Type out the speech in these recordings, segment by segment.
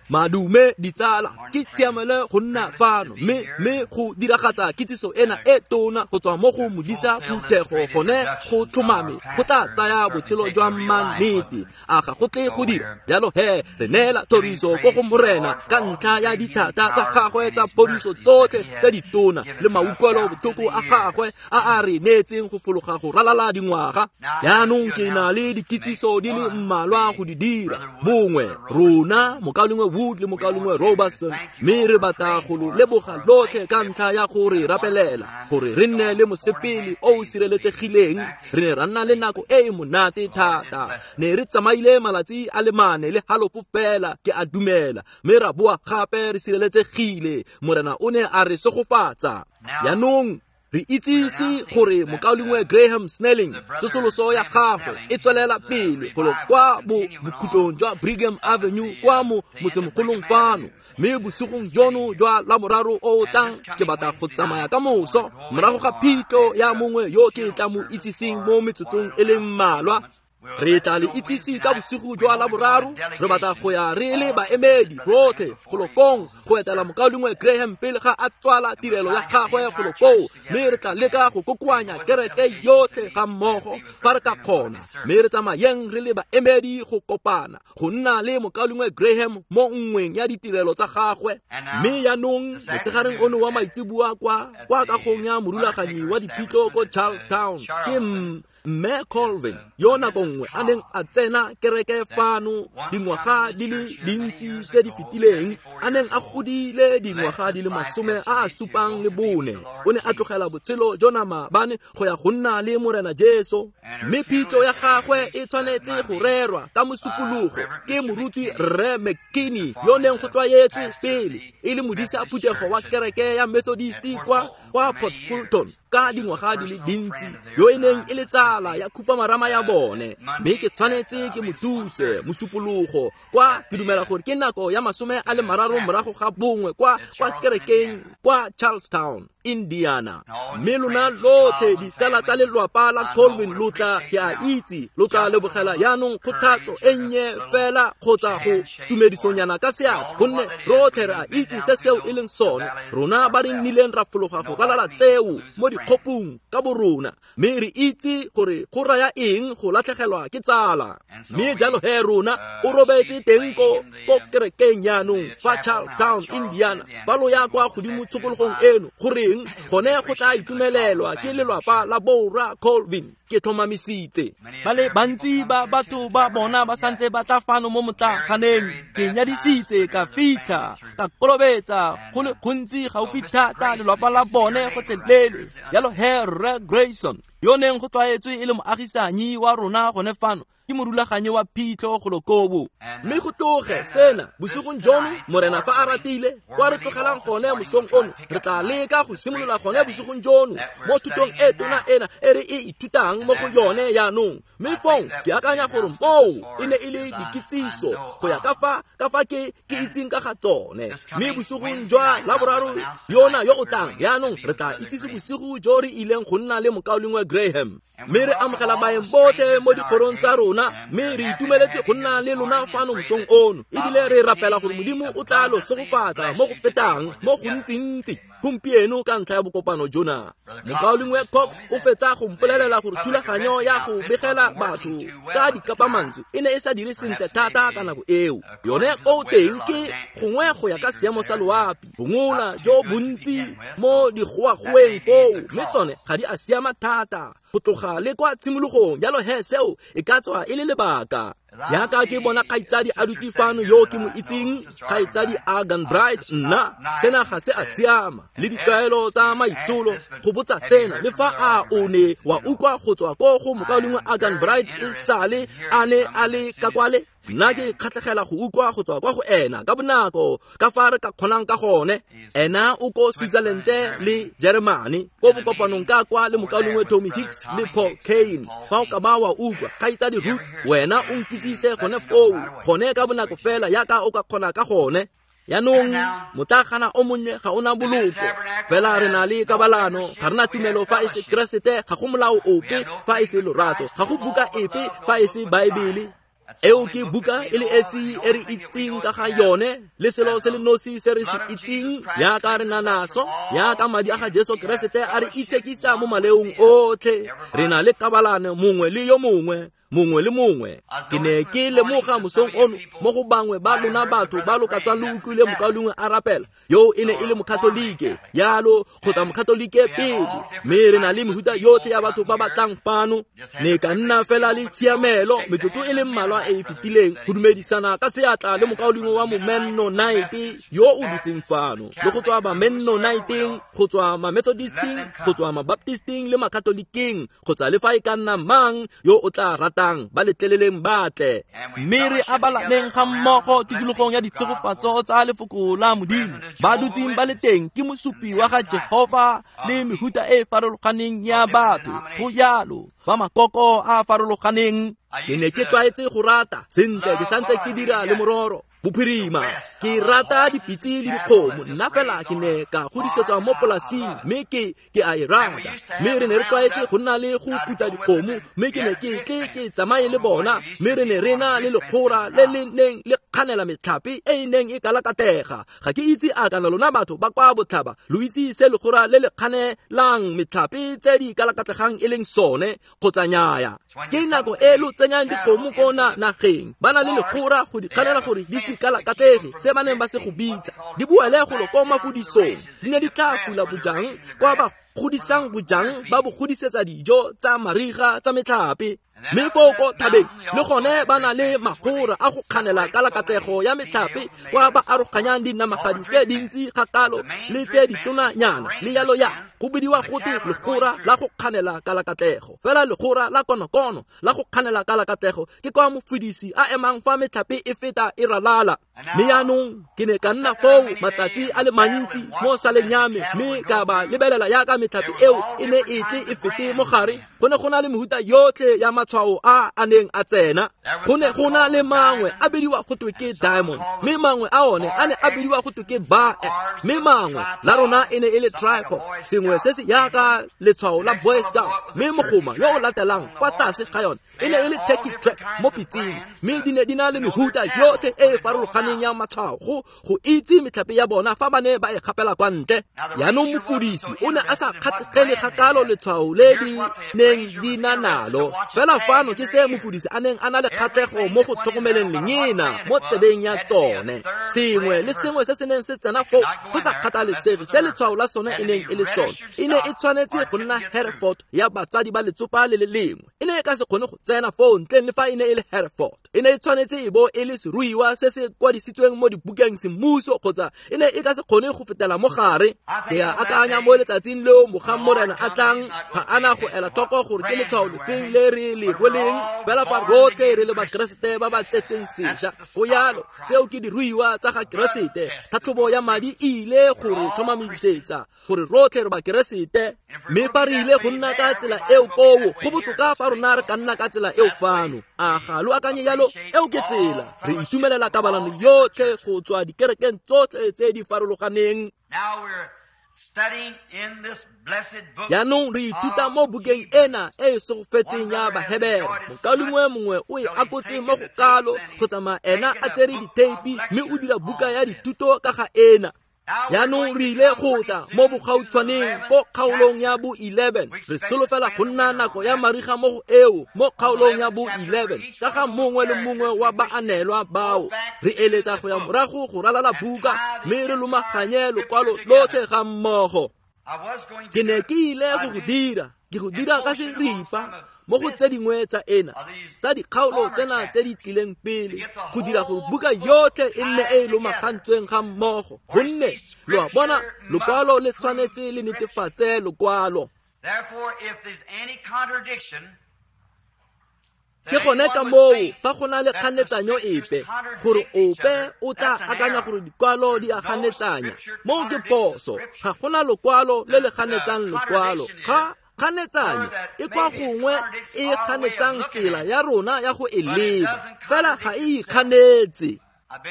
Madume ditsala ke tshiamelo go nna fano mme go diragatsa kitsiso ena e tona go tswa mo go modisa phuthego gone go tlhomame go tla tsaya botshelo jwa mannete a ga go tle go dira jalo he re neela thoriso ko go Morena ka ntlha ya dithata tsa gagwe tsa phodiso tsotlhe tse ditona le mautlwelo botlhoko a gagwe a a re neetseng go fologa go ralala dingwaga. Jaanong ke na le dikitsiso di le mmalwa go di dira bongwe rona mokaulengwe Wood le mokaulengwe Robertson, mme re batla go lo leboga lotlhe ka ntlha ya go re rapelela gore re nne le mosepele o o sireletsegileng. Re ne ra nna le nako e e monate thata, ne re tsamaile malatsi a le mane le halofo fela ke a dumela, mme ra boa gape re sireletsegile. Morena o ne a re segofatsa. Jaanong re itsise gore mokaulengwe Graham Snelling tsosoloso ya gagwe e tswelela pele golo kwa bokhutlong jwa Brigham Avenue kwa mo motsemogolong fano, mme bosigong jono jwa Laboraro o o tlang ke batla go tsamaya ka moso morago ga phitlho ya mongwe yo ke tla mo itsiseng mo metsotsong e le mmalwa. Re tla le itsise ka bosigo jwa Laboraro. Re batla go ya re le baemedi botlhe golo kong go etela mokaulengwe Graham pele ga a tswala tirelo ya gagwe golo koo, mme re tla leka go kokoanya kereke yotlhe ga mmogo fa re ka kgona, mme re tsamayeng re le baemedi go kopana go nna le mokaulengwe Graham mo nngweng ya ditirelo tsa gagwe. Mme jaanong motshegareng ono wa maitseboa kwa kagong ya morulaganyi wa diphitlho ko Charlestown ke Mme Colvin yo nako nngwe a neng a tsena kereke fano dingwaga di le dintsi tse di fetileng, a neng a godile dingwaga di le 74, o ne a tlogela botshelo jona maabane go ya go nna le Morena Jesu. Mme phitlho ya gagwe e tshwanetse go rerwa ka Mosupologo ke moruti Rre McKinney yo neng go tlwaetswe pele e le modisa phuthego wa kereke ya Methodist kwa Port Fulton ka dingwaga di le dintsi, yo e neng e le tsala ya khupamarama ya bone. Mme ke tshwanetse ke mo thuse Mosupologo kwa ke dumela gore ke nako ya 31 kwa kerekeng kwa Charlestown, Indiana. Mme lona lotlhe ditsala tsa lelwapa la Colvin lo tla, ke a itse lo tla lebogela jaanong kgothatso e nnye fela kgotsa go tumedisonyana ka seatla, gonne rotlhe re a itse se seo e leng sone, rona ba re nnileng ra fologa go ralala tseo mo dikgopong ka borona, mme re itse gore go raya eng go latlhegelwa ke tsala. Mme jalo he rona o robetse teng ko kerekeng jaanong fa Charlestown, Indiana. Fa lo ya kwa godimo tshokologong eno, goreng gone go tla itumelelwa ke lelwapa la borra Colvin, ke tlhomamisitse. Ba le bantsi ba batho ba bona ba santse ba tla fano mo motlaganeng. Ke nyadisitse ka fitlha ka kolobetsa go le gontsi gaufi thata lelwapa la bone gotlhelele. Jalo he Rre Grayson yo neng go tlwaetswe e le moagisanyi wa rona gone fano ke morulaganyi wa phitlho golo kobo. Mme go tloge sena bosigong jono, Morena fa a ratile, kwa re tlogelang gone mosong ono, re tla leka go simolola gone bosigong jono mo thutong e tona ena e re e ithutang mo go yone jaanong. Mme fong ke akanya gore moo e ne e le dikitsiso go ya ka fa ke itseng ka ga tsone. Mme bosigong jwa Laboraro yona yo o tlang jaanong re tla itsise bosigo jo re ileng go nna le mokaulengwe Graham. Mme re amogela baeng botlhe mo dikgorong tsa rona, mme re itumeletse go nna le lona fano mosong ono, ebile re rapela gore Modimo o tla lo segofatsa mo go fetang mo gontsintsi gompieno ka ntlha ya bokopano jona. Mokaulengwe Cox o fetsa go mpolelela gore thulaganyo ya go begela batho ka dikapamantswe e ne e sa dire sentle thata ka nako eo. Yone o teng ke gongwe go ya ka seemo sa loapi, bongola jo bontsi mo digoagoeng foo, mme tsone ga di a siama thata go tloga le kwa tshimologong. Jalo he seo e ka tswa e le lebaka. Jaaka ke bona kgaitsadi a dutse fano yo ke mo itseng, kgaitsadi Argan Bright, nna sena ga se a siama le ditlwaelo tsa maitsholo go botsa sena, le fa a o ne wa utlwa go tswa ko go mokaulengwe Argan Bright e sale a ne a le ka kwale. Nna ke kgatlhegela go utlwa go tswa kwa go ena ka bonako ka fa re ka kgonang ka gone. Ena o ko Switzerland le Germany ko bokopanong ka kwa le mokaulengwe Tommy Hicks le Paul Kane. Fa o ka ba wa utlwa kgaitsadi Ruth, wena o nkitsise gone foo gone ka bonako fela yaka o ka kgona ka gone. Yaanong motlagana o monnye ga ona boloko, fela re na le kabalano, ga rena tumelo fa e se Keresete, ga go molao ope fa e se lorato, ga go buka epe fa e se Baebele. Eo ke buka e le esi e re itseng ka ga yone, le selo se le nosi se re se itseng yaka re na naso, yaka madi a ga Jesu Keresete a re itshekisa mo maleong otlhe. Re na le kabalano mongwe le yo mongwe, mongwe le mongwe. Ke ne ke lemoga mosong ono mo go bangwe ba lona batho ba lo ka tswang lo utlwile mokaulengwe a rapela, yo e ne e le mokatolike yalo kgotsa mokatolike pele, mme re na le mehuta yotlhe ya batho ba ba tlang fano. Ne ka nna fela le tshiamelo metsotso e le mmalwa e e fetileng go dumedisana ka seatla le mokaulengwe wa Mennonite yo o dutseng fano, le go tswa ba Mennoniteng, go tswa ma Methodisteng, go tswa ma Baptisteng le makatolikeng, kgotsa le fa e ka nna mang yo o tla ratang, ba letleleleng batle. Mme re abalaneng ga mmogo tikologong ya ditshegofatso tsa lefoko la Modimo. Ba dutseng ba le teng ke mosupi wa ga Jehova le mehuta e farologaneng ya batho, go jalo ba makoko a farologaneng. Ke ne ke tlwaetse go rata sentle, ke santse ke dira le mororo bophirima. Ke rata dipitse le dikgomo, nna fela ke ne ka godisetswa mo polasing, mme ke a e rata. Mme re ne re tlwaetse go nna le go phuta dikgomo, mme ke ne ke tle ke tsamaye le bona, mme re ne re na le lekgora le le neng le kganela metlhape e e neng e kalakatega. Ga ke itse a kana lona batho ba kwa botlhaba lo itse se lekgora le le kganelang metlhape tse di kalakatlegang e leng sone kgotsa nnyaya. Ke nako e lo tsenyang dikgomo ko nageng, ba na le lekgora go di kganela gore di se kalakatlege, se ba neng ba se go bitsa di boele golo ko mafudisong. Di ne di tla fula bojang kwa ba godisang bojang, ba bo godisetsa dijo tsa mariga tsa metlhape. Mme foo ko thabeng le gone ba na le magora a go kganela kalakatlego ya metlhape, kwa ba aroganyang dinamagadi tse dintsi kgakalo le tse ditonanyana le yalo ya. Go bidiwa gote legora la go kganela kalakatlego. Fela legora la konokono la go kganela kalakatlego ke kwa mofudisi a emang fa metlhape e feta e ralala. Mme yaanong ke ne ka nna foo matsatsi a le mantsi mo saleng ya me, mme ka ba lebelela yaka metlhape eo e ne e tle e fete mo gare. Go ne go na le mehuta yotlhe ya matshwao a a neng a tsena. Go ne go na le mangwe a bidiwa go twe ke diamond, mme mangwe a one a ne a bidiwa go twe ke bar x, mme mangwe la rona e ne e le tripod, sengwe se se yaka letshwao la Boy Scout, mme mogoma yo o latelang kwa tlase ga yone e ne e le turkey trap mo pitseng. Mme di ne di na le mehuta yotlhe e e farologaneng ya matshwao go itse metlhape ya bona fa ba ne ba e gapela kwa ntle. Yaanong mofudisi o ne a sa kgatlhegele kgakalo letshwao le di neng di na nalo, fela fano ke se mofudisi a neng a na le kgatlhego mo go tlhokomeleng lengena mo tsebeng ya tsone. Sengwe le sengwe se se neng se tsena foo go sa kgathalesege se letshwao la sone e neng e le sone, e ne e tshwanetse go nna Hereford ya batsadi ba letsopa le le lengwe. E ne e ka se kgone go tsena foo ntleng le fa e ne e le Hereford. E ne e tshwanetse e bo e le seruiwa se se kwadisitsweng mo dibukeng semmuso, kgotsa e ne e ka se kgone go fetela mo gare. Ke a akanya mo letsatsing leo mogang Morena a tlang, ga ana go ela tlhoko gore ke letshwao lefeng le re le rweleng, fela fa rotlhe re le Bakeresete ba ba tsetsweng sešwa. Go yalo, tseo ke diruiwa tsa ga Keresete. Tlhatlhobo ya madi e ile go re tlhomamisetsa gore rotlhe re Bakeresete. Mme fa re ile go nna ka tsela eo koo, go botoka fa rona re ka nna ka tsela eo fano. A ga lo akanye yalo? Eo ke tsela. Re itumelela kabalano yotlhe go tswa dikerekeng tsotlhe tse di farologaneng. Yaanong re ithuta mo bukeng ena e e segofetseng ya Bahebere. Mokaulengwe mongwe o e akotse mo go kalo go tsamaya ena a tsere ditheipi, mme o dira buka ya dithuto ka ga ena. Yaanong re ile go tla mo bogautshwaneng ko kgaolong ya bo 11. Re solofela go nna nako ya mariga mo go eo mo kgaolong ya bo 11 ka ga mongwe le mongwe wa baanelwa bao. Re eletsa go ya morago go ralala buka, mme re lomaganye lokwalo lotlhe ga mmogo. Ke ne ke ile go go dira, ke go dira ka seripa mo go tse dingwe tsa ena tsa dikgaolo tsena tse di tlileng pele, go dira gore buka yotlhe e nne e e lomagantsweng ga mmogo, gonne lo a bona lokwalo le tshwanetse le netefatse lokwalo. Ke gone ka moo fa go na le kganetsanyo epe, gore ope o tla akanya gore dikwalo di a ganetsanya, moo ke phoso. Ga gona lokwalo le le ganetsang lokwalo. Ga kganetsanyo e kwa gongwe e kganetsang tsela ya rona ya go e leba, fela ga e ikganetse.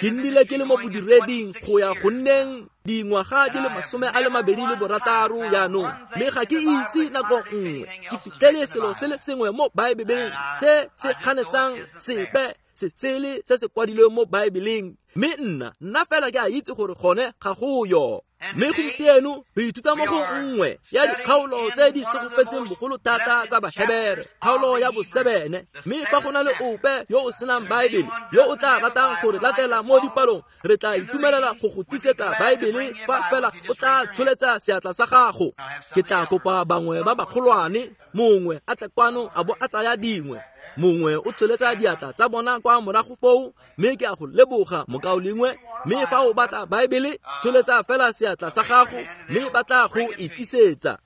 Ke nnile ke le mo bodireding go ya go nneng dingwaga di le 26 jaanong, mme ga ke ise nako nngwe ke fitlhele selo se le sengwe mo Baebeleng se se kganetsang sepe se sele se se kwadilweng mo Baebeleng, mme nna fela ke a itse gore gone ga go yo. Mme gompieno re ithuta mo go nngwe ya dikgaolo tse di segofetseng bogolo thata tsa Bahebere, kgaolo ya bo-7. Mme fa go na le ope yo o senang Baebele yo o tla ratang gore latela mo dipalong, re tla itumelela go go tlisetsa Baebele fa fela o tla tsholetsa seatla sa gago. Ke tla kopa bangwe ba bagolwane, mongwe a tle kwano a bo a tsaya dingwe, mongwe o tsholetsa diatla tsa bona kwa morago foo, mme ke a go leboga mokaulengwe. Mme fa o batla Baebele, tsholetsa fela seatla sa gago mme ba tla go e tlisetsa.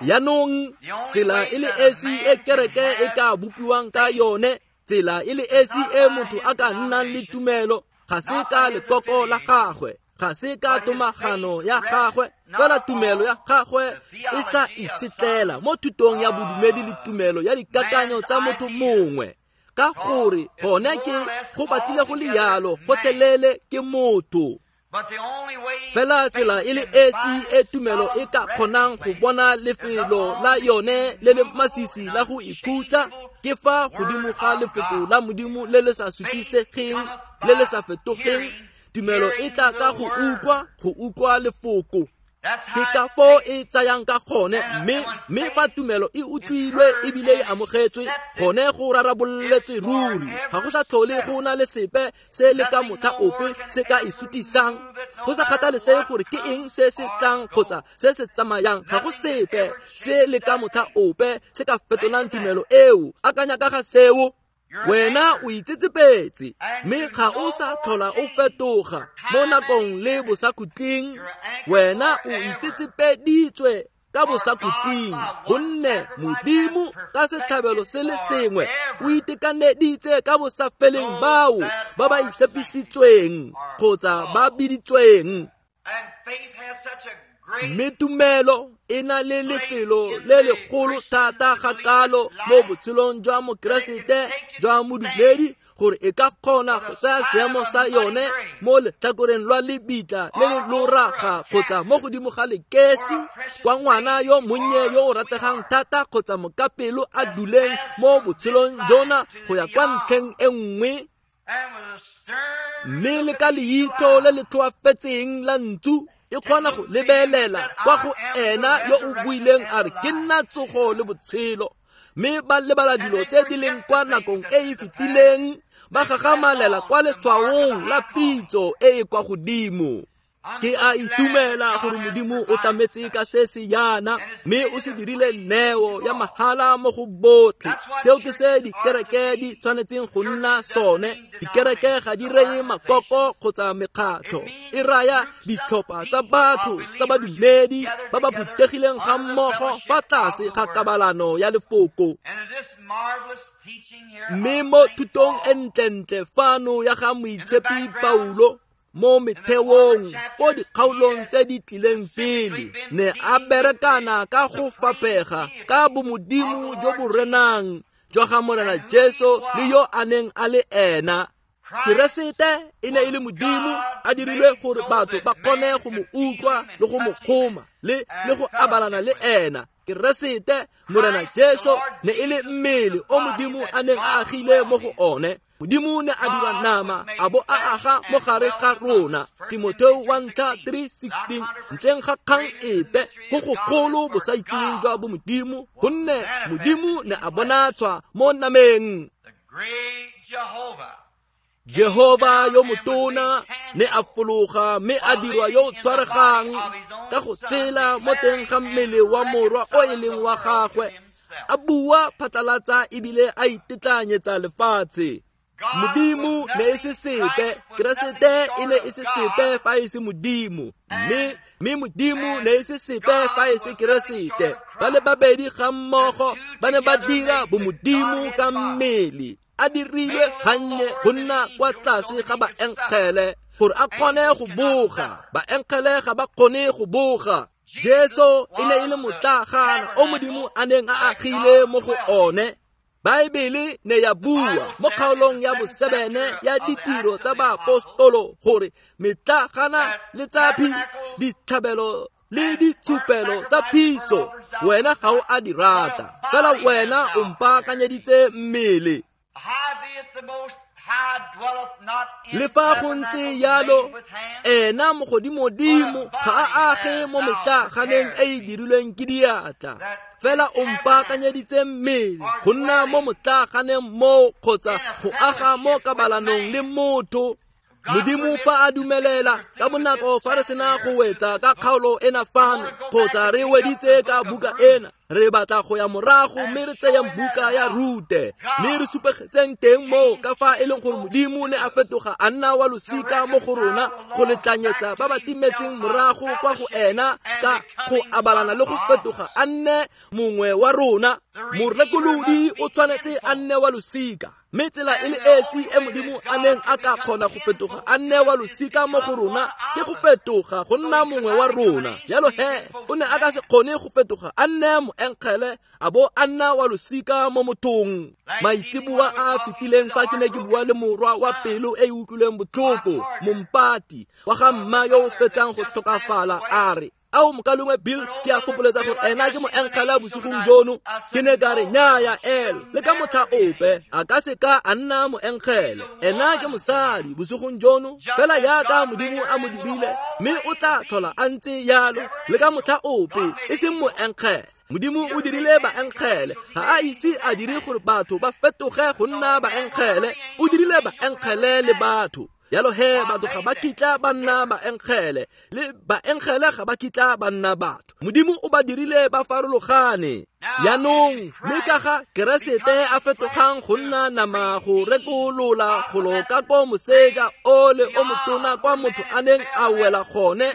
Jaanong tsela e le esi e kereke e ka bopiwang ka yone, tsela e le esi e motho a ka nnang le tumelo, ga se ka lekoko la gagwe, ga se ka tomagano ya gagwe, fela tumelo ya gagwe e sa itshetlela mo thutong ya bodumedi le tumelo ya dikakanyo tsa motho mongwe, ka gore gone ke go batlile go le yalo gotlhelele ke motho. Fela tsela e le esi e tumelo e ka kgonang go bona lefelo la yone le le masisi la go ikhutsa ke fa godimo ga lefoko la Modimo le le sa sutisegeng, le le sa fetogeng. Tumelo e tla ka go utlwa lefoko. Ke ka foo e tsayang ka gone, mme fa tumelo e utlwilwe ebile e amogetswe, gone go rarabololetswe ruri. Ga go sa tlhole go na le sepe se le ka motlha ope se ka e sutisang, go sa kgathalesege gore ke eng se se tlang kgotsa se se tsamayang. Ga go sepe se le ka motlha ope se ka fetolang tumelo eo. Akanya ka ga seo. Wena o itsetsepetse, mme ga o sa tlhola o fetoga mo nakong le bosakhutleng. Wena o itsetsepeditswe ka bosakhutleng, gonne Modimo ka setlhabelo se le sengwe o itekaneditse ka bosafeleng bao ba ba itshepisitsweng kgotsa ba biditsweng. Mme tumelo e na le lefelo le legolo thata ga kalo mo botshelong jwa Mokeresete jwa modumedi, gore e ka kgona go tsaya seemo sa yone mo letlhakoreng lwa lebitla le le loraga kgotsa mo godimo ga lekesi, kwa ngwana yo monnye yo o rategang thata kgotsa mokapelo a duleng mo botshelong jona go ya kwa ntlheng e nngwe. Mme le ka leitlho le le tlhoafetseng la ntsu e kgona go lebelela kwa go ena yo o buileng a re, ke nna tsogo le botshelo. Mme ba lebala dilo tse di leng kwa nakong e e fetileng, ba gagamalela kwa letshwaong la pitso e e kwa godimo. Ke a itumela gore Modimo o tlametse ka se se yana, mme o se dirile neo ya mahala mo go botlhe. Seo ke se dikereke di tshwanetseng go nna sone. Dikereke ga di reye makoko kgotsa mekgatlho, e raya ditlhopha tsa batho tsa badumedi ba ba phuthegileng ga mmogo fa tlase ga kabalano ya lefoko. Mme mo thutong e ntlentle fano ya ga Moitshepi Paulo, mo metheong ko dikgaolong tse di tlileng pele, ne a berekana ka go fapega ka bomodimo jo bo renang jwa ga Morena Jesu le yo a neng a le ena. Keresete e ne e le Modimo a dirilwe gore batho ba kgone go mo utlwa le go mo kgoma le go abalana le ena. Keresete Morena Jesu ne e le mmele o Modimo a neng a agile mo go one. Modimo ne a dira nama a bo a aga mo gare ga rona. Timotheo 1:3-16. Ntleng ga kgang epe go gogolo bosaitseweng jwa bomodimo, gonne Modimo ne a bonatshwa mo nameng. Jehova yo motona ne a fologa mme a dirwa yo o tshwaregang ka go tsela mo teng ga mmele wa morwa o e leng wa gagwe, a bua phatlalatsa ebile a itetlanyetsa lefatshe. Modimo ne e se sepe, Keresete e ne e se sepe fa e se Modimo, mme Modimo ne e se sepe fa e se Keresete. Ba le babedi ga mmogo ba ne ba dira bomodimo ka mmele, a dirilwe gannye go nna kwa tlase ga baenkgele gore a kgone go boga. Baenkgele ga ba kgone go boga. Jesu e ne e le motlagana o Modimo a neng a agile mo go one. Baebele ne ya bua mo kgaolong ya bo-7 ya ditiro tsa baapostolo gore metlagana le tsaphi ditlhabelo Le ditshupelo tsa phiso wena ga o a di rata, fela wena o mpaakanyeditse mmele. Le fa go ntse yalo, ena mogodimodimo ga a age mo metlaganeng e e dirilweng ke diatla, fela o mpaakanyeditse mmele go nna mo motlaganeng moo kgotsa go aga mo kabalanong le motho. Modimo fa a dumelela ka bonako fa re sena go wetsa ka kgaolo ena fano kgotsa re weditse ka buka ena, re batla go ya morago mme re tseyeng buka ya Rute mme re supegetseng teng moo ka fa e leng gore Modimo ne a fetoga a nna wa losika mo go rona go letlanyetsa ba ba timetseng morago kwa go ena ka go abalana le go fetoga a nne mongwe wa rona. Morekolodi o tshwanetse a nne wa losika, mme tsela e le esi e Modimo a neng a ka kgona go fetoga a nne wa losika mo go rona ke go fetoga go nna mongwe wa rona. Jalo he o ne a ka se kgone go fetoga a nne moengele a bo a nna wa losika mo mothong. Maitseboa a a fetileng fa ke ne ke bua le morwa wa pelo e e utlwileng botlhoko, mompati wa ga mma yo o fetsang go tlhokafala, a re, ao mokalengwe Bill, ke a fopoletsa gore ena ke moengele bosigong jono. Ke ne ka re, nnyaya el, le ka motlha ope a ka se ka a nna moengele, ena ke mosadi bosigong jono fela jaaka Modimo a mo dirile, mme o tla tlhola a ntse yalo le ka motlha ope, e seng moengele. Modimo o dirile baengele, ga a ise a dire gore batho ba fetoge go nna baengele, o dirile baengele le batho. Jalo he batho ga ba kitla ba nna baengele, le baengele ga ba kitla ba nna batho. Modimo o ba dirile ba farologane. Jaanong mme ka ga Keresete a fetogang go nna nama go rekolola golo ka ko moseja ole o motona kwa motho a neng a wela gone,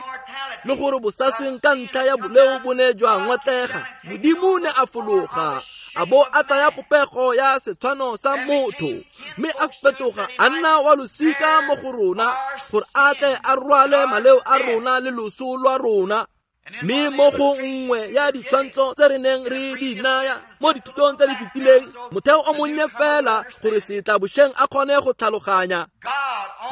le gore bosasweng ka ntlha ya boleo bo ne jwa ngotega, Modimo ne a fologa a bo a tsaya popego ya setshwano sa motho, mme a fetoga a nna wa losika mo go rona gore a tle a rwale maleo a rona le loso lwa rona. Mme mo go nngwe ya ditshwantsho tse re neng re di naya mo dithutong tse di fetileng, motheo o monnye fela gore setlabošeng a kgone go tlhaloganya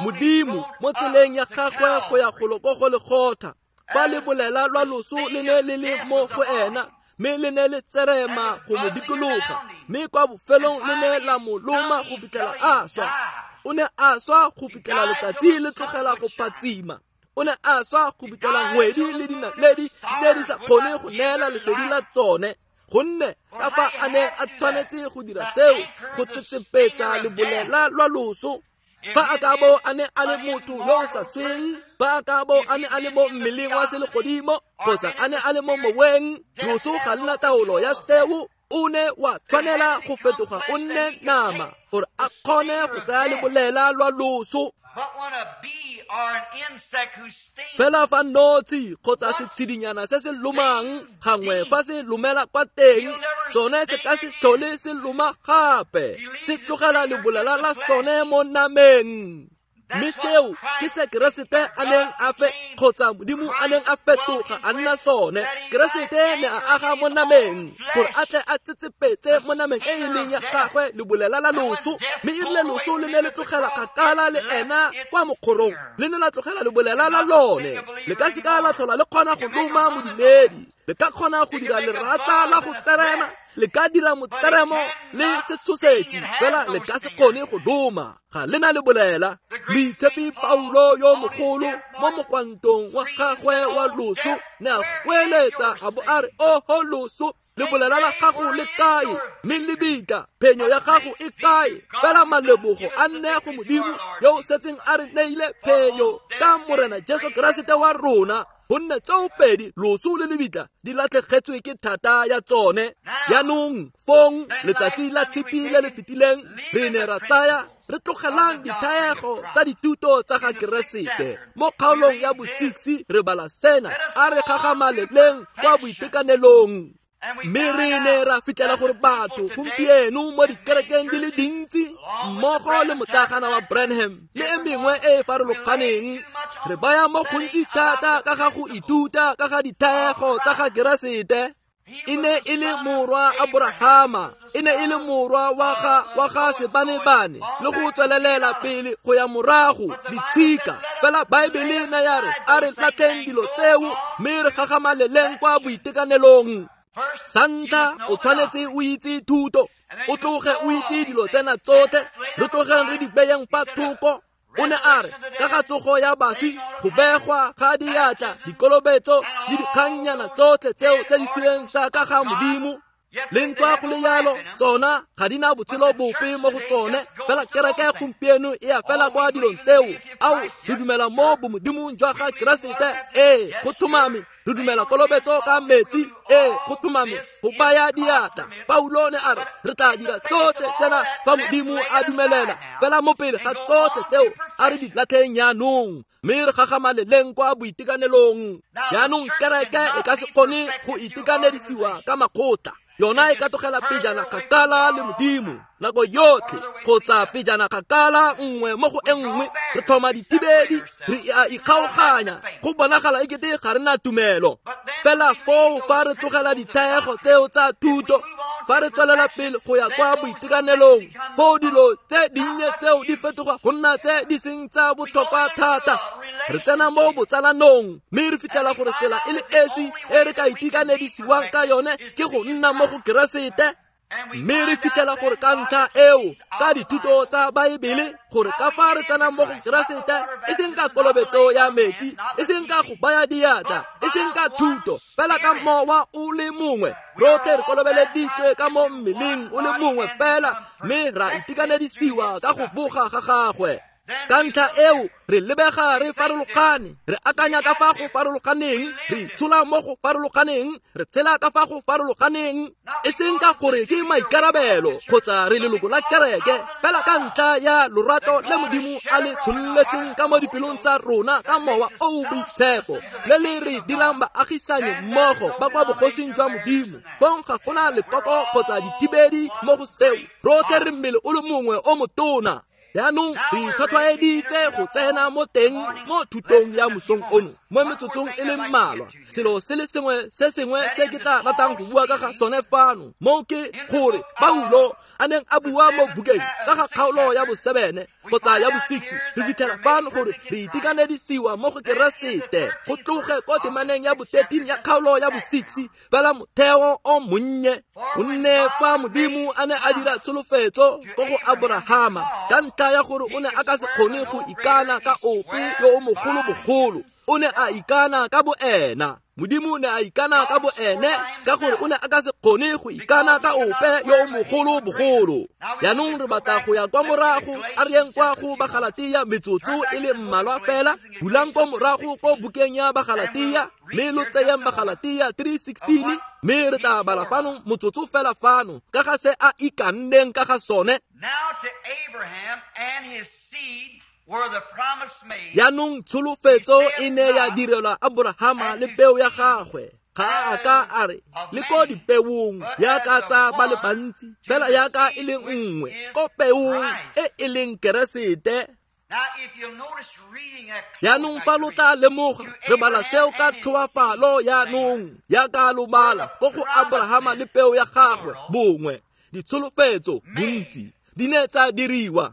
Modimo mo tseleng ya gagwe go ya golo ko go lekgotha, fa le bolela lwa loso le ne le le mo go ena, mme le ne le tserema go mo dikologa, mme kwa bofelong le ne la mo loma go fitlhela a swa. O ne a swa go fitlhela letsatsi le tlogela go phatsima. O ne a swa go fitlhela ngwedi le dinaledi di ne di sa kgone go neela lesedi la tsone, gonne ka fa a neng a tshwanetse go dira seo go tsetsepetsa lebolela lwa loso. Fa a ka bo a ne a le motho yo o sa sweng, fa a ka bo a ne a le mo mmeleng wa selegodimo kgotsa a ne a le mo moweng, loso ga le na taolo ya seo. O ne wa tshwanela go fetoga o nne nama gore a kgone go tsaya lebolela lwa loso. Fela fa notshi kgotsa setshedinyana se se lomang gangwe fa se lomela kwa teng, sone se ka se tlhole se loma gape, se tlogela lebolela la sone mo nameng. Mme seo ke se Keresete a neng a fe kgotsa Modimo a neng a fetoga a nna sone. Keresete ne a aga mo nameng gore a tle a tsetsepetse mo nameng e e leng ya gagwe lebolela la loso, mme e rile loso le ne le tlogela kgakala le ena kwa mokgorong, le ne la tlogela lebolela la lone. Le ka se ka la tlhola le kgona go loma modumedi, le ka kgona go dira leratla la go tserema, le ka dira motseremo le setshosetsi, fela le ka se kgone go loma, ga le na le bolela. Moitshepi Paulo yo mogolo mo mokwantong wa gagwe wa loso ne a goeletsa a bo a re, oho loso, lebolela la gago le kae? Mme lebitla, phenyo ya gago e kae? Fela malebogo a nne go Modimo yo o setseng a re neile phenyo ka Morena Jesu Keresete wa rona, gonne tsoopedi loso le lebitla di latlhegetswe ke thata ya tsone. Jaanong fong letsatsi la tshipi le le fetileng re ne ra tsaya re tlogelang dithaego tsa dithuto tsa ga Keresete. Mo kgaolong ya bo-6 re bala sena, a re gagamaleleng kwa boitekanelong. Mme re ne ra fitlhela gore batho gompieno mo dikerekeng di le dintsi mmogo le motlagana wa Branham le e mengwe e e farologaneng, re baya mo gontsi thata ka ga go ithuta ka ga dithaego tsa ga Keresete. E ne e le morwa Aborahama, e ne e le morwa wa ga Sebanebane, le go tswelelela pele go ya morago ditshika. Fela Baebele ne ya re a re latlheng dilo tseo mme re gagamaleleng kwa boitekanelong. Sa ntlha o tshwanetse o itse thuto, o tloge o itse dilo tsena tsotlhe, re tlogeng re di beyeng fa thoko. O ne a re ka ga tsogo ya baswi, go begwa ga diatla, dikolobetso le dikgannyana tsotlhe tseo tse di siweng tsa ka ga Modimo. Le ntswa go le yalo, tsona ga di na botshelo bope mo go tsone. Fela kereke gompieno e ya fela kwa dilong tseo. Ao, re dumela mo bomodimong jwa ga Keresete, ee, go tlhomame. Re dumela kolobetso ka metsi, ee, go tlhomame. Go baya diatla. Paulo ne a re re tla dira tsotlhe tsena fa Modimo a dumelela. Fela mo pele ga tsotlhe tseo a re di latlheng jaanong, mme re gagamaleleng kwa boitekanelong. Jaanong kereke e ka se kgone go itekanedisiwa ka makgotla. Yona e ka tlogela pejana kgakala le Modimo nako yotlhe, kgotsa pejana kgakala nngwe mo go e nngwe. Re tlhoma dithibedi, re a ikgaoganya, go bonagala ekete ga re na tumelo. Fela foo fa re tlogela dithaego tseo tsa thuto, fa re tswelela pele go ya kwa boitekanelong, foo dilo tse dinnye tseo di fetoga go nna tse di seng tsa botlhokwa thata. Re tsena mo botsalanong, mme re fitlhela gore tsela e le esi e re ka itekanedisiwang ka yone ke go nna mo go Keresete. Mme re fitlhela gore ka ntlha eo, ka dithuto tsa Baebele, gore ka fa re tsenang mo go Keresete, e seng ka kolobetso ya metsi, e seng ka go baya diatla, e seng ka thuto, fela ka mowa o le mongwe. Rotlhe re kolobeleditswe ka mo mmeleng o le mongwe fela, mme ra itekanedisiwa ka go boga ga gagwe. Ka ntlha eo re lebega re farologane, re akanya ka fa go farologaneng, re itshola mo go farologaneng, re tshela ka fa go farologaneng, e seng ka gore ke maikarabelo kgotsa re leloko la kereke, fela ka ntlha ya lorato le Modimo a le tshololetseng ka mo dipelong tsa rona ka mowa o o boitshepo, le le re dirang baagisani mmogo ba kwa bogosing jwa Modimo. Fong ga gona lekoko kgotsa dithibedi mo go seo. Rotlhe re mmele o le mongwe o motona. Jaanong re itlhwatlhwaeditse go tsena mo teng mo thutong ya mosong ono mo metsotsong e le mmalwa. Selo se le sengwe se sengwe se ke tla ratang go bua ka ga sone fano mo ke gore Paulo a neng a bua mo bukeng ka ga kgaolo ya bo-7 kgotsa ya bo-6, re fitlhela fano gore re itekanedisiwa mo go Keresete go tloge ko temaneng ya bo-13 ya kgaolo ya bo-6, fela motheo o monnye. Gonne fa Modimo a ne a dira tsholofetso ko go Aborahama ka ntlha ya gore o ne a ka se kgone go ikana ka ope yo o mogolo bogolo, o ne a ikana ka boena. Modimo ne a ikana ka boene ka gore o ne a ka se kgone go ikana ka ope yo o mogolo bogolo. Jaanong re batla go ya kwa morago, a re yeng kwa go Bagalatia metsotso e le mmalwa fela. Bulang ko morago ko bukeng ya Bagalatia, mme lo tseyeng Bagalatia 3:16, mme re tla bala fano motsotso fela fano ka ga se a ikanneng ka ga sone. Jaanong tsholofetso e ne ya direlwa Aborahama le peo ya gagwe. Ga a ka a re le ko dipeong yaka tsa ba le bantsi, fela yaka e le nngwe ko peong e e leng Keresete. Jaanong fa lo tla lemoga, re bala seo ka tlhoafalo jaanong, yaka lo bala ko go Aborahama le peo ya gagwe bongwe. Ditsholofetso bontsi di ne tsa diriwa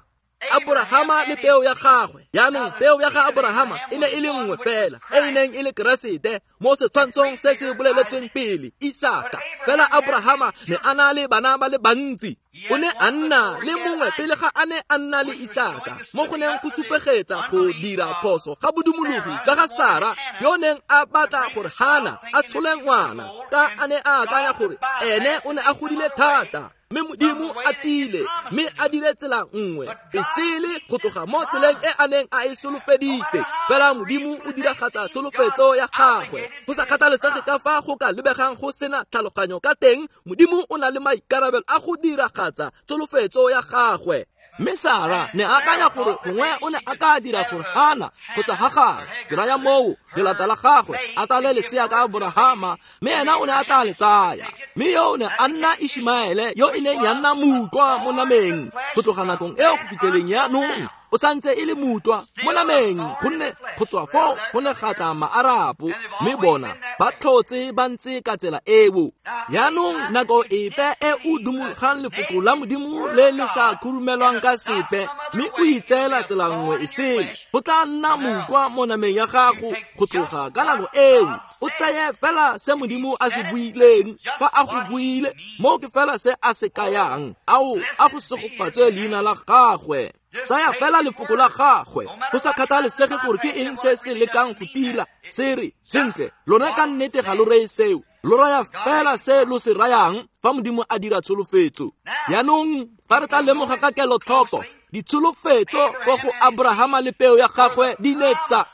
Aborahama le peo ya gagwe. Jaanong peo ya ga Aborahama e ne e le nngwe fela, e e neng e le Keresete mo setshwantshong se se boleletsweng pele, Isaka. Fela Aborahama ne a na le bana ba le bantsi. O ne a nna le mongwe pele ga a ne a nna le Isaka, mo go neng go supegetsa go dira phoso ga bodumologi jwa ga Sara, yo neng a batla gore Hana a tshole ngwana, ka a ne a akanya gore ene o ne a godile thata. Mme Modimo a tile, mme a dire tsela nngwe e sele go tloga mo tseleng e a neng a e solofeditse. Fela Modimo o diragatsa tsholofetso ya gagwe. Go sa kgathalesege ka fa go ka lebegang go sena tlhaloganyo ka teng, Modimo o na le maikarabelo a go diragatsa tsholofetso ya gagwe. Mme Sara ne a akanya gore gongwe o ne a ka dira gore Hana kgotsa Hagare, ke raya moo lelata la gagwe, a tsale lesea ka Aborahama, mme ena o ne a tla le tsaya. Mme yo o ne a nna Ishmaele, yo e neng ya nna mutlwa mo nameng go tloga nakong eo go fitlheleng jaanong. O santse e le mutwa mo nameng, gonne go tswa foo go ne ga tla Maarapo, mme bona ba tlhotse ba ntse ka tsela eo. Yaanong nako epe e o dumologang lefoko la Modimo le le sa khurumelwang ka sepe, mme o itseela tsela nngwe e sele, go tla nna mokwa mo nameng ya gago go tloga ka nako eo. O tseye fela se Modimo a se buileng, fa a go buile, moo ke fela se a se kayang. Ao, a go segofatse leina la gagwe. Tsaya fela lefoko la gagwe, go sa kgathalesege gore ke eng se se lekang go tila. Se re, sentle, lona ka nnete ga lo reye seo, lo raya fela se lo se rayang fa Modimo a dira tsholofetso. Yaanong fa re tla lemoga ka kelotlhoko, ditsholofetso ko go Abrahama le peo ya gagwe di ne tsa,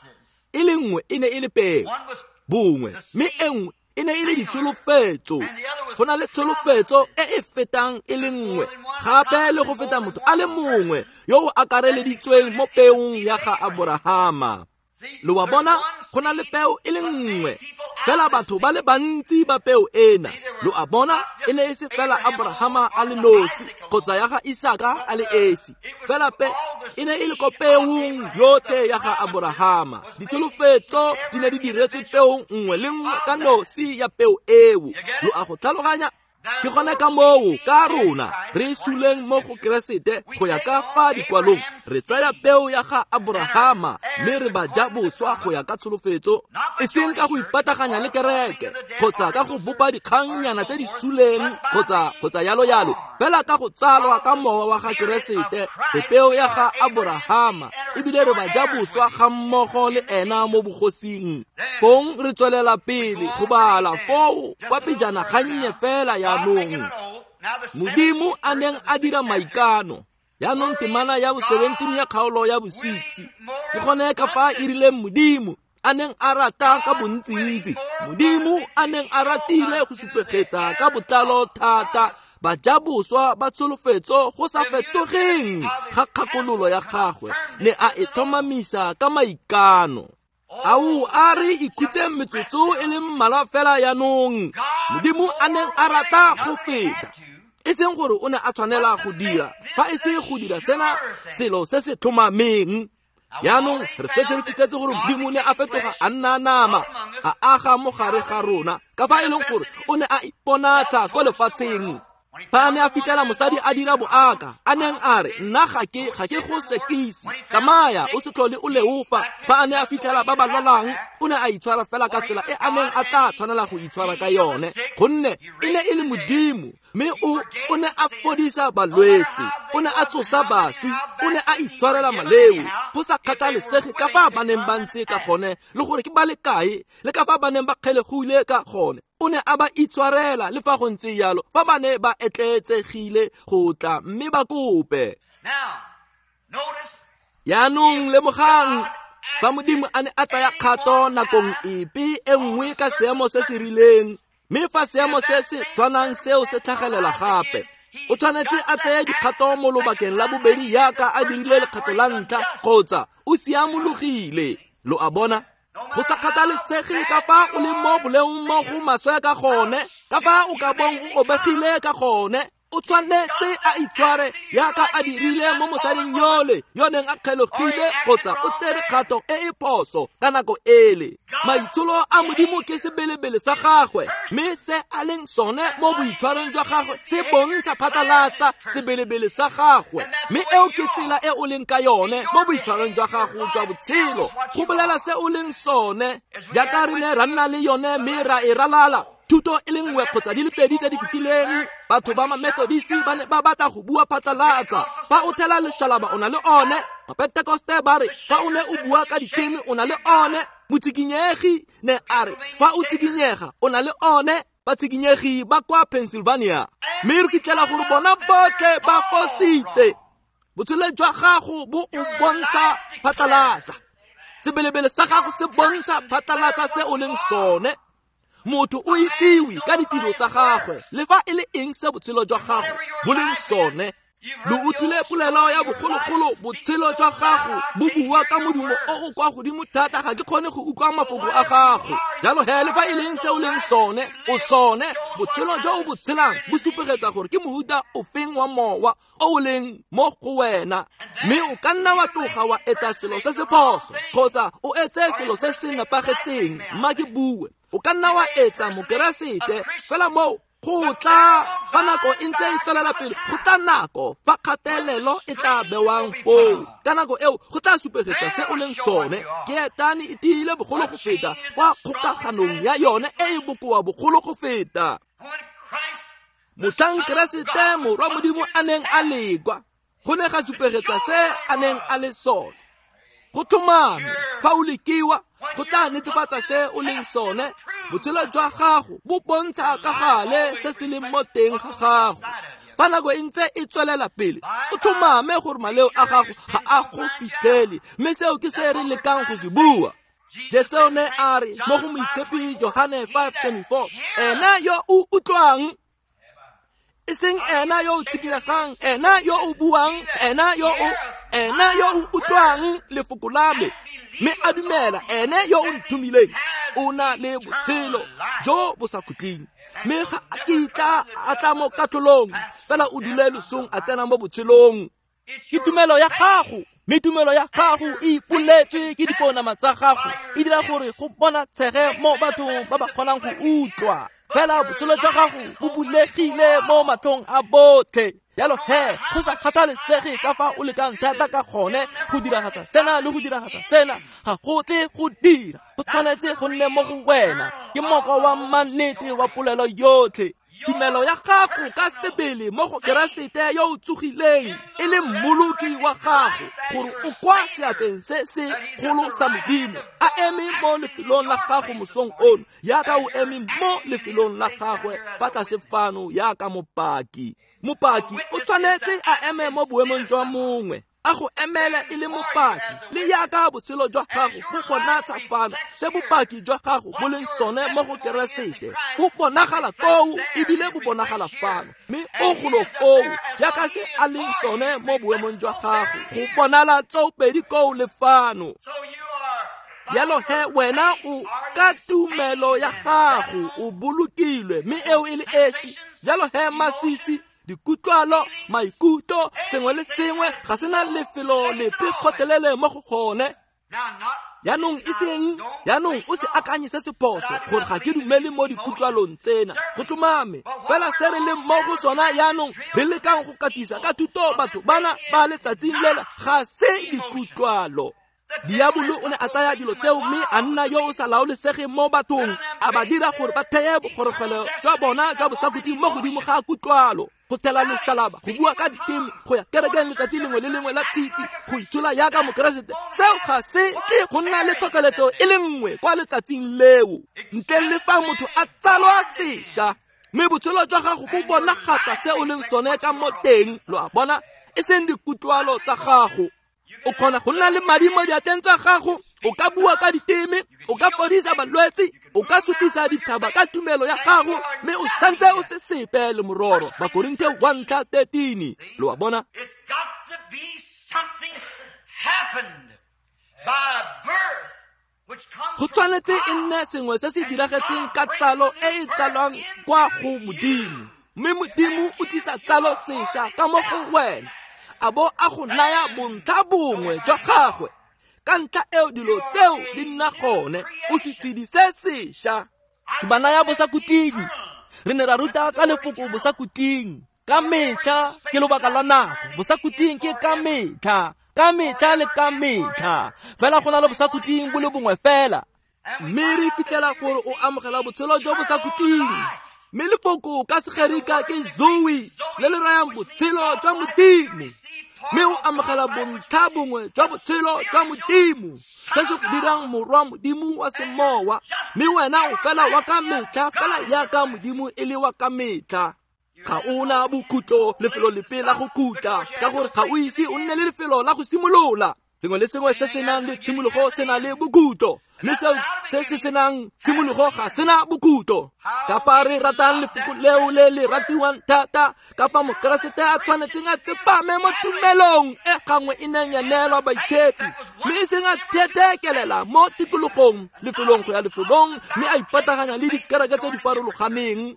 e le nngwe e ne e le peo bongwe, mme e nngwe e ne e le ditsholofetso. Go na le tsholofetso e e fetang e le nngwe, gape le go feta motho a le mongwe yo o akareleditsweng mo peong ya ga Aborahama. Lo wa bona, go na le peo e le nngwe, fela batho ba le bantsi ba peo ena. Lo a bona, e ne e se fela Abrahama a le nosi kgotsa ya ga Isaka a le esi, fela pe e ne e le ko peong yotlhe ya ga Abrahama. Ditsholofetso di ne di diretswe peong nngwe le nngwe ka nosi ya peo eo. Lo a go tlhaloganya? Ke gone ka moo ka rona re suleng mo go Keresete go ya ka fa dikwalong, re tsaya peo ya ga Abrahama mme re ba ja boswa go ya ka tsholofetso, e seng ka go ipataganya le kereke kgotsa ka go bopa dikgannyana tse di suleng kgotsa yalo yalo, fela ka go tsalwa ka mowa wa ga Keresete re peo ya ga Abrahama, ebile re ba ja boswa ga mmogo le ena mo bogosing. Fong re tswelela pele go bala foo kwa pejana gannye fela yaanong Modimo a neng a dira maikano. Yaanong temana ya bo 17 ya kgaolo ya bo 6, ke gone ka fa e rileng Modimo a neng a rata ka bontsintsi, Modimo a neng a ratile go supegetsa ka botlalo thata bajaboswa ba tsholofetso go sa fetogeng ga kgakololo ya gagwe, ne a e tlhomamisa ka maikano. Ao, a re ikhutseng metsotso e le mmalwa fela yaanong. Modimo a neng a rata go feta, e seng gore o ne a tshwanela go dira, fa e se go dira sena selo se se tlhomameng. Yaanong re setse re fitlhetse gore Modimo ne a fetoga a nna nama, a aga mo gare ga rona, ka fa e leng gore o ne a iponatsa ko lefatsheng. Fa a ne a fitlhela mosadi a dira boaka, a neng a re, nna ga ke go sekise, tsamaya o se tlhole o leofa. Fa a ne a fitlhela ba ba lwalang, o ne a itshwara fela ka tsela e a neng a tla tshwanela go itshwara ka yone, gonne e ne e le Modimo, mme o ne a fodisa balwetse, o ne a tsosa baswi, o ne a itshwarela maleo, go sa kgathalesege ka fa ba neng ba ntse ka gone, le gore ke ba le kae, le ka fa ba neng ba kgelegile ka gone. O ne a ba itshwarela le fa go ntse jalo, fa ba ne ba etleetsegile go tla mme ba kope. Yaanong lemogang, fa Modimo a ne a tsaya kgato nakong epe e nngwe ka seemo se se rileng, mme fa seemo se se tshwanang seo se tlhagelela gape, o tshwanetse a tseye dikgato mo lobakeng la bobedi yaka a dirile lekgetho la ntlha, kgotsa o siamologile. Lo a bona? Go sa kgathalesege ka fa o leng mo boleong mo go maswe ka gone, ka fa o ka bong o obegile ka gone, o tshwanetse a itshware yaka a dirile mo mosading yole yo neng a kgelogile kgotsa o tsere kgato e e phoso ka nako ele. Maitsholo a Modimo ke sebelebele sa gagwe, mme se a leng sone mo boitshwarong jwa gagwe se bontsha phatlalatsa sebelebele sa gagwe, mme eo ke tsela e o leng ka yone mo boitshwarong jwa gago jwa botshelo, go bolela se o leng sone. Jaaka re ne ra nna le yone mme ra e ralala thuto e le nngwe kgotsa di le pedi tse di fetileng, batho ba ma-Methodist ba ne ba batla go bua phatlalatsa. Fa o thela lešalaba o na le one, Mapentekoste ba re fa o ne o bua ka diteme o na le one, motsikinyegi ne a re fa o tsikinyega o na le one, batsikinyegi ba kwa Pennsylvania. Mme re fitlhela gore bona botlhe ba fositse. Botshelo jwa gago bo o bontsha phatlalatsa, sebelebele sa gago se bontsha phatlalatsa se o leng sone. Motho o itsiwe ka ditiro tsa gagwe, le fa e le eng se botshelo jwa gago bo leng sone. Lo utlwile polelo ya bogologolo, botshelo jwa gago bo bua ka modumo o o kwa godimo thata, ga ke kgone go utlwa mafoko a gago. Jalo he le fa e leng se o leng sone, o sone, botshelo jo o bo tshelang bo supegetsa gore ke mohuta ofeng wa mowa o o leng mo go wena. Mme o ka nna wa tloga wa etsa selo se se phoso kgotsa o etse selo se se nepagetseng, mma ke bue. O ka nna wa etsa mokeresete, fela moo go tla fa nako e ntse e tswelela pele, go tla nako fa kgatelelo e tla bewang foo. Ka nako eo go tla supegetsa se o leng sone. Keetane e tiile bogolo go feta kwa kgokaganong ya yone e e bokoa bogolo go feta. Motlhang Keresete morwa Modimo a neng a lekwa, go ne ga supegetsa se a neng a le sone. Go tlhomame fa o lekiwa, go tla netefatsa se o leng sone. Botshelo jwa gago bo bontsha ka gale se se leng mo teng ga gago. Fa nako e ntse e tswelela pele, o tlhomame gore maleo a gago ga a go fitlhele, mme seo ke se re lekang go se bua. Jesu ne a re mo go Moitshepi Johane 5:24, ena yo o utlwang, e seng ena yo o tshikilegang, ena yo o buang, ena yo o utlwang lefoko la me, mme a dumela ene yo o nthomileng, o na le botshelo jo bo sa khutleng. Mme ga a kitla a tla mo katlholong, fela o dule losong a tsena mo botshelong. Ke tumelo ya gago, mme tumelo ya gago e ipoletswe ke diponama tsa gago, e dira gore go bona tshege mo bathong ba ba kgonang go utlwa. Fela botshelo jwa gago bo bulegile mo matlhong a botlhe. Jalo he, go sa kgathalesege ka fa o lekang thata ka gone go diragatsa sena le go diragatsa sena, ga go tle go dira. Go tshwanetse go nne mo go wena. Ke moko wa mannete wa polelo yotlhe. Tumelo ya gago ka sebele mo go Keresete yo o tsogileng e le mmoloki wa gago, gore o kwa seatleng se se kgolo sa Modimo, a eme mo lefelong la gago mosong ono, yaka o eme mo lefelong la gagwe fa tlase fano yaka mopaki. Mopaki o tshwanetse a eme mo boemong jwa mongwe, a go emele e le mopaki, le yaka botshelo jwa gago bo bonatsa fano se bopaki jwa gago bo leng sone mo go Keresete. Bo bonagala koo ebile bo bonagala fano, mme o golo foo yaka se a leng sone mo boemong jwa gago, go bonala tsoopedi koo le fano. Jalo he wena o ka tumelo ya gago o bolokilwe, mme eo e le esi. Jalo he masisi, dikutlwalo, maikutlo, sengwe le sengwe ga sena lefelo lepe kgotlelele mo go gone. Jaanong e seng, jaanong o se akanye se se phoso gore ga ke dumele mo dikutlwalong tsena. Go tlhomame, fela se re leng mo go sona jaanong, re lekang go katisa ka thuto batho bana ba letsatsing lela, ga se dikutlwalo. Diabolo o ne a tsaya dilo tseo mme a nna yo o sa laolesegeng mo bathong, a ba dira gore ba theye bogorogelo jwa bona jwa bosakhutleng mo godimo ga kutlwalo, go thela lešalaba, go bua ka diteme, go ya kerekeng letsatsi lengwe le lengwe la tshipi, go itshola yaka mokeresete. Seo ga se tle go nna le tlhotlheletso e le nngwe kwa letsatsing leo, ntle le fa motho a tsalwa sešwa. Mme botshelo jwa gago bo bonagatsa se o leng sone ka mo teng, lo a bona, e seng dikutlwalo tsa gago. O kgona go nna le madi mo diatleng tsa gago, o ka bua ka diteme, o ka fodisa balwetse, o ka sutisa dithaba ka tumelo ya gago, mme o santse o se sepe le mororo. Bakorinthe 1:13. Lo a bona? Go tshwanetse e nne sengwe se se diragetseng ka tsalo e e tsalwang kwa go Modimo, mme Modimo o tlisa tsalo sešwa ka mo go wena, a bo a go naya bontlha bongwe jwa gagwe. Ka ntlha eo dilo tseo di nna gone, o setshedi se sešwa. Ke ba naya bosakhutleng. Re ne ra ruta ka lefoko bosakhutleng ka metlha, ke lobaka lwa nako. Bosakhutleng ke ka metlha, ka metlha le ka metlha. Fela go na le bosakhutleng bo le bongwe fela. Mme re fitlhela gore o amogela botshelo jo bosakhutleng. Mme lefoko ka Segerika ke zoe, le le rayang botshelo jwa Modimo. Mme o amogela bontlha bongwe jwa botshelo jwa Modimo, se se go dirang morwa Modimo wa semowa. Mme wena o fela wa ka metlha, fela yaka Modimo e le wa ka metlha. Ga ona bokhutlo, lefelo lepe la go khutla, ka gore ga o ise o nne le lefelo la go simolola. Sengwe le sengwe se se nang le tshimologo se na le bokhutlo, mme seo se se senang tshimologo ga sena bokhutlo. Ka fa re ratang lefoko leo le le ratiwang thata, ka fa Mokeresete a tshwanetseng a tsepame mo tumelong e gangwe e neng ya neelwa baitshepi, mme e seng a thetheekelela mo tikologong lefelong go ya lefelong, mme a ipataganya le dikereke tse di farologaneng.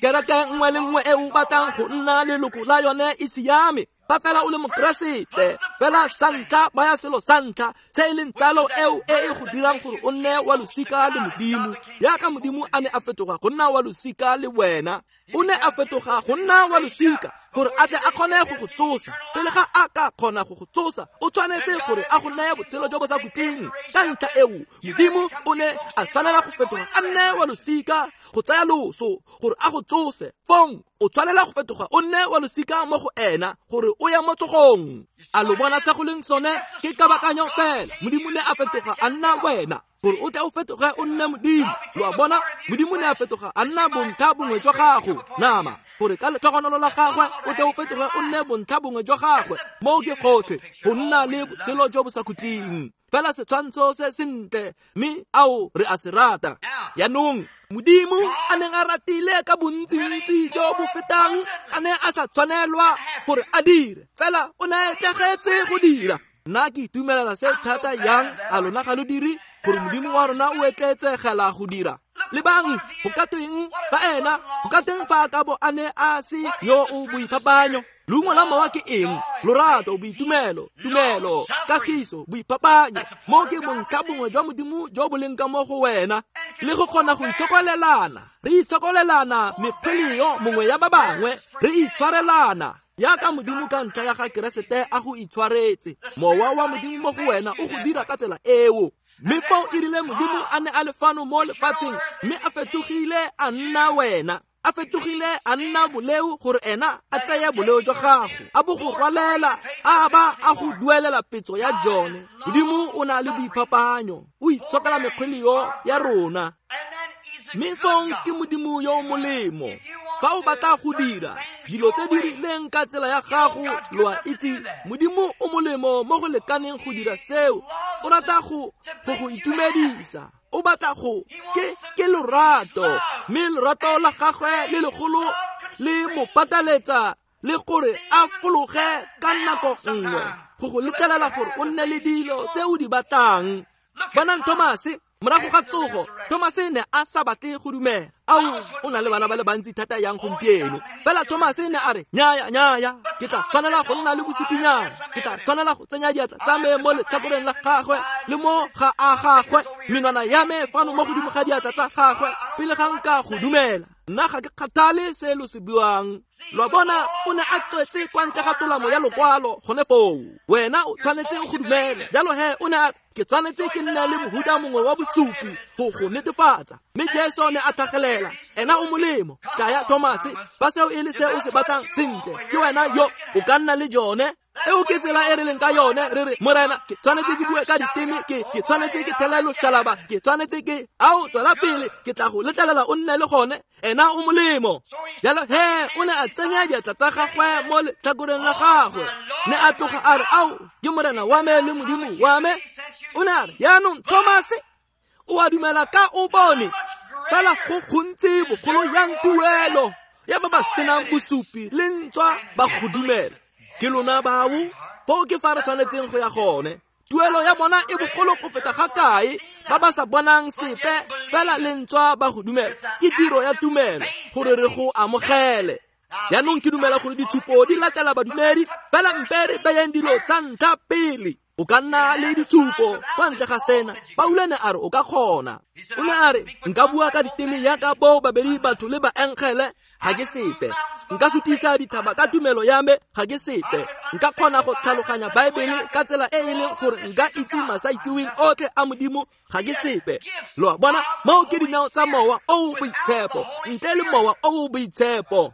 Kereke nngwe le nngwe e o batlang go nna leloko la yone e siame fa fela o le Mokeresete. Fela sa ntlha baya selo sa ntlha se e leng tsalo eo e e go dirang gore o nne wa losika le Modimo, jaaka Modimo a ne a fetoga go nna wa losika le wena. O ne a fetoga go nna wa losika gore a tle a kgone go go tsosa. Pele ga a ka kgona go go tsosa, o tshwanetse gore a go neye botshelo jo bo sa khutleng. Ka ntlha eo Modimo o ne a tshwanela go fetoga a nne wa losika go tsaya loso gore a go tsose. Fong o tshwanela go fetoga o nne wa losika mo go ena gore o ye mo tsogong. A lo bona se go leng sone? Ke kabakanyo fela. Modimo ne a fetoga a nna wena gore o tle o fetoge o nne Modimo. Lo a bona? Modimo ne a fetoga a nna bontlha bongwe jwa gago nama, gore ka letlhogonolo la gagwe o tle o fetoge o nne bontlha bongwe jwa gagwe. Moo ke gotlhe go nna le botshelo jo bo sa khutleng. Fela setshwantsho se sentle, mme ao re a se rata. Jaanong Modimo a neng a ratile ka bontsintsi jo bo fetang a ne a sa tshwanelwa gore a dire, fela o ne a etlegetse go dira. Nna ke itumelela se thata yang, a lona ga lo dire, gore Modimo wa rona o etleetsegela go dira. Lebang, go ka tweng fa ena, go ka tweng fa a ka bo a ne a se yo o boiphapanyo? Leungo la mowa ke eng? Lorato, boitumelo, tumelo, kagiso, boiphapanyo. Mo ke bontlha bongwe jwa Modimo jo bo leng ka mo go wena, le go kgona go itshokolelana. Re itshokolelana mekgweleo mongwe ya ba bangwe, re itshwarelana jaaka Modimo ka ntlha ya ga Keresete a go itshwaretse. Mowa wa Modimo mo go wena o go dira ka tsela eo. Mme foo e rile Modimo a ne a le fano mo lefatsheng, mme a fetogile a nna wena, a fetogile a nna boleo gore ena a tseye boleo jwa gago, a bo go rwalela, a ba a go duelela petso ya jone. Modimo o na le boiphapanyo, o itshokela mekgweleo ya rona. Mme fong ke Modimo yo o molemo. Fa o batla go dira dilo tse di rileng ka tsela ya gago, lo a itse Modimo o molemo mo go lekaneng go dira seo. O rata go go itumedisa, o batla go ke lorato, mme lorato la gagwe le legolo le mo pataletsa le gore a fologe ka nako nngwe go go letlelela gore o nne le dilo tse o di batlang. Bonang Thomase morago ga tsogo, Thomase ne a sa batle go dumela. Ao, o na le bana ba le bantsi thata yang gompieno. Fela Thomase ne a re, nnyaya, nnyaya, ke tla tshwanela go nna le bosupinyana, ke tla tshwanela go tsenya diatla tsa me mo letlhakoreng la gagwe le mo ga a gagwe, menwana ya me fano mo godimo ga diatla tsa gagwe, pele ga nka go dumela. Nna ga ke kgathale se lo se buang. Lo a bona, o ne a tswetse kwa ntle ga tolamo ya lokwalo gone foo. Wena o tshwanetse o go dumele. Jalo he o ne a ke tshwanetse ke nne le mohuta mongwe wa bosupi go go netefatsa. Mme Jesu ne a tlhagelela, ena o molemo. Tlaya Thomase, fa seo e le se o se batlang, sentle, ke wena yo o ka nna le jone. Eo ke tsela e re leng ka yone. Re re, Morena, ke tshwanetse ke bue ka diteme, ke tshwanetse ke thele loshalaba, ke tshwanetse ke ao tswela pele, ke tla go letlelela o nne le gone. Ena o molemo. Jalo he o ne a tsenya diatla tsa gagwe mo letlhakoreng la gagwe, ne a tloga a re, ao, ke Morena wa me le Modimo wa me. O ne a re, jaanong Thomase, o a dumela ka o bone, fela go gontsi bogolo yang tuelo ya ba ba senang bosupi le ntswa ba go dumela. Ke lona bao, foo ke fa re tshwanetseng go ya gone. Tuelo ya bona e bogolo go feta ga kae ba ba sa bonang sepe fela le ntswa ba go dumela. Ke tiro ya tumelo gore re go amogele. Jaanong ke dumela gore ditshupo di latela badumedi, fela mpe re beyeng dilo tsa ntlha pele. O ka nna le ditshupo kwa ntle ga sena. Paulo ne a re o ka kgona. O ne a re, nka bua ka diteme yaka bo babedi batho le baengele, ga ke sepe. Nka sutisa dithaba ka tumelo ya me, ga ke sepe. Nka kgona go tlhaloganya Baebele ka tsela e e leng gore nka itse masaitseweng otlhe a Modimo, ga ke sepe. Lo a bona, moo ke dinao tsa Mowa o o Boitshepo. Ntle le Mowa o o Boitshepo,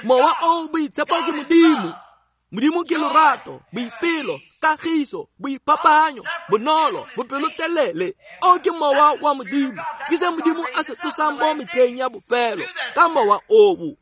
Mowa o o Boitshepo ke Modimo. Modimo ke lorato, boipelo, kagiso, boiphapanyo, bonolo, bopelotelele. O ke mowa wa Modimo. Ke se Modimo a se tsosang mo metlheng ya bofelo ka mowa oo.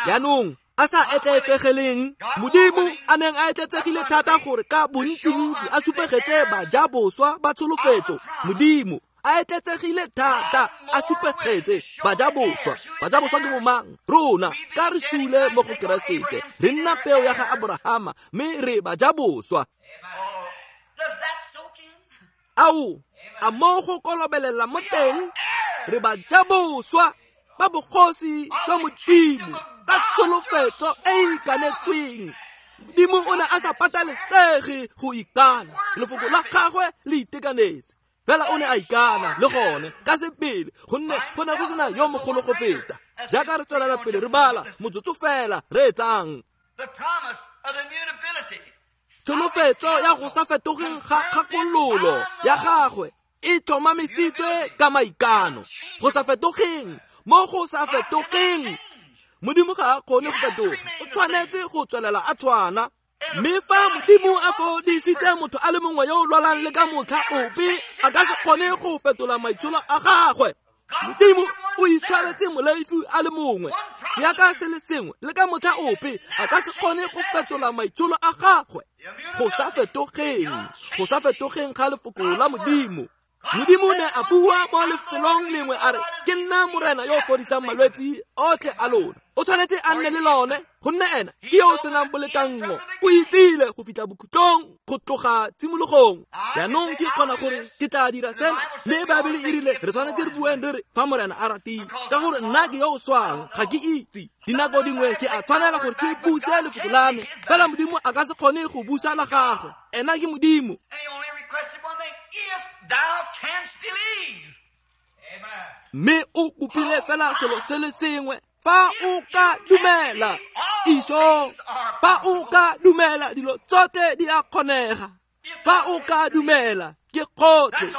Jaanong a sa etleetsegeleng, Modimo a neng a etleetsegile thata gore ka bontsintsi a supegetse bajaboswa ba tsholofetso. Modimo a etleetsegile thata a supegetse bajaboswa. Bajaboswa ke bomang? Rona ka re sule mo go Keresete, re nna peo ya ga Aborahama mme re bajaboswa. Ao, a mo go kolobelela mo teng, re bajaboswa ba bogosi jwa Modimo ka tsholofetso e e ikanetsweng. Modimo o ne a sa patalesege go ikana, lefoko la gagwe le itekanetse. Fela o ne a ikana le gone ka sebele, gonne go ne go sena yo mogolo go feta. Jaaka re tswelela pele re bala motsotso fela re etsang tsholofetso ya go sa fetogeng ga kgakololo ya gagwe e tlhomamisitswe ka maikano. Go sa fetogeng, mo go sa fetogeng, Modimo ga a kgone go fetoga, o tshwanetse go tswelela a tshwana. Mme fa Modimo a fodisitse motho a le mongwe yo o lwalang le ka motlha ope, a ka se kgone go fetola maitsholo a gagwe. Modimo o itshwaretse moleifi a le mongwe, seaka se le sengwe le ka motlha ope, a ka se kgone go fetola maitsholo a gagwe. Go sa fetogeng, go sa fetogeng ga lefoko la Modimo. Modimo ne a bua mo lefelong lengwe a re, ke nna Morena yo o fodisang malwetsi otlhe a lona. O tshwanetse a nne le lone, gonne ena ke yo o senang bolekanngo. O itsile go fitlha bokhutlong, go tloga tshimologong. Jaanong ke kgona gore ke tla dira sena, mme Baebele e rile re tshwanetse re bueng re re fa Morena a ratile, ka gore nna ke yo o swang, ga ke itse. Dinako dingwe ke a tshwanela gore ke buse lefoko la me, fela Modimo a ka se kgone go busa la gagwe. Ena ke Modimo. Mme o kopile fela selo se le sengwe, fa o ka dumela. Isho, fa o ka dumela, dilo tsotlhe di a kgonega. Fa o ka dumela, ke gotlhe.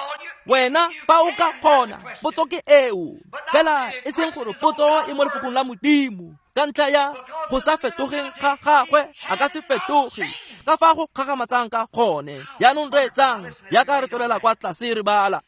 Wena fa o ka kgona, potso ke eo. Fela e seng gore potso e mo lefokong la Modimo, ka ntlha ya go sa fetogeng ga gagwe, a ka se fetoge ka fa go kgakgamatsang ka gone. Jaanong re etsang jaaka re tswelela kwa tlase re bala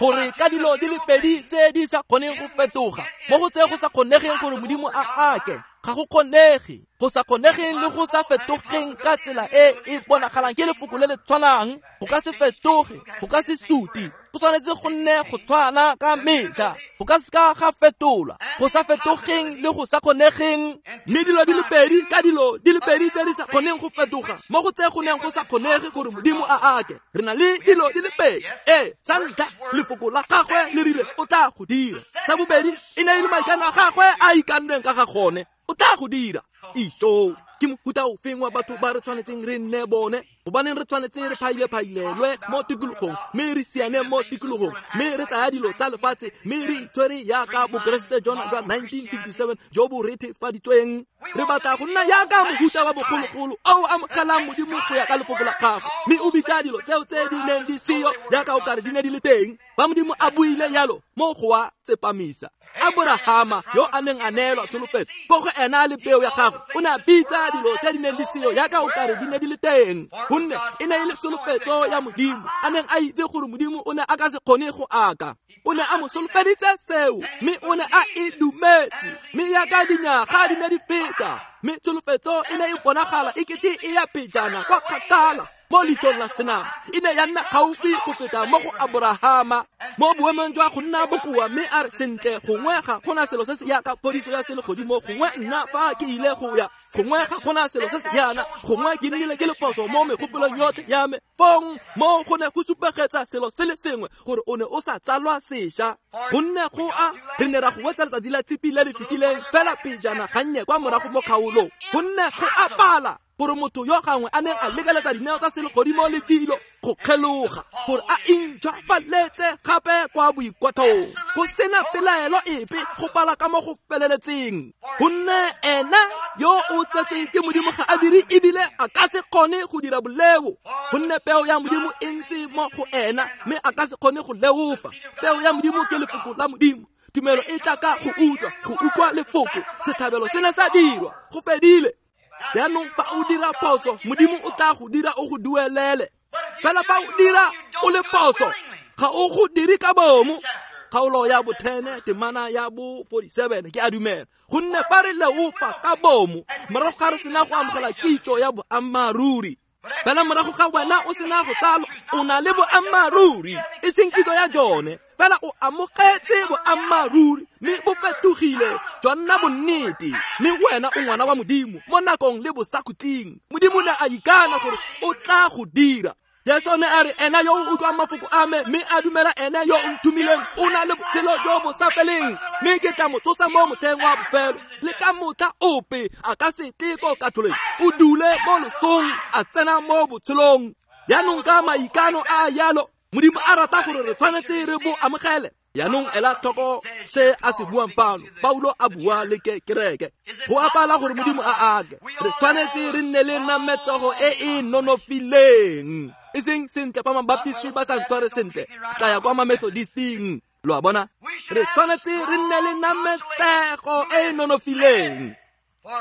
gore ka dilo di le pedi tse di sa kgoneng go fetoga, mo go tse go sa kgonegeng gore Modimo a ake, ga go kgonege. Go sa kgonegeng le go sa fetogeng ka tsela e e bonagalang ke lefoko le le tshwanang, go ka se fetoge, go ka se suti, go tshwanetse go nne go tshwana ka metlha, go ka seka ga fetolwa. Go sa fetogeng le go sa kgonegeng, mme dilo di le pedi ka dilo di le pedi tse di sa kgoneng go fetoga, mo go tse go neng go sa kgonege gore Modimo a ake, re na le dilo di le pedi. Ee, sa ntlha, lefoko la gagwe le rile o tla go dira. Sa bobedi, e ne e le maikano a gagwe a ikanneng ka ga gone, o tla go dira. Isho, ke mofuta ofeng wa batho ba re tshwanetseng re nne bone? Gobaneng re tshwanetse re phaile-phailelwe mo tikologong, mme re siane mo tikologong, mme re tsaya dilo tsa lefatshe, mme re itshwere jaaka bokeresete jona jwa 1957 jo bo rethefaditsweng. Re batla go nna jaaka mohuta wa bogologolo o amogelang Modimo go ya ka lefoko la gagwe, mme o bitsa dilo tseo tse di neng di seyo jaaka o kare di ne di le teng. Ba Modimo a buile jalo mo go a tsepamisa. Aborahama yo a neng a neelwa tsholofetso ko go ena le peo ya gagwe, o ne a bitsa dilo tse di neng di seyo jaaka o kare di ne di le teng, gonne e ne e le tsholofetso ya Modimo, a neng a itse gore Modimo o ne a ka se kgone go aka. O ne a mo solofeditse seo, mme o ne a e dumetse. Mme jaaka dinyaga di ne di feta, mme tsholofetso e ne e bonagala e kete e ya pejana kwa kgakala mo leitlhong la senama, e ne ya nna gaufi go feta mo go Aborahama. Mo boemong jwa go nna bokoa, mme a re, sentle, gongwe ga gona selo se se yaka phodiso ya selegodimo, gongwe nna fa ke ile go ya, gongwe ga gona selo se se yana, gongwe ke nnile ke le phoso mo megopolong yotlhe ya me. Fong mo go ne go supegetsa selo se le sengwe, gore o ne o sa tsalwa sešwa. Gonne go a re ne ra go wetsa letsatsi la tshipi le le fetileng fela pejana gannye kwa morago mo kgaolong, gonne go a pala gore motho yo gangwe a neng a lekeletsa dineo tsa selegodimo le dilo go kgeloga, gore a intšhwafaletse gape kwa boikwatlhong, go sena pelaelo epe go pala ka mo go feleletseng. Gonne ena yo o tsetsweng ke Modimo ga a dire ebile a ka se kgone go dira boleo, gonne peo ya Modimo e ntse mo go ena, mme a ka se kgone go leofa. Peo ya Modimo ke lefoko la Modimo. Tumelo e tla ka go utlwa, go utlwa lefoko. Setlhabelo se ne sa dirwa, go fedile. Jaanong fa o dira phoso, Modimo o tla go dira o go duelele. Fela fa o dira o le phoso, ga o go dire ka bomo, kgaolo ya bo 10 temana ya bo 47 ke a dumela gonne fa re leofa ka bomo morago ga re sena go amogela kitso ya boammaaruri fela morago ga wena o sena go tsalwa o na le boammaaruri e seng kitso ya jone fela o amogetse boammaaruri mme bo fetogile jwa nna bonnete mme wena o ngwana wa Modimo mo nakong le bosakhutleng. Modimo ne a ikana gore o tla go dira. Jesu ne a re ena yo o utlwang mafoko a me mme a dumela ene yo o nthomileng o na le botshelo jo bo sa feleng mme ke tla mo tsosa mo motlheng wa bofelo. Le ka motlha ope a ka se tle ko katlholeng, o dule mo losong a tsena mo botshelong. Jaanong ka maikano a yalo Modimo a rata gore re tshwanetse re bo amogele. Jaanong ela tlhoko se a se buang fano. Paulo a bua le kereke go apala gore Modimo a ake. Re tshwanetse re nne le nametsogo e e nonofileng, e seng sentle fa mabaptisti ba sa ntshware sentle tla ya kwa mamethodisting. Lo a bona, re tshwanetse re nne le nametsego e e nonofileng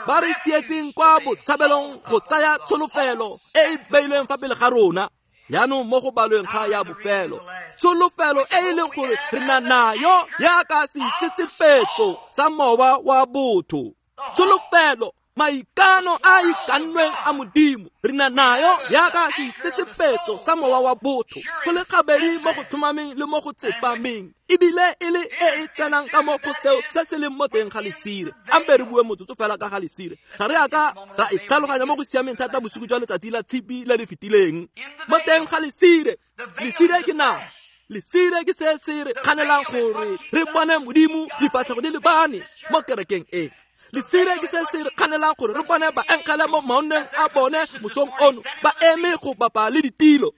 ba re sietseng kwa botshabelong go tsaya tsholofelo e e beilweng fa pele ga rona. Jaanong mo go balweng ga ya bofelo, tsholofelo e e leng gore re na nayo yaka seitsetsepetso sa mowa wa botho. Tsholofelo, maikano a ikannweng a Modimo, re na nayo yaka seitsetsepetso sa mowa wa botho, go le gabedi mo go tlhomameng le mo go tsepameng, ebile e le e e tsenang ka mo go seo se se leng mo teng ga lesire. Ampe re bue motsotso fela ka ga lesire. Ga re a ka ra e tlhaloganya mo go siameng thata bosigo jwa letsatsi la tshipi le le fetileng. Mo teng ga lesire, lesire ke nama. Lesire ke se se re kganelang gore re bone Modimo difatlhego di lebane mo kerekeng e. Lesire ke se se re kganelang gore re bone baengele mo maonneng a bone mosong ono ba eme go bapa le ditilo.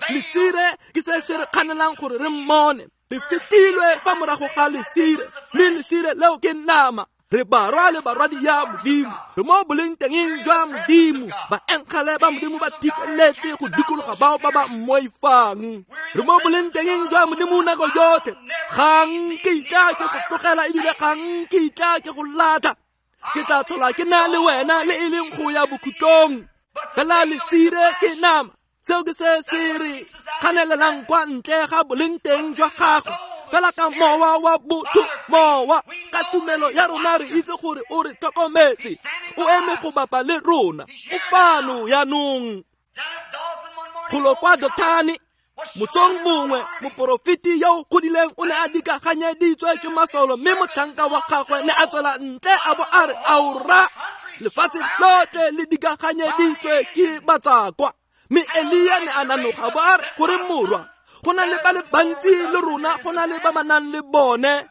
Lesire ke se se re kganelang gore re mmone. Re fetilwe fa morago ga lesire, mme lesire leo ke nama. Re barwa le barwadi ya Modimo, re mo boleng tengeng jwa Modimo. Baengele ba Modimo ba thipeletse go dikologa bao ba ba mmoifang. Re mo boleng tengeng jwa Modimo nako yotlhe. Ga nkitla ke go tlogela ebile ga nkitla ke go latlha. Ke tla tlhola ke na le wena le e leng go ya bokhutlong. Fela lesire ke nama. Seo ke se se re kganelelang kwa ntle ga boleng teng jwa gagwe. Fela ka mowa wa botho, mowa ka tumelo ya rona re itse gore o re tlhokometse, o eme go bapa le rona, o fano jaanong. Golo kwa Dothane mosong mongwe moporofeti yo o godileng o ne a dikaganyeditswe ke masolo, mme motlhanka wa gagwe ne a tswela ntle a bo a re aora, lefatshe lotlhe le dikaganyeditswe ke batsakwa. Mme Elia ne a nanoga bo a re gore morwa, go na le ba le bantsi le rona go na le ba ba nang le bone.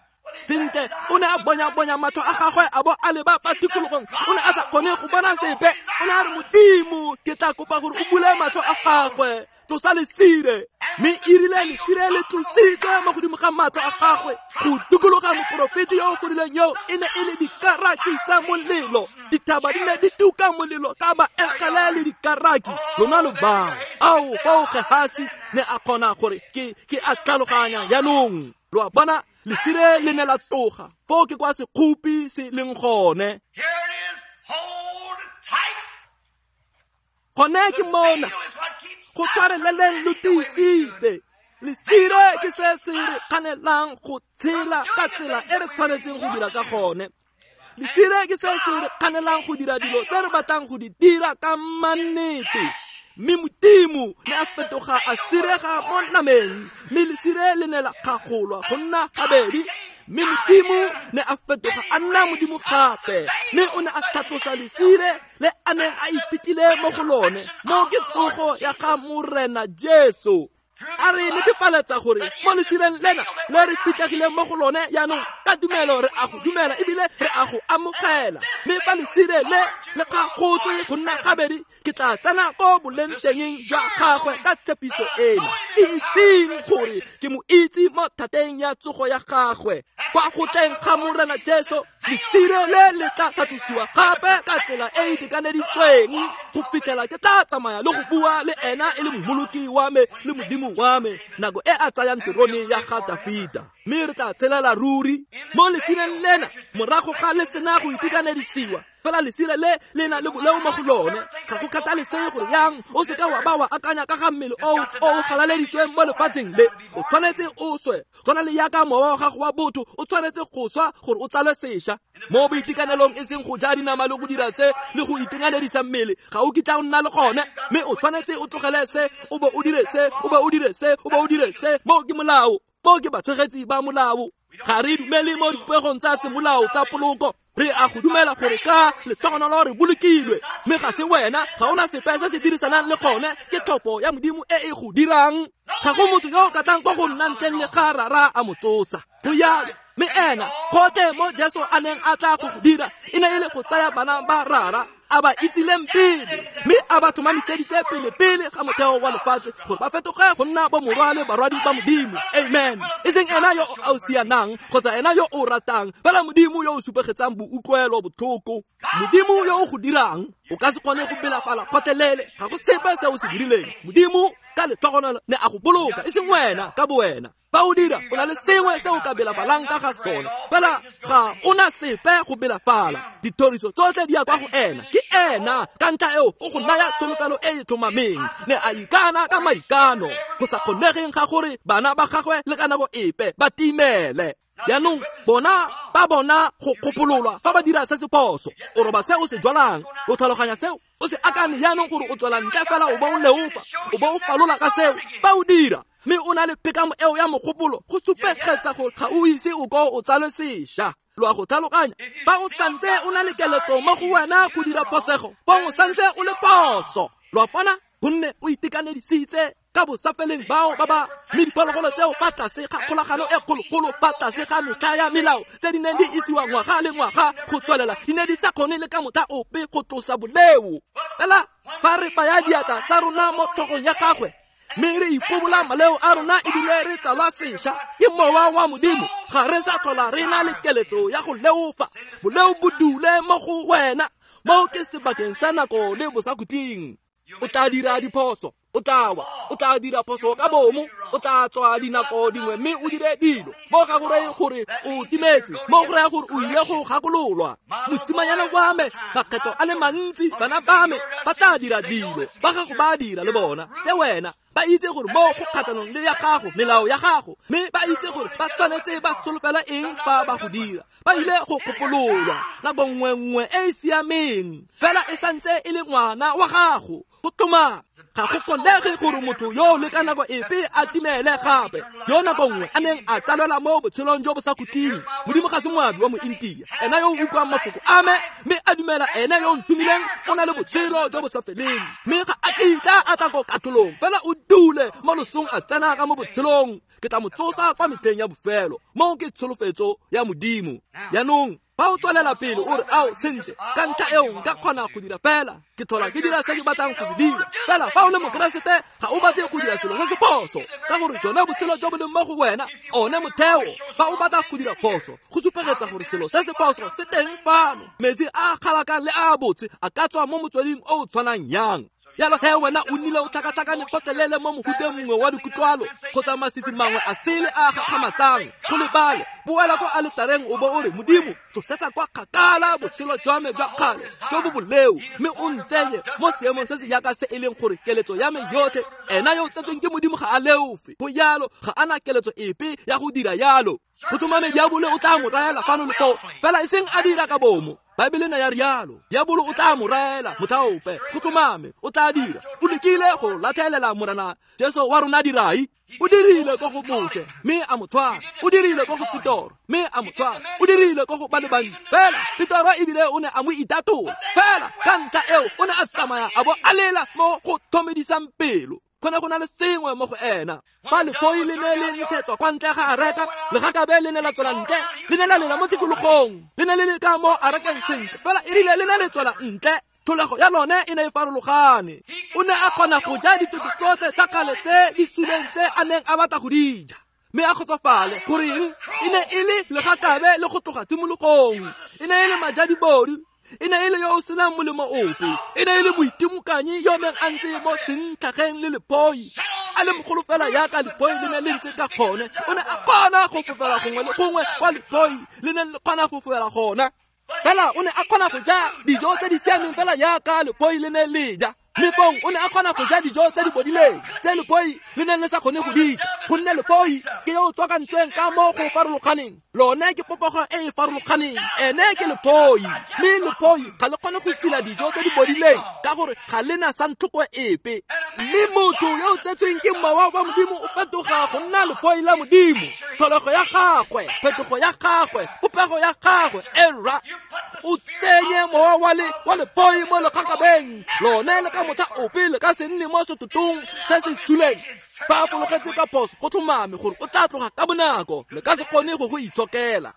Sentle o ne a bonya-bonya matlho a gagwe a bo a leba fa tikologong, o ne a sa kgone go bona sepe. O ne a re Modimo, ke tla kopa gore o bule matlho a gagwe, tlosa lesire. Mme erile lesire le tlositswe mo godimo ga matlho a gagwe go dikologa moporofeti yo o godileng yo e ne e le dikaraki tsa molelo. Dithaba di ne di tuka molelo ka baengele le dikaraki. Lona lo bang ao fao Gehasi ne a kgona gore ke a tlhaloganya jaanong. Lo a bona, lesire le ne la tloga foo ke kwa sekgopi se leng gone. Gone ke mona go tshwareleleng lo tiisitse. Lesire ke se se re kganelang go tshela ka tsela e re tshwanetseng go dira ka gone. Lesire ke se se re kganelang go dira dilo tse re batlang go di dira ka mannete. Mme Modimo ne a fetoga a sirega mo nameng, mme lesire le ne la kgagolwa go nna gabedi. Mme Modimo ne a fetoga a nna Modimo gape, mme o ne a tlhatlosa lesire le a neng a iphitlhile mo go lone, mo ke tsogo ya ga Morena Jesu. A re netefaletsa gore mo lesireng lena le re fitlhegileng mo go lone jaanong ka tumelo re a go dumela ebile re a go amogela. Mme fa lesire le le kgagotswe go nna gabedi, ke tla tsena ko boleng tengeng jwa gagwe ka tshepiso ena, itseng gore ke mo itse mo thateng ya tsogo ya gagwe. Kwa go tleng ga Morena Jesu, lesire le le tla tlhatlosiwa gape ka tsela e e itekaneditsweng go fitlhela ke tla tsamaya le go bua le ena e le mmoloki wa me le Modimo wa me nako e a tsayang terone ya ga Dafita. Mme re tla tshelela ruri mo lesireng lena morago ga le sena go itekanedisiwa. Fela lesire le le na le boleo mo go lone. Ga go kgathalesege gore yang o seka wa ba wa akanya ka ga mmele o o galaleditsweng mo lefatsheng le. O tshwanetse o swe, tshwana le yaka mowa wa gago wa botho o tshwanetse go swa gore o tsalwe sešwa. Mo boitekanelong e seng go ja dinama le go dira se le go itekanedisa mmele, ga o kitla o nna le gone. Mme o tshwanetse o tlogele se, o bo o dire se, o bo o dire se, o bo o dire se. Moo ke molao, moo ke batshegetsi ba molao. Ga re dumele mo dipegong tsa semolao tsa poloko. Re a go dumela gore ka lehlogonolo re bolokilwe, mme ga se wena, ga ona sepe se se dirisanang le gone, ke tlhopho ya Modimo e e go dirang. Ga go motho yo o ka tlang kwa go nna ntleng le ga Rara a mo tsosa. Go jalo. Mme ena gotlhe mo Jesu a neng a tla go go dira e ne e le go tsaya bana ba Rara a ba itsileng pele, mme a ba tlhomamiseditse pele pele ga motheo wa lefatshe gore ba fetoge go nna bomorwa le barwadi ba Modimo. Amen. E seng ena yo o sianang kgotsa ena yo o ratang, fela Modimo yo o supegetsang boutlwelo botlhoko. Modimo yo o go dirang. O ka se kgone go belafala kgotlelele, ga go sepe se o se dirileng. Modimo ka letlhogonolo ne a go boloka, e seng wena ka bowena. Fa o dira, o na le sengwe se o ka belafalang ka ga sone, fela ga o na sepe go belafala. Dithoriso tsotlhe di ya kwa go ena, ke ena ka ntlha eo o go naya tsholofelo e e tlhomameng. Ne a ikana ka maikano go sa kgonegeng ga gore bana ba gagwe le ka nako epe ba timele. Jaanong bona ba bona go kgopololwa fa ba dira se se phoso. O roba se o se jwalang, o tlhaloganya seo, o se akane jaanong gore o tswela ntle fela o bo o leofa, o bo o falola ka seo. Fa o dira, mme o na le phekamo eo ya mogopolo, go supegetsa gore ga o ise o ko o tsalwe sešwa. Lo a go tlhaloganya? Fa o santse o na le keletso mo go wena go dira phosego, fong o santse o le phoso. Lo a bona? Gonne o itekanedisitse ka bosafeleng bao ba ba mme diphologolo tseo fa tlase ga kgolagano e kgologolo, fa tlase ga metlha ya melao tse di neng di isiwa ngwaga le ngwaga go tswelela, di ne di sa kgone le ka motlha ope go tlosa boleo. Fela fa re baya diatla tsa rona mo tlhogong ya gagwe mme re ipobola maleo a rona ebile re tsalwa sešwa ke mowa wa Modimo, ga re sa tlhola re na le keletso ya go leofa. Boleo bo dule mo go wena, mo ke sebakeng sa nako le bosakhutleng. O tla dira diphoso, o tla wa, o tla dira phoso ka bomo, o tla tswa dinako dingwe mme o dire dilo. Mo ga go reye gore o timetse, mo go raya gore o ile go gakololwa. Mosimanyana wa me, makgetlo a le mantsi bana ba me ba tla dira dilo, ba gago ba dira le bona tse wena. Ba itse gore mo go kgatlhanong le ya gago, melao ya gago, mme ba itse gore ba tshwanetse ba solofela eng fa ba go dira. Ba ile go kgopololwa nako nngwe nngwe e e siameng, fela e santse e le ngwana wa gago. Go tlhomame, ga go kgonege gore motho yo le ka nako epe a timele gape, yo nako nngwe a neng a tsalelwa mo botshelong jo bo sa khutleng. Modimo ga se moabi wa Mointia. Ena yo o utlwang mafoko a me mme a dumela ene yo o ntumileng o na le botshelo jo bo sa feleng, mme ga a kitla a tla ko katlholong, fela o dule mo losong a tsena ka mo botshelong. Ke tla mo tsosa kwa metlheng ya bofelo. Moo ke tsholofetso ya Modimo. Jaanong fa o tswelela pele o re, ao sentle, ka ntlha eo nka kgona go dira fela, ke tlhola ke dira se ke batlang go se dira. Fela fa o le Mokeresete, ga o batle go dira selo se se phoso, ka gore jone botshelo jo bo leng mo go wena, one motheo. Fa o batla go dira phoso, go supegetsa gore selo se se phoso se teng fano. Metsi a galakang le a botse a ka tswa mo motsweding o o tshwanang yang? Jalo he wena o nnile o tlhakatlhakane kgotlelele mo mohuteng mongwe wa dikutlwalo kgotsa masisi mangwe a sele a gakgamatsang. Go lebale, boela ko aletareng o bo o re, Modimo, tlosetsa kwa kgakala botshelo jwa me jwa kgale jo bo boleo, mme o ntsenye mo seemong se se jaaka se e leng gore keletso ya me yotlhe. Ena yo o tsetsweng ke Modimo ga a leofe, go jalo ga a na keletso epe ya go dira yalo. Go tlhomame diabolo o tla mo raela fano le foo, fela e seng a dira ka bomo. Baebele ne ya rialo, diabolo o tla mo raela motlhaope. Go tlhomame o tla dira. O lekile go latlhelela Morena Jesu wa rona dirai. O dirile ko go Moshe mme a mo tshwara, o dirile ko go Petoro mme a mo tshwara, o dirile ko go ba le bantsi. Fela Petoro ebile o ne a mo itatola, fela ka ntlha eo o ne a tsamaya a bo a lela mo go tlhomedisang pelo. Go ne go na le sengwe mo go ena. Fa lefoi le ne le ntshetswa kwa ntle ga areka, legakabe le ne la tswela ntle, le ne la lela mo tikologong, le ne le le ka mo arekeng sentle, fela e rile le ne le tswela ntle, tlholego ya lone e ne e farologane. O ne a kgona go ja ditoto tsotlhe tsa kgale tse di suleng tse a neng a batla go di ja, mme a kgotsofale. Goreng? E ne e le legakabe le go tloga tshimologong. E ne e le majadibodu, e ne e le yo o senang molemo ope, e ne e le moitimokanyi yo neng a ntse mo sentlhageng le lephoi. a le mogolo fela yaka lephoi le ne le ntse ka gone. O ne a kgona go fofela gongwe le gongwe kwa lephoi le neng le kgona go fofela gona. Fela o ne a kgona go ja dijo tse di siameng fela yaka lephoi le ne le ja. Mme fong o ne a kgona go ja dijo tse di bodileng tse lephoi le neng le sa kgone go di ja, gonne lephoi ke yo o tswakantseng ka mo go farologaneng. Lone ke popego e e farologaneng, ene ke lephoi. Mme lephoi ga le kgone go sila dijo tse di bodileng ka gore ga le na santlhoko epe. Mme motho yo o tsetsweng ke mowa wa Modimo o fetoga go nna lephoi la Modimo. Tlholego ya gagwe, phetogo ya gagwe, popego ya gagwe, era o tsenye mowa wa lephoi mo lekgakabeng. Lone le ka motlha ope le ka se nne mo setotong se se suleng. Fa a fologetse ka phoso go tlhomame gore o tla tloga ka bonako, le ka se kgone go go itshokela.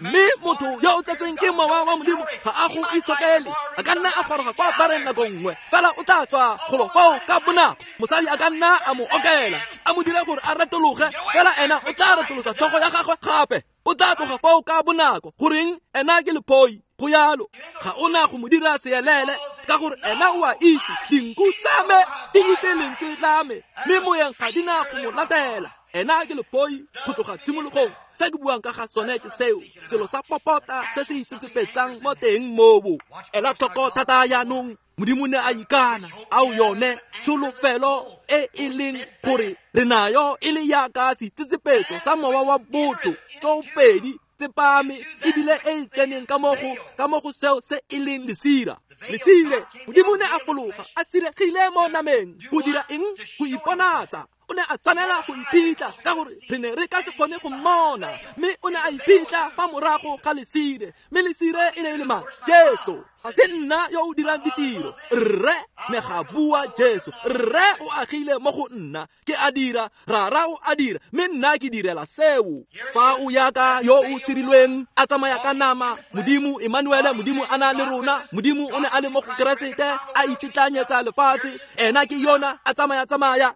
Mme motho yo o tsetsweng ke mowa wa Modimo ga a go itshokele. A ka nna a goroga kwa bareng nako nngwe, fela o tla tswa golo foo ka bonako. Mosadi a ka nna a mo okela, a mo dire gore a retologe, fela ena o tla retolosa tlhogo ya gagwe gape. O tla tloga foo ka bonako. Goreng? Ena ke lephoi. Go yalo. Ga o na go mo dira seelele, ka gore ena o a itse dinku tsa me di itse lentswe la me, mme moyeng ga di na go mo latela. Ena ke lephoi go tloga tshimologong. Se ke buang ka ga sone ke seo, selo sa popota se se itsetsepetsang mo teng moo. Ela tlhoko thata jaanong. Modimo ne a ikana ao yone tsholofelo e e leng gore re nayo e le yaka seitsetsepetso sa mowa wa botho tsopedi tsepame, ebile e e tseneng ka mo go seo se e leng lesira. Lesire, Modimo ne a fologa a siregile mo nameng go dira eng? Go iponatsa. O ne a tshwanela go iphitlha ka gore re ne re ka se kgone go mmona, mme o ne a iphitlha fa morago ga lesire. Mme lesire e ne e le mang? Jesu. Ga se nna yo o dirang ditiro, rre ne ga bua Jesu. Rre o agile mo go nna, ke a dira, rara o a dira, mme nna ke direla seo. Fa o yaka yo o sirilweng a tsamaya ka nama, Modimo Emmanuele, Modimo a na le rona, Modimo o ne a le mo go Keresete a itetlanyetsa lefatshe, ena ke yona a tsamaya-tsamaya.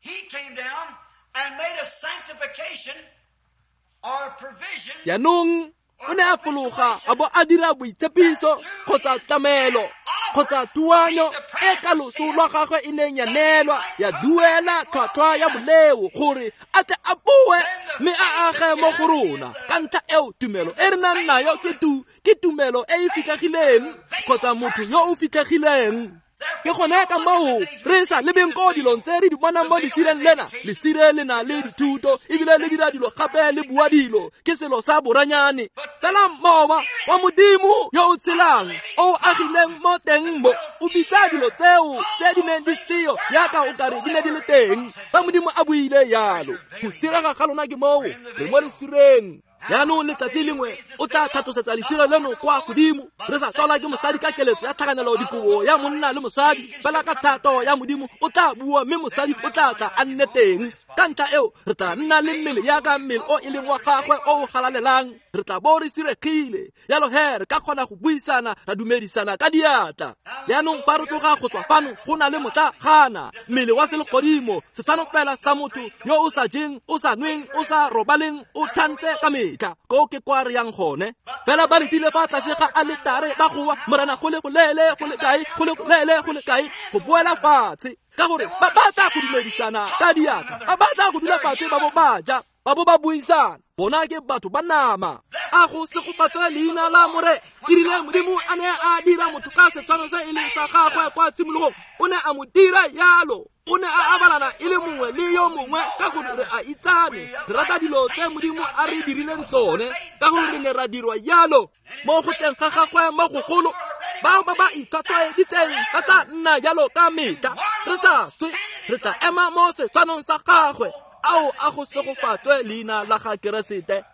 He came down and made a sanctification or provision. Jaanong o ne a fologa a bo a dira boitshepiso kgotsa tlamelo kgotsa tuanyo e ka loso lwa gagwe e neng ya neelwa ya duela tlhwatlhwa ya boleo gore a tle a boe mme a age mo go rona. Ka ntlha eo tumelo e re nang nayo ke tumelo e e fitlhegileng kgotsa motho yo o fitlhegileng. Ke gone ka moo re sa lebeng ko dilong tse re di bonang mo lesireng lena. Lesire le na le dithuto ebile le dira dilo gape le bua dilo, ke selo sa boranyane. Fela mowa wa Modimo yo o tshelang o agileng mo teng mo o bitsa dilo tseo tse di neng di seo yaka o kare di ne di le teng. Fa Modimo a buile yalo, go sirega ga lona ke moo re mo lesireng. Jaanong letsatsi lengwe o tla tlhatlosetsa lesire leno kwa godimo, re sa tswalwa ke mosadi ka keletso ya tlhakanelo dikobo ya monna le mosadi, fela ka thato ya Modimo o tla bua mme mosadi o tla tla a nne teng. Ka ntlha eo re tla nna le mmele yaka mmele o e leng wa gagwe o o galalelang, re tla bo re siregile. Jalo he re ka kgona go buisana ra dumedisana ka diatla. Jaanong fa re tloga go tswa fano go na le motlagana, mmele wa selegodimo, setshwano fela sa motho yo o sa jeng, o sa nweng, o sa robaleng, o thantse ka metlha. Ko ke kwa re yang gone. Fela ba letile fa tlase ga aletare ba goa, Morena go le goleele go le kae, go le goleele go le kae, go boela fatshe. Ka gore ba batla go dumedisana ka diatla, ba batla go dula fatshe ba bo ba ja, ba bo ba buisana. Bona ke batho ba nama. A go segofatswe leina la More. E rile Modimo a ne a dira motho ka setshwano se e leng sa gagwe kwa tshimologong, o ne a mo dira yalo. O ne a abalana e le mongwe le yo mongwe ka gore re a itsane. Re rata dilo tse Modimo a re dirileng tsone, ka gore re ne ra dirwa yalo. Mo go teng ga gagwe mo gogolo, bao ba ba itlhwatlhwaeditseng ba tla nna jalo ka metlha. Re sa swe, re tla ema mo setshwanong sa gagwe. Ao a go segofatswe leina la ga Keresete.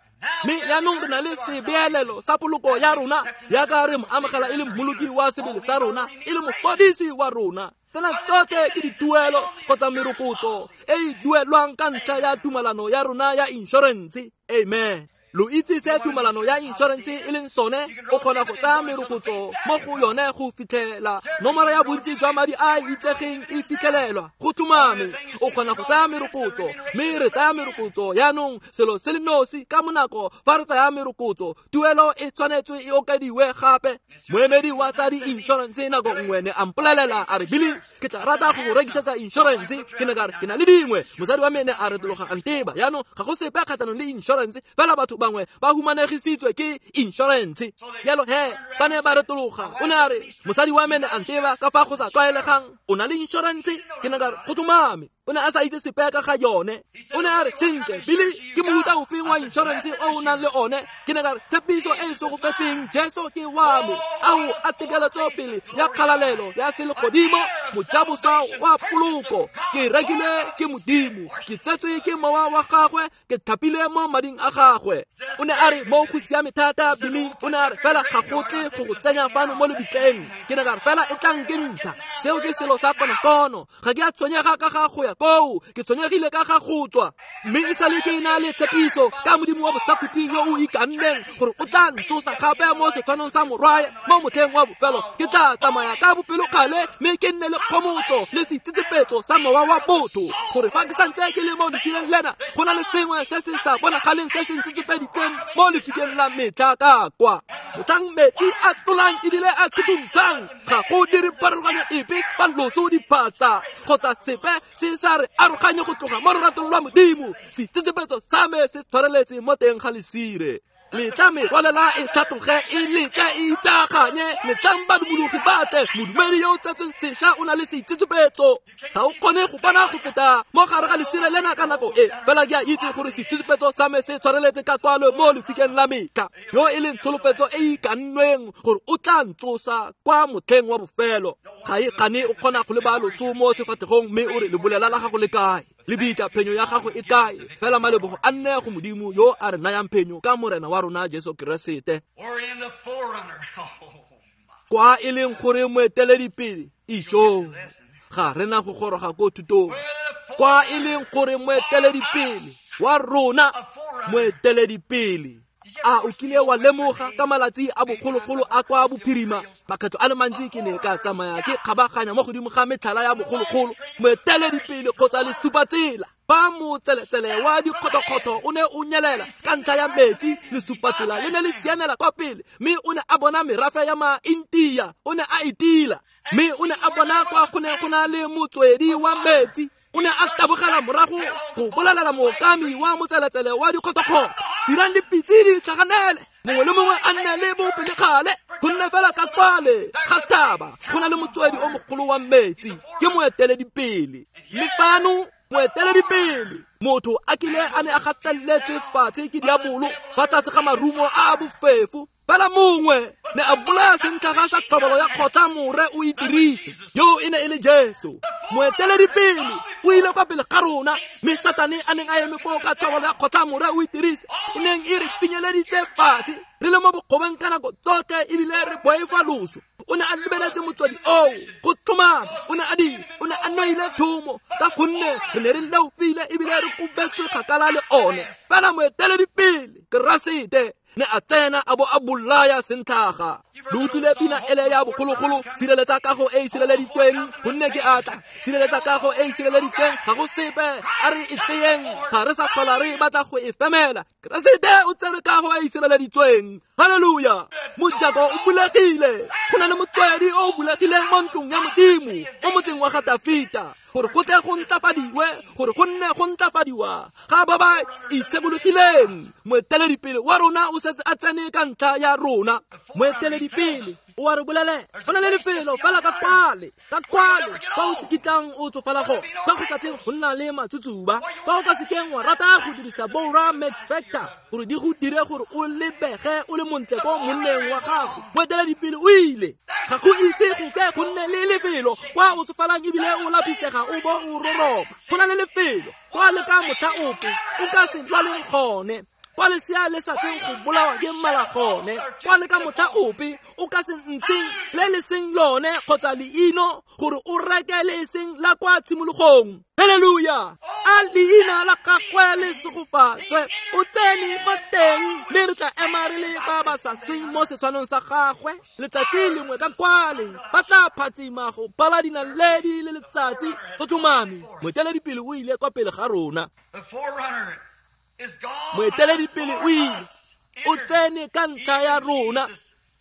Mme jaanong re na le sebeelelo sa poloko ya rona, yaka re mo amogela e le mmoloki wa sebele sa rona, e le mofodisi wa rona. Tsena tsotlhe ke dituelo kgotsa merokotso e e duelwang ka ntlha ya tumalano ya rona ya inšorense. Amen. Lo itse se tumalano ya insurance e leng sone, o kgona go tsaya merokotso mo go yone go fitlhela nomoro ya bontsi jwa madi a itsegeng e fitlhelelwa. Go tlhomame o kgona go tsaya merokotso, mme re tsaya merokotso yaanong selo se le nosi ka monako fa re tsaya merokotso tuelo e tshwanetswe e okediwe gape. Moemedi wa tsa di-insurance nako nngwe ne a mpolelela a re, Billy, ke tla rata go go rekisetsa insurance. Ke ne ka re ke na le dingwe. Mosadi wa me ne a retologa a nteba. Yaanong ga go sepe kgatlhanong le insurance, fela batho bangwe ba humanegisitswe ke insurance. Jalo he ba ne ba retologa. O ne a re, mosadi wa me ne a nteba ka fa go sa tlwaelegang, o na le insurance? Ke ne ka re go tlhomame. O ne a sa itse sepe ka ga yone. O ne a re, sentle Billy, ke mofuta ofeng wa insurance o o nang le one? Ke ne ka re tshepiso e e segofetseng, Jesu ke wa me, ao a tekeletso pele ya kgalalelo ya selegodimo, mojaboswa wa poloko. Ke rekile ke Modimo, ke tsetswe ke mowa wa gagwe, ke thapile mo mading a gagwe. O ne a re, mo go siame thata Billy. O ne a re, fela ga go tle go go tsenya fano mo lebitleng. Ke ne ka re, fela e tlang ke ntsha. Seo ke selo sa konokono. Ga ke a tshwenyega ka ga go ya koo, ke tshwenyegile ka ga go tswa. Mme e sale ke na le tshepiso ka Modimo wa bosakhutleng yo o ikanneng gore o tla ntsosa gape mo setshwanong sa morwae mo motlheng wa bofelo. Ke tla tsamaya ka bopelokgale mme ke nne le kgomotso le seitsetsepetso sa mowa wa botho, gore fa ke santse ke le mo lesileng lena go na le sengwe se se sa bonagaleng se se ntsetsepeditseng mo lefikeng la metlha ka kwa. Motlhang metsi a tlolang ebile a thutuntshang, ga go dire pharologanyo epe fa loso diphatsa kgotsa sepe se sa re aroganye go tloga mo loratong lwa Modimo. Seitsetsepetso sa me se tshwareletse mo teng ga lesire. Letla merwalela e tlhatloge, e letle e itaganye, letlang badumologi ba tle. Modumedi yo o tsetsweng sešwa o na le seitsetsepetso. Ga o kgone go bona go feta mo gare ga lesire lena ka nako e, fela ke a itse gore seitsetsepetso sa me se tshwareletse ka kwalo mo lefikeng la metlha, yo e leng tsholofetso e e ikannweng gore o tla ntsosa kwa motlheng wa bofelo. Ga e kgane o kgona go leba loso mo sefatlhegong mme o re, lebolela la gago le kae? Lebitla, phenyo ya gago e kae? Fela malebogo a nne go Modimo yo a re nayang phenyo ka Morena wa rona Jesu Keresete. Kwa e leng gore moeteledipele isho, ga re na go goroga ko thutong. Kwa e leng gore moeteledipele wa rona, moeteledipele. A o kile wa lemoga ka malatsi a bogologolo a kwa bophirima? Makgetlo a le mantsi ke ne ka tsamaya ke kgabaganya mo godimo ga metlhala ya bogologolo, moeteledipele kgotsa lesupatsela. Fa motseletsele wa dikgothokgotho o ne o nyelela ka ntlha ya metsi, lesupatsela le ne le sianela kwa pele, mme o ne a bona merafe ya ma-Intia, o ne a itila, mme o ne a bona kwa go ne go na le motswedi wa metsi. O ne a tabogela morago go bolelela mookami wa motseletsele wa dikgothokgotho, dirang dipitse di tlhaganele, mongwe le mongwe a nne le bopelekgale, gonne fela ka kwale ga thaba go na le motswedi o mogolo wa metsi, ke moeteledipele. Mme fano moeteledipele, motho a kile a ne a gateletse fatshe ke diabolo fa tlase ga marumo a bofefo, fela mongwe ne a bolaya sentlhaga sa tlhobolo ya kgotla more o itirise, yo e ne e le Jesu. Moeteledipele o ile kwa pele ga rona, mme Satane a neng a eme foo ka tlhobolo ya kgotla more o itirise, e neng e re pinyeleditse fatshe re le mo bokgobeng ka nako tsotlhe ebile re boifa loso. O ne a lebeletse motswedi oo go tlhomama, o ne a dira, o ne a noile thomo ka gonne re ne re leofile ebile re kobetswe kgakala le one. Fela moeteledipele Keresete ne a tsena a bo a bolaya sentlhaga. Lo utlwile pina ele ya bogologolo, sireletsa kago e e sireleditsweng, gonne ke atla. Sireletsa kago e e sireleditsweng, ga go sepe a re e tseyeng, ga re sa tlhola re batla go e femela. Keresete o tsere kago e e sireleditsweng. Haleluya! Mojako o bulegile, go na le motswedi o bulegileng mo ntlong ya Modimo, mo motseng wa ga Tafita, gore go tle go ntlafadiwe, gore go nne go ntlafadiwa ga ba ba itshekologileng. Moeteledipele wa rona o setse a tsene ka ntlha ya rona. Moeteledipele o a re bolelela, go na le lefelo fela ka kwale, ka kwale kwa o se kitlang o tsofala gone, kwa go sa tleng go nna le matsutsuba, kwa o ka sekeng wa rata go dirisa Bora Max Factor gore di go dire gore o lebege o le montle ko monneng wa gago. Moeteledipele o ile, ga go ise go ke go nne le lefelo kwa o tsofalang ebile o lapisega o bo o roroba. Go na le lefelo kwa le ka motlha ope o ka se lwaleng gone. Kwa lesea le sa tleng go bolawa ke mmala gone, kwa le ka motlha ope o ka se ntsheng le le seng lone kgotsa leino gore o reke le e seng la kwa tshimologong. Haleluya! A leina la gagwe le segofatswe. O tsene mo teng, mme re tla ema re le ba ba sa sweng mo setshwanong sa gagwe. Letsatsi lengwe ka kwale ba tla phatsima go bala dinaledi le letsatsi. Go tlhomame, moeteledipele o ile kwa pele ga rona. Moeteledipele o ile, o tsene ka ntlha ya rona,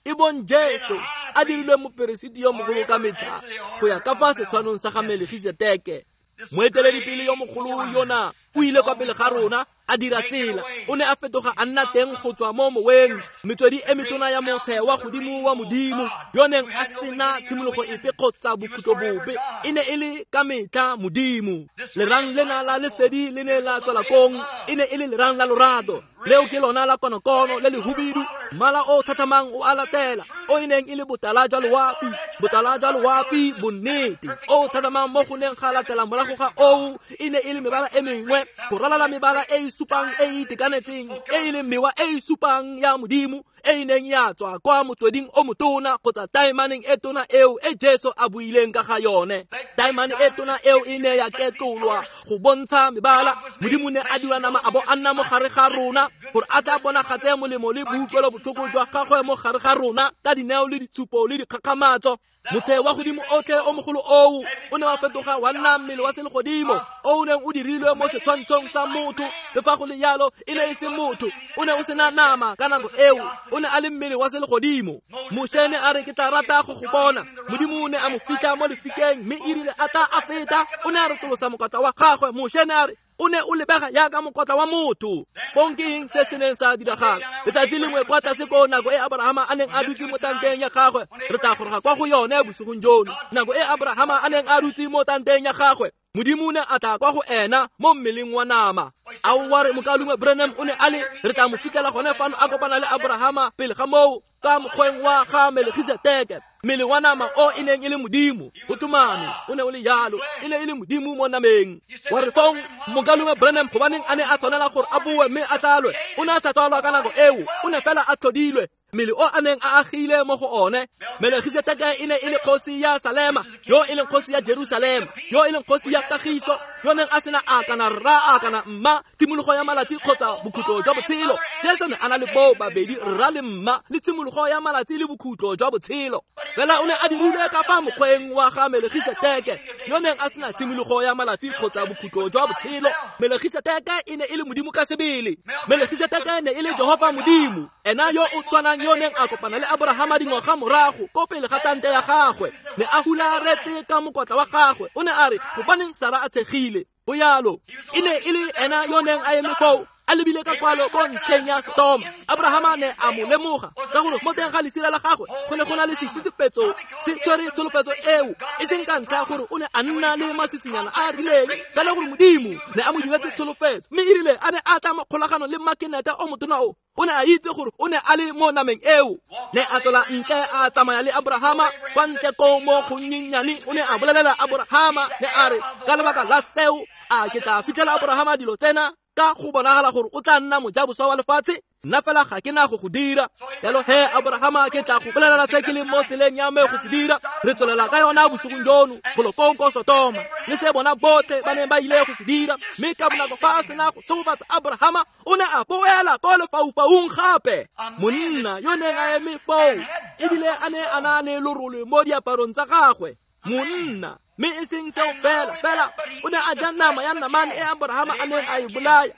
e bong Jesu, a dirilwe moperesiti yo mogolo ka metlha go ya ka fa setshwanong sa ga Melkisedeke. Moeteledipele yo mogolo yona o ile kwa pele ga rona, a dira tsela. O ne a fetoga a nna teng go tswa mo moweng, metswedi e metona ya motshe wa godimo wa Modimo, yo neng a sena tshimologo epe kgotsa bokhutlo bope. E ne e le ka metlha Modimo. Lerang lena la lesedi le ne la tswela kong, e ne e le lerang la lorato. Leo ke lona la konokono le lehubidu, mmala o thathamang o a latela, o e neng e le botala jwa loapi, botala jwa loapi bonnete, o thathamang mo go neng ga latela morago ga oo, e ne e le mebala e mengwe, go ralala mebala e e supang e e itekanetseng, e e leng mewa e e supang ya Modimo, e e neng ya tswa kwa motsweding o motona kgotsa taemaneng e tona eo e Jesu a buileng ka ga yone. Taemane e tona eo e ne ya ketlolwa go bontsha mebala. Modimo ne a dira nama a bo a nna mo gare ga rona, gore a tla bonagatse molemo le boutlwelo botlhoko jwa gagwe mo gare ga rona ka dineo le ditshupo le dikgakgamatso. Motshe wa godimo otlhe o mogolo oo o ne wa fetoga wa nna mmele wa selegodimo o o neng o dirilwe mo setshwantshong sa motho. Le fa go le jalo, e ne e se motho, o ne o sena nama ka nako eo, o ne a le mmele wa selegodimo. Moshe ne a re, ke tla rata go go bona. Modimo o ne a mo fitlha mo lefikeng, mme e rile a tla a feta, o ne a retolosa mokotla wa gagwe. Moshe ne a re, o ne o lebega jaaka mokotla wa motho. Fong ke eng se se neng sa diragala? Letsatsi lengwe kwa tlase ko nako e Abrahama a neng a dutse mo tanteng ya gagwe, re tla goroga kwa go yone bosigong jono. Nako e Abrahama a neng a dutse mo tanteng ya gagwe, Modimo o ne a tla kwa go ena mo mmeleng wa nama. A wa re mokaulengwe Branham o ne a le, re tla mo fitlhela gone fano a kopana le Abrahama pele ga moo ka mokgweng wa ga Melkisedeke, mmele wa nama o e neng e le Modimo. Go tlhomame, o ne o le jalo, e ne e le Modimo mo nameng. Wa re fong mokaulengwe Branham gobaneng a ne a tshwanela gore a boe mme a tsalwe? O ne a sa tsalwa ka nako eo, o ne fela a tlhodilwe. Mmele o a neng a agile mo go one. Melkisedeke e ne e le kgosi ya Salema, yo e leng kgosi ya Jerusalema, yo e leng kgosi ya kagiso, yo neng a sena a kana rra a kana mma, tshimologo ya malatsi kgotsa bokhutlo jwa botshelo. Jesu ne a na le boo babedi, rra le mma, le tshimologo ya malatsi le bokhutlo jwa botshelo. Fela o ne a dirilwe ka fa mokgweng wa ga Melkisedeke, yo neng a sena tshimologo ya malatsi kgotsa bokhutlo jwa botshelo. Melkisedeke e ne e le Modimo ka sebele. Melkisedeke ne e le Jehova Modimo, ena yo o tshwanang yo neng a kopana le Abrahama dingwaga morago ko pele ga tante ya gagwe, ne a hularetse ka mokotla wa gagwe. O ne a re, gobaneng Sara a tshegile? Go jalo, e ne e le ena yo neng a eme foo, a lebile ka kwalo ko ntlheng ya Sodoma. Abrahama ne a mo lemoga ka gore mo teng ga lesira la gagwe go ne go na le setsitsipetso se tshwere tsholofetso eo, e seng ka ntlha gore o ne a nna le masisinyana a a rileng, fela gore Modimo ne a mo diretse tsholofetso. Mme e rile a ne a tla mo kgolagano le makenete o motona o, o ne a itse gore o ne a le mo nameng eo. Ne a tswela ntle a tsamaya le Abrahama kwa ntle ko mo gonnyenyane. O ne a bolelela Abrahama, ne a re, ka lebaka la seo a ke tla fitlhela Abrahama dilo tsena ka go bonagala gore o tla nna mojaboswa wa lefatshe, nna fela ga ke na go go dira. Jalo he Abrahama, ke tla go bolelela se ke leng mo tseleng ya me go se dira. Re tswelela ka yona bosigong jono golo koo ko Sodoma, le se bona botlhe ba neng ba ile go se dira. Mme ka bonako fa a sena go segofatsa Abrahama, o ne a boela ko lefaufaung gape. Monna yo neng a eme foo, ebile a ne a na le lorole mo diaparong tsa gagwe, monna, mme e seng seo fela, fela o ne a ja nama ya namane e Abrahama a neng a e bolaya,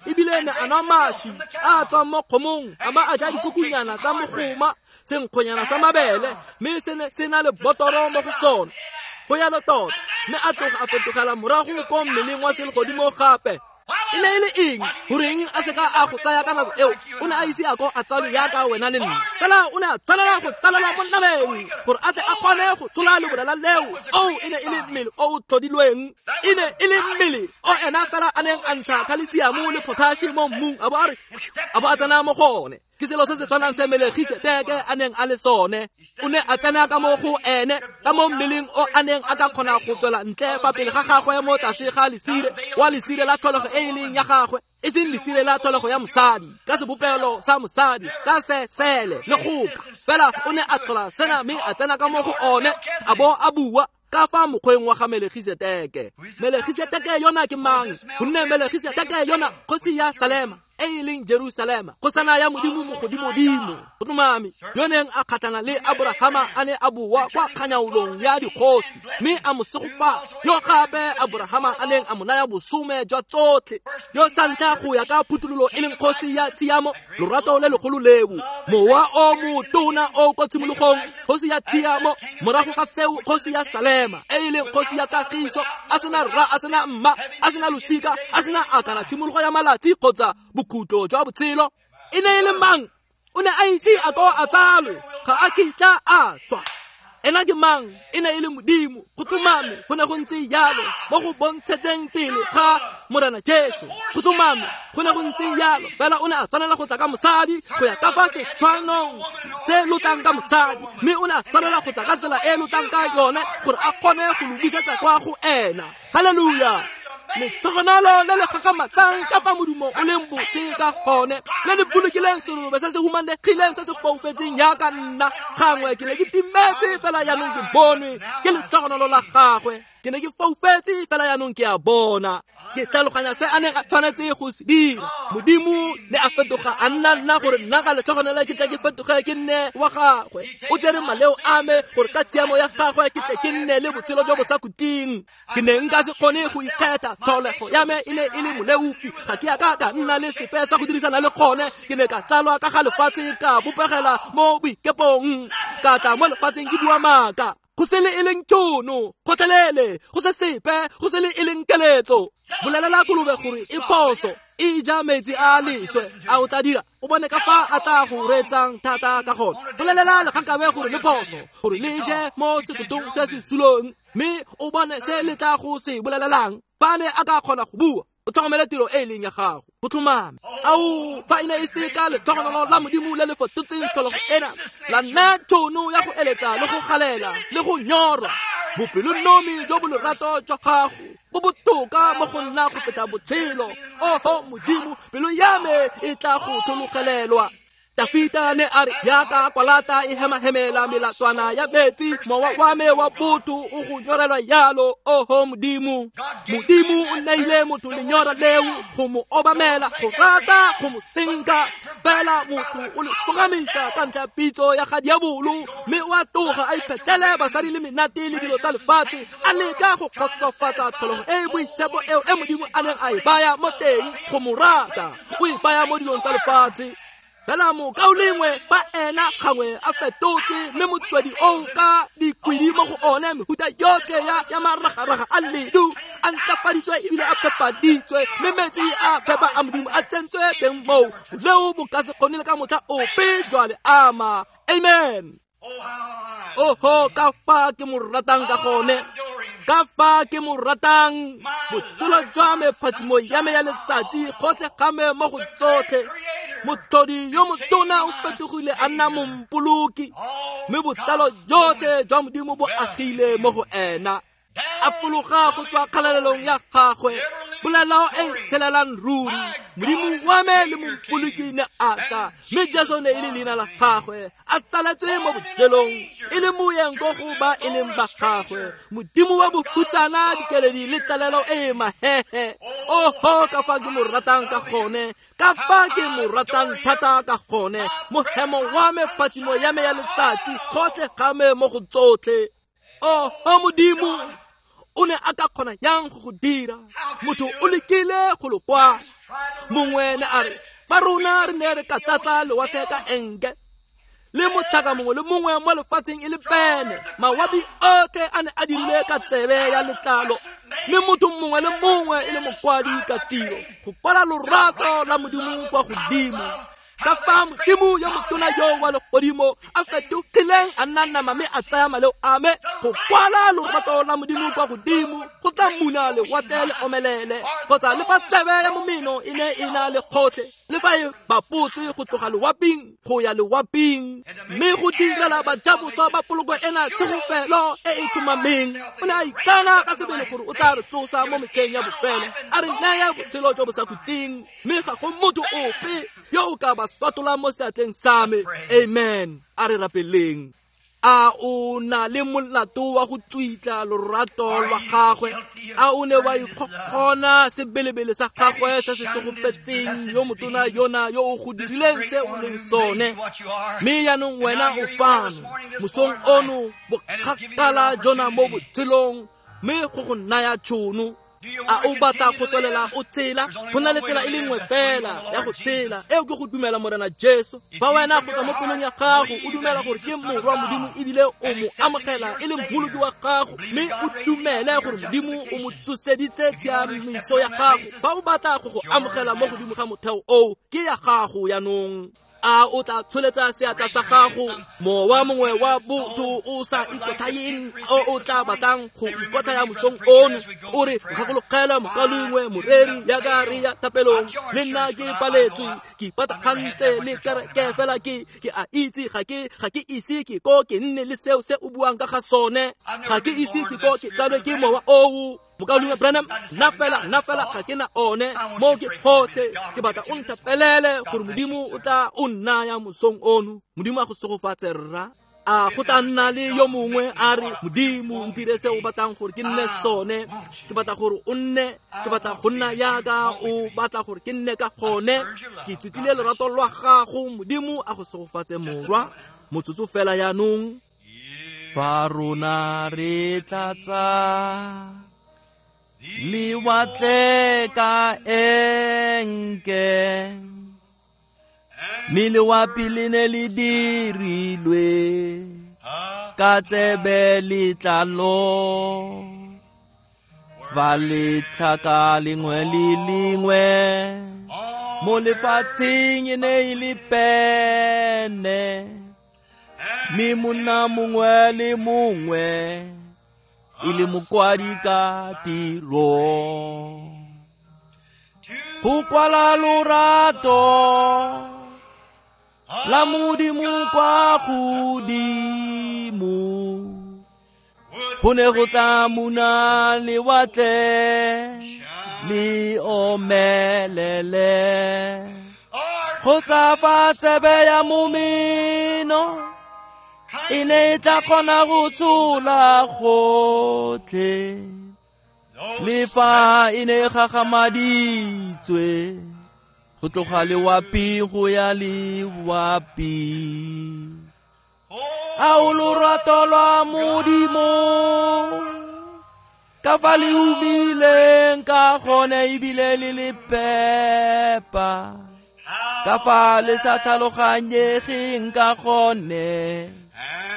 ebile ne a nwa maši a tswang mo kgomong, a ba a ja dikukunyana tsa mogoma, senkgonyana sa mabele, mme se ne se na le botoro mo go sone. Go jalo tota, mme a tloga a fetogela morago ko mmeleng wa selegodimo gape. E ne e le eng? Goreng a seka a go tsaya ka nako eo? O ne a ise a ko a tsalwe jaaka wena le nna, fela o ne a tshwanela go tsalelwa mo nameng gore a tle a kgone go tshola lebolela leo. Oo e ne e le mmele o o tlhodilweng, e ne e le mmele o ena fela a neng a ntsha khalesiamo le potashi mo mmung, a bo a re, a bo a tsena mo go one. Ke selo se se tshwanang se Melkisedeke a neng a le sone. O ne a tsena ka mo go ene, ka mo mmeleng o a neng a ka kgona go tswela ntle fa pele ga gagwe mo tlase ga lesire, wa lesire la tlholego e e leng ya gagwe. E seng lesire la tlholego ya mosadi, ka sebopelo sa mosadi, ka sesele le goka. Fela o ne a tlhola sena mme a tsena ka mo go one, a bo a bua ka fa mokgweng wa ga Melegiseteke. Melegiseteke yona ke mang? Gonne Melegiseteke yona kgosi ya Salema, e e leng Jerusalema, kgosana ya Modimo mogodimodimo. Go tlhomame, yo neng a kgatlhana le Aborahama a ne a boa kwa kganyaolong ya dikgosi, mme a mo segofatsa, yo gape Aborahama a neng a mo naya bosome jwa tsotlhe, yo sa ntlha go ya ka phuthololo e leng kgosi ya tshiamo, lorato le legolo leo, mowa o motona o kwa tshimologong, kgosi ya tshiamo, morago ga seo kgosi ya Salema, e e leng kgosi ya kagiso, a sena rra, a sena mma, a sena losika, a sena akana tshimologo ya malatsi kgotsa bokhutlo jwa botshelo. E ne e le mang? O ne a ise a ko a tsalwe, ga a kitla a swa. Ena ke mang? E ne e le Modimo. Go tlhomame, go ne go ntse jalo mo go bontshetseng pele ga Morena Jesu. Go tlhomame, go ne go ntse jalo. Fela o ne a tshwanela go tla ka mosadi go ya ka fa setshwanong se lotlang ka mosadi, mme o ne a tshwanela go tla ka tsela e lotlang ka yone gore a kgone go lo busetsa kwa go ena. Haleluya! Letlhogonolo le le gakgamatsang ka fa modumo o leng botse ka gone, le le bolokileng serobe se se humanegileng se se foufetseng jaaka nna. Gangwe ke ne ke timetse, fela jaanong ke bonwe ke letlhogonolo la gagwe. Ke ne ke foufetse, fela jaanong ke a bona. Ke tlhaloganya se a neng a tshwanetse go se dira. Modimo ne a fetoga a nna nna gore nna ka letlhogonolo ke tle ke fetoge ke nne wa gagwe. O tsere maleo a me gore ka tshiamo ya gagwe ke tle ke nne le botshelo jo bo sa khutleng. Ke ne nka se kgone go ikgetha, tlholego ya me e ne e le moleofi, ga ke a ka ka nna le sepe sa go dirisana le gone. Ke ne ka tsalwa ka ga lefatshe, ka bopegela mo boikepong, ka tla mo lefatsheng ke bua maaka. Go se le e leng tšhono, gotlhelele, go se sepe, go se le e leng keletso. Bolelela kolobe gore e phoso, e ja metsi a leswe, a o tla dira, o bone ka fa a tla go reetsang thata ka gone. Bolelela legakabe gore le phoso, gore le je mo setotong se se sulong, mme o bone se le tla go se bolelelang. Fa ne a ka kgona go bua, o tlhokomele tiro e e leng ya gago. Go tlhomame. Ao, fa e ne e se ka letlhogonolo la Modimo le le fetotseng tlholego ena, la nna tšhono ya go eletsa le go galela le go nyorwa, bopelonomi jo bo lorato jwa gago bo botoka mo go nna go feta botshelo. Oho Modimo, pelo ya me e tla go tlhologelelwa. Dafita ne a re, jaaka kwalata e hemahemela melatswana ya metsi, mowa wa me wa botho o go nyorelwa jalo. Oho Modimo, Modimo o neile motho lenyora leo go mo obamela, go rata, go mo senka. Fela motho o le tsogamisa ka ntlha ya pitso ya ga diabolo, mme o a tloga a iphetele basadi le menate le dilo tsa lefatshe, a leka go kgotsofatsa tlholego e e boitshepo eo e Modimo a neng a e baya mo teng go mo rata. O e baya mo dilong tsa lefatshe. Fela mokaulengwe fa ena gangwe a fetotse, mme motswedi oo ka dikwidi mo go one mehuta yotlhe ya maragaraga a ledu a ntlafaditswe ebile a phepaditswe, mme metsi a phepa a Modimo a tsentswe teng moo, boleo bo ka se kgone le ka motlha ope jwa le ama. Amen. Oho, ka fa ke mo ratang ka gone, ka fa ke mo ratang. Botshelo jwa me, phatsimo ya me ya letsatsi, gotlhe ga me mo go tsotlhe. Motlhodi yo motona o fetogile a nna mompoloki, mme botlalo jotlhe jwa Modimo bo agile mo go ena. A fologa go tswa kgalalelong ya gagwe, polelo e tshelelang ruri. Modimo wa me le mompoloki ne a tla, mme Jesu ne e le leina la gagwe, a tsaletswe mo bojelong, e le moyeng ko go ba e leng ba gagwe. Modimo wa bohutsana, dikeledi le tlalelo e mahehe. Oho, ka fa ke mo ratang ka gone, ka fa ke mo ratang thata ka gone. Mohemo wa me, phatsimo ya me ya letsatsi, gotlhe ga me mo go tsotlhe. Oho Modimo, o ne a ka kgona yang go go dira? Motho o lekile go lo kwala. Mongwe ne a re, fa rona re ne re ka tlatsa lewatle ka enke, le motlhaka mongwe le mongwe mo lefatsheng e le pene, mawabi otlhe a ne a dirilwe ka tsebe ya letlalo, mme motho mongwe le mongwe e le mokwadi ka tiro go kwala lorato la Modimo kwa godimo. Ka fa Modimo yo motona yo wa legodimo a fetogileng a nna nama mme a tsaya maleo a me go kwala lorato la Modimo kwa godimo go tla muna lewatle le omelele kgotsa le fa tsebe ya momeno e ne e na le kgotlhe le fa e bapotse go tloga lewaping go ya lewaping mme go direla bajaboswa ba poloko ena tshegofelo e e tlhomameng. O ne a ikana ka sebele gore o tla re tsosa mo metlheng ya bofelo a re naya botshelo jo bo sa khutleng mme ga go motho ope yo o ka ba swatola mo seatleng sa me. Amen. A re rapeleng. A o na le molato wa go tswitla lorato lwa gagwe? A o ne wa ikgokgona sebelebele sa gagwe se se segofetseng yo motona yona yo o go dirileng se o leng sone? Mme jaanong wena o fano mosong ono bokgakala jona mo botshelong mme go go naya tšhono. A o batla go tswelela o tshela? Go na le tsela e le nngwe fela ya go tshela, eo ke go dumela Morena Jesu. Fa wena go tswa mo pelong ya gago o dumela gore ke morwa Modimo ebile o mo amogela e le mmoloki wa gago mme o dumele gore Modimo o mo tsoseditse tshiamiso ya gago, fa o batla go go amogela mo godimo ga motheo oo, ke ya gago jaanong. A o tla tsholetsa seatla sa gago? Mowa mongwe wa botho o sa ikotlhaeng o o tla batlang go ikotlhaya mosong ono o re gakologela mokalengwe moreri yaka re ya thapelong le nna ke paletswe ke ipatagantse le kereke fela ke a itse ga ke ise ke ko ke nne le seo se o buang ka ga sone, ga ke ise ke ko ke tsalwe ke mowa oo. Mokaulengwe Branham, nna fela ga ke na one mo ke gotlhe. Ke batla o nthapelele gore Modimo o tla o nnaya mosong ono. Modimo a go segofatse rra. A go tla nna le yo mongwe a re Modimo ntire se o batlang gore ke nne sone, ke batla gore o nne, ke batla go nna yaka o batla gore ke nne ka gone. Ke ithutlile lorato lwa gago. Modimo a go segofatse morwa. Motsotso fela jaanong. Fa rona re tlatsa lewatle ka enke, mme lewapi le ne le dirilwe ka tsebe letlalo. Fa letlhaka lengwe le lengwe mo lefatsheng e ne e le pene, mme monna mongwe le mongwe e le mokwadi ka tiro. Go kwala lorato la Modimo kwa godimo go ne go tla muna lewatle le omelele, kgotsa fa tsebe ya momeno e ne e tla kgona go tshola gotlhe le fa e ne e gagamaditswe go tloga lewapi go ya lewapi. A o lorato lwa Modimo ka fa le humileng ka gone ebile le le phepa, ka fa le sa tlhaloganyegeng ka gone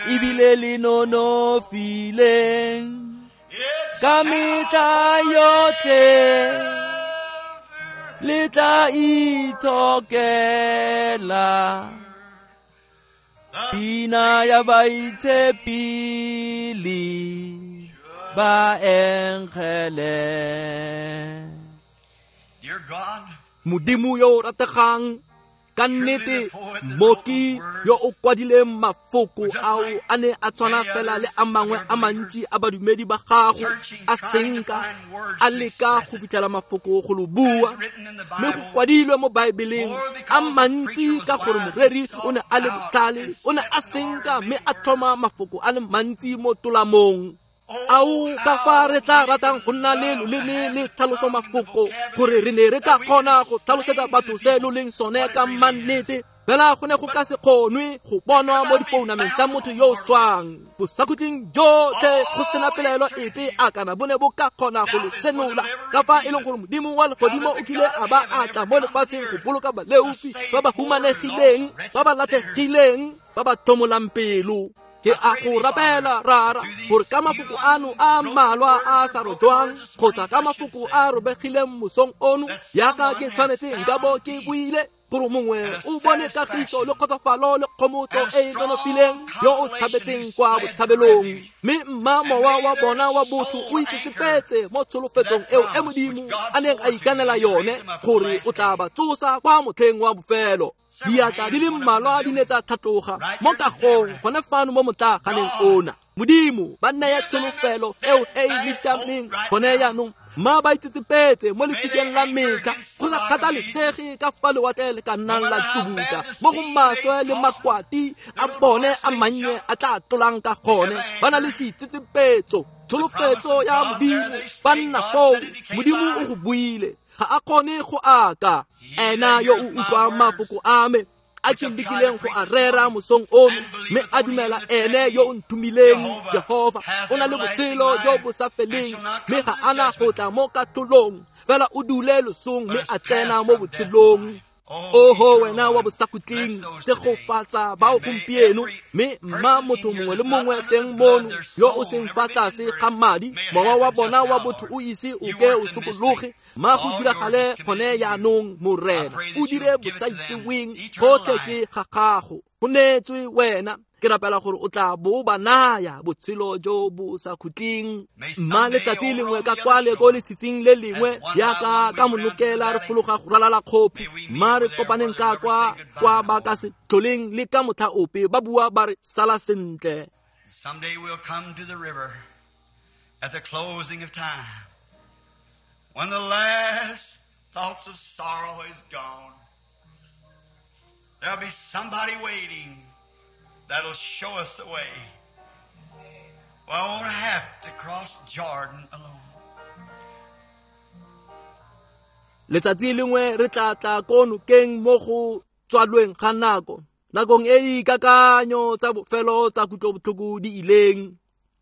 ebile le nonofileng ka metlha yotlhe le tla itshokela pina ya baitshepili ba engele. Modimo yo o rategang, ka nnete mmoki yo o kwadileng mafoko ao a ne a tshwana fela le a mangwe a mantsi a badumedi ba gago, a senka a leka go fitlhela mafoko go lo bua, mme go kwadilwe mo Baebeleng a mantsi ka gore moreri o ne a le botlhale, o ne a senka mme a tlhoma mafoko a le mantsi mo tolamong. Ao ka fa re tla ratang go nna le loleme le tlhaloso mafoko gore re ne re ka kgona go tlhalosetsa batho se lo leng sone ka mannete, fela go ne go ka se kgonwe go bonwa mo dipounameng tsa motho yo o swang. Bosakhutleng jotlhe go sena pelaelo epe a kana bo ne bo ka kgona go lo senola ka fa e leng gore Modimo wa legodimo o kile a ba a tla mo lefatsheng go boloka baleofi ba ba humanegileng, ba ba latlhegileng, ba ba tlhomolang pelo. Ke a go rapela rara gore ka mafoko ano a mmalwa a sa rojwang kgotsa ka mafoko a robegileng mosong ono yaka ke tshwanetse nka bo ke buile, Gore mongwe o bone kagiso le kgotsofalo le kgomotso e e nonofileng yo o tshabetseng kwa botshabelong. Mme mma mowa wa bona wa botho o itsetsepetse mo tsholofetsong eo e Modimo a neng a ikanela yone gore o tla ba tsosa kwa motlheng wa bofelo. Diatla di le mmalwa di ne tsa tlhatloga mo kagong gone fano mo motlaganeng ona. Modimo ba naya tsholofelo eo e e nitameng gone jaanong, mma ba itsetsepetse mo lefikeng la metlha go sa kgathalesege ka fa lewatle le ka nnang la tsubutla mo go maswe le makwati a bone a mannye a tla tlolang ka gone. Ba na le seitsetsepetso, tsholofetso ya Modimo, ba nna foo. Modimo o go buile, ga a kgone go aka. Ena yo o utlwang mafoko a me a ke lekileng go a rera mosong ono, mme a dumela ene yo o nthomileng, Jehova, o na le botshelo jo bo sa feleng, mme ga ana go tla mo katlholong, fela o dule losong mme a tsena mo botshelong. Oho wena wa bosakhutleng, tshegofatsa bao gompieno, mme mma motho mongwe le mongwe teng mono yo o seng fa tlase ga madi, mowa wa bona wa botho o ise o ke o sokologe, mma go diragale gone jaanong, Morena. O dire bosaitseweng gotlhe ke ga gago, go neetswe wena. Ke rapela gore o tla bo ba naya botshelo jo bo sa khutleng. Mma letsatsi lengwe ka kwale ko letshitsing le lengwe yaka ka monokela re fologa go ralala kgopo, mma re kopaneng ka kwa kwa ba ka se tlholeng le ka motlha ope ba bua ba re sala sentle. Someday we'll come to the river at the closing of time, when the last thoughts of sorrow is gone. There'll be somebody waiting that'll show us the way. We won't have to cross Jordan alone. Letsatsi lengwe re tla tla ko nokeng mo go tswalweng ga nako, nakong e dikakanyo tsa bofelo tsa kutlobotlhoko di ileng.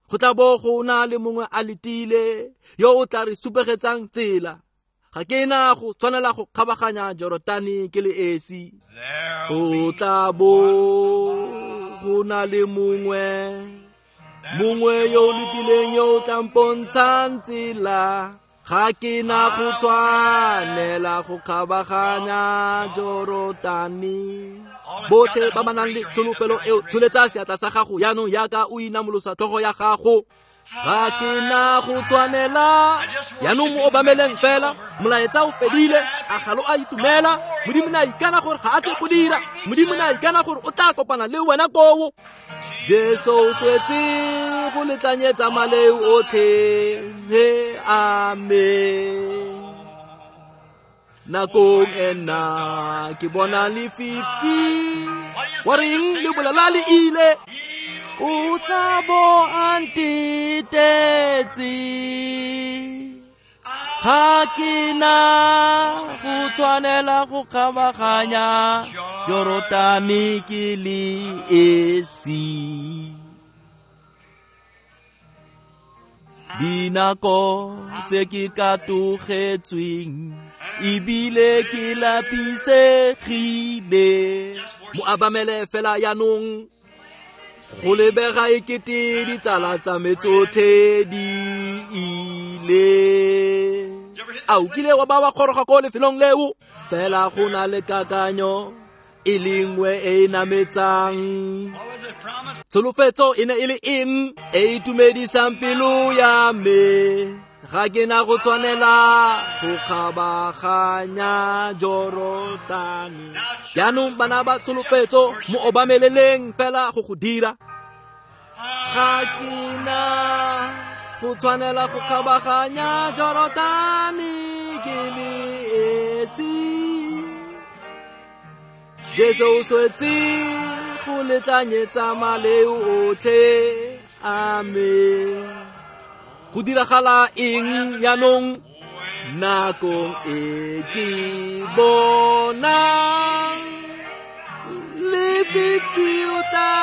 Go tla bo go na le mongwe a letile yo o tla re supegetsang tsela. Ga ke na go tshwanela go kgabaganya Jorotane ke le esi. Go tla bo go na le mongwe, mongwe yo o letileng yo o tla mpontshang tsela. Ga ke na go tshwanela go kgabaganya Jorotane. Botlhe ba ba nang le tsholofelo eo, tsholetsa seatla sa gago jaanong yaka o inamolosa tlhogo ya gago. Ga ke na go tshwanela. Jaanong mo obameleng fela, molaetsa o fedile, a ga lo a itumela. Modimo ne a ikana gore ga a tle go dira. Modimo ne a ikana gore o tla kopana le wena koo. Jesu o swetse go letlanyetsa maleo otlhe, amen. Nakong ena ke bona lefifi, wa reng le bolela le ile. O tla bo a ntetetse, ga ke na go tshwanela go kgabaganya Jorotane ke le esi. Dinako tse ke katogetsweng ebile ke lapisegile. Mo abamele fela jaanong, go lebega ekete ditsala tsa me tsotlhe di ile. A o kile wa ba wa kgoroga ko lefelong leo? Fela go na le kakanyo e lengwe e e nametsang. Tsholofetso e ne e le eng e itumedisang pelo ya me? Ga ke na go tshwanela go kgabaganya Jorotane. Jaanong bana ba tsholofetso, mo obameleleng fela go go dira. Ga ke na go tshwanela go kgabaganya Jorotane ke le esi. Jesu o swetse go letlanyetsa maleo otlhe, amen. Go diragala eng jaanong? Nakong e ke bonang lefifi o tla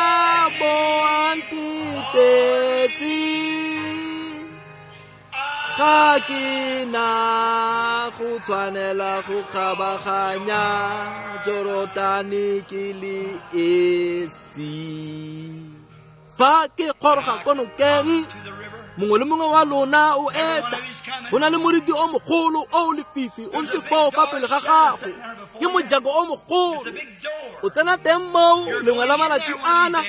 bo a ntetetse, ga ke na go tshwanela go kgabaganya Jorotane ke le esi. Fa ke kgoroga ko nokeng, Mongwe le mongwe wa lona o etla. Go na le moriti o mogolo o lefifi o ntse foo fa pele ga gago. Ke mojako o mogolo. O tsena teng moo lengwe la malatsi ana,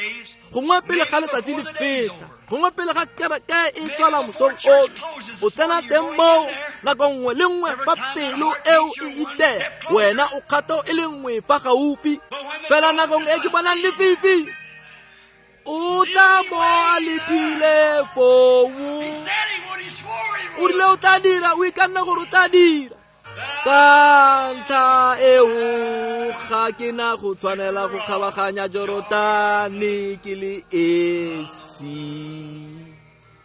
gongwe pele ga letsatsi le feta, gongwe pele ga kereke e tswala mosong ono. O tsena teng moo nako nngwe le nngwe fa pelo eo e itela, wena o kgato e le nngwe fa gaufi. Fela nakong e ke bonang lefifi, o tla bo a letile foo. O rile o tla dira, o ikanne gore o tla dira. Ka ntlha eo ga ke na go tshwanela go kgabaganya Jorotane ke le esi.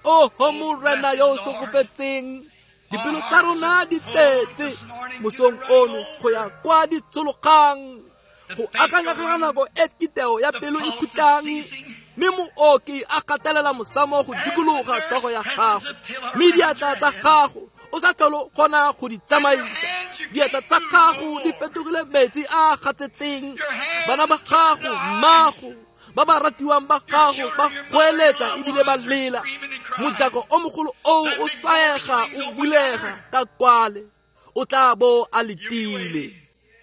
Oho Morena yo o segofetseng, dipelo tsa rona di tletse mosong ono go ya kwa di tshologang, go akanya ka nako e kiteo ya pelo e khutlang, mme mooki a gatelela mosamo go dikologa tlhogo ya gago, mme diatla tsa gago o sa tlhole kgona go di tsamaisa. Diatla tsa gago di fetogile metsi a gatsetseng. Bana ba gago, mmago, ba ba ratiwang ba gago ba goeletsa ebile ba lela. Mojako o mogolo oo o swaega o bulega ka kwale, o tla bo a letile.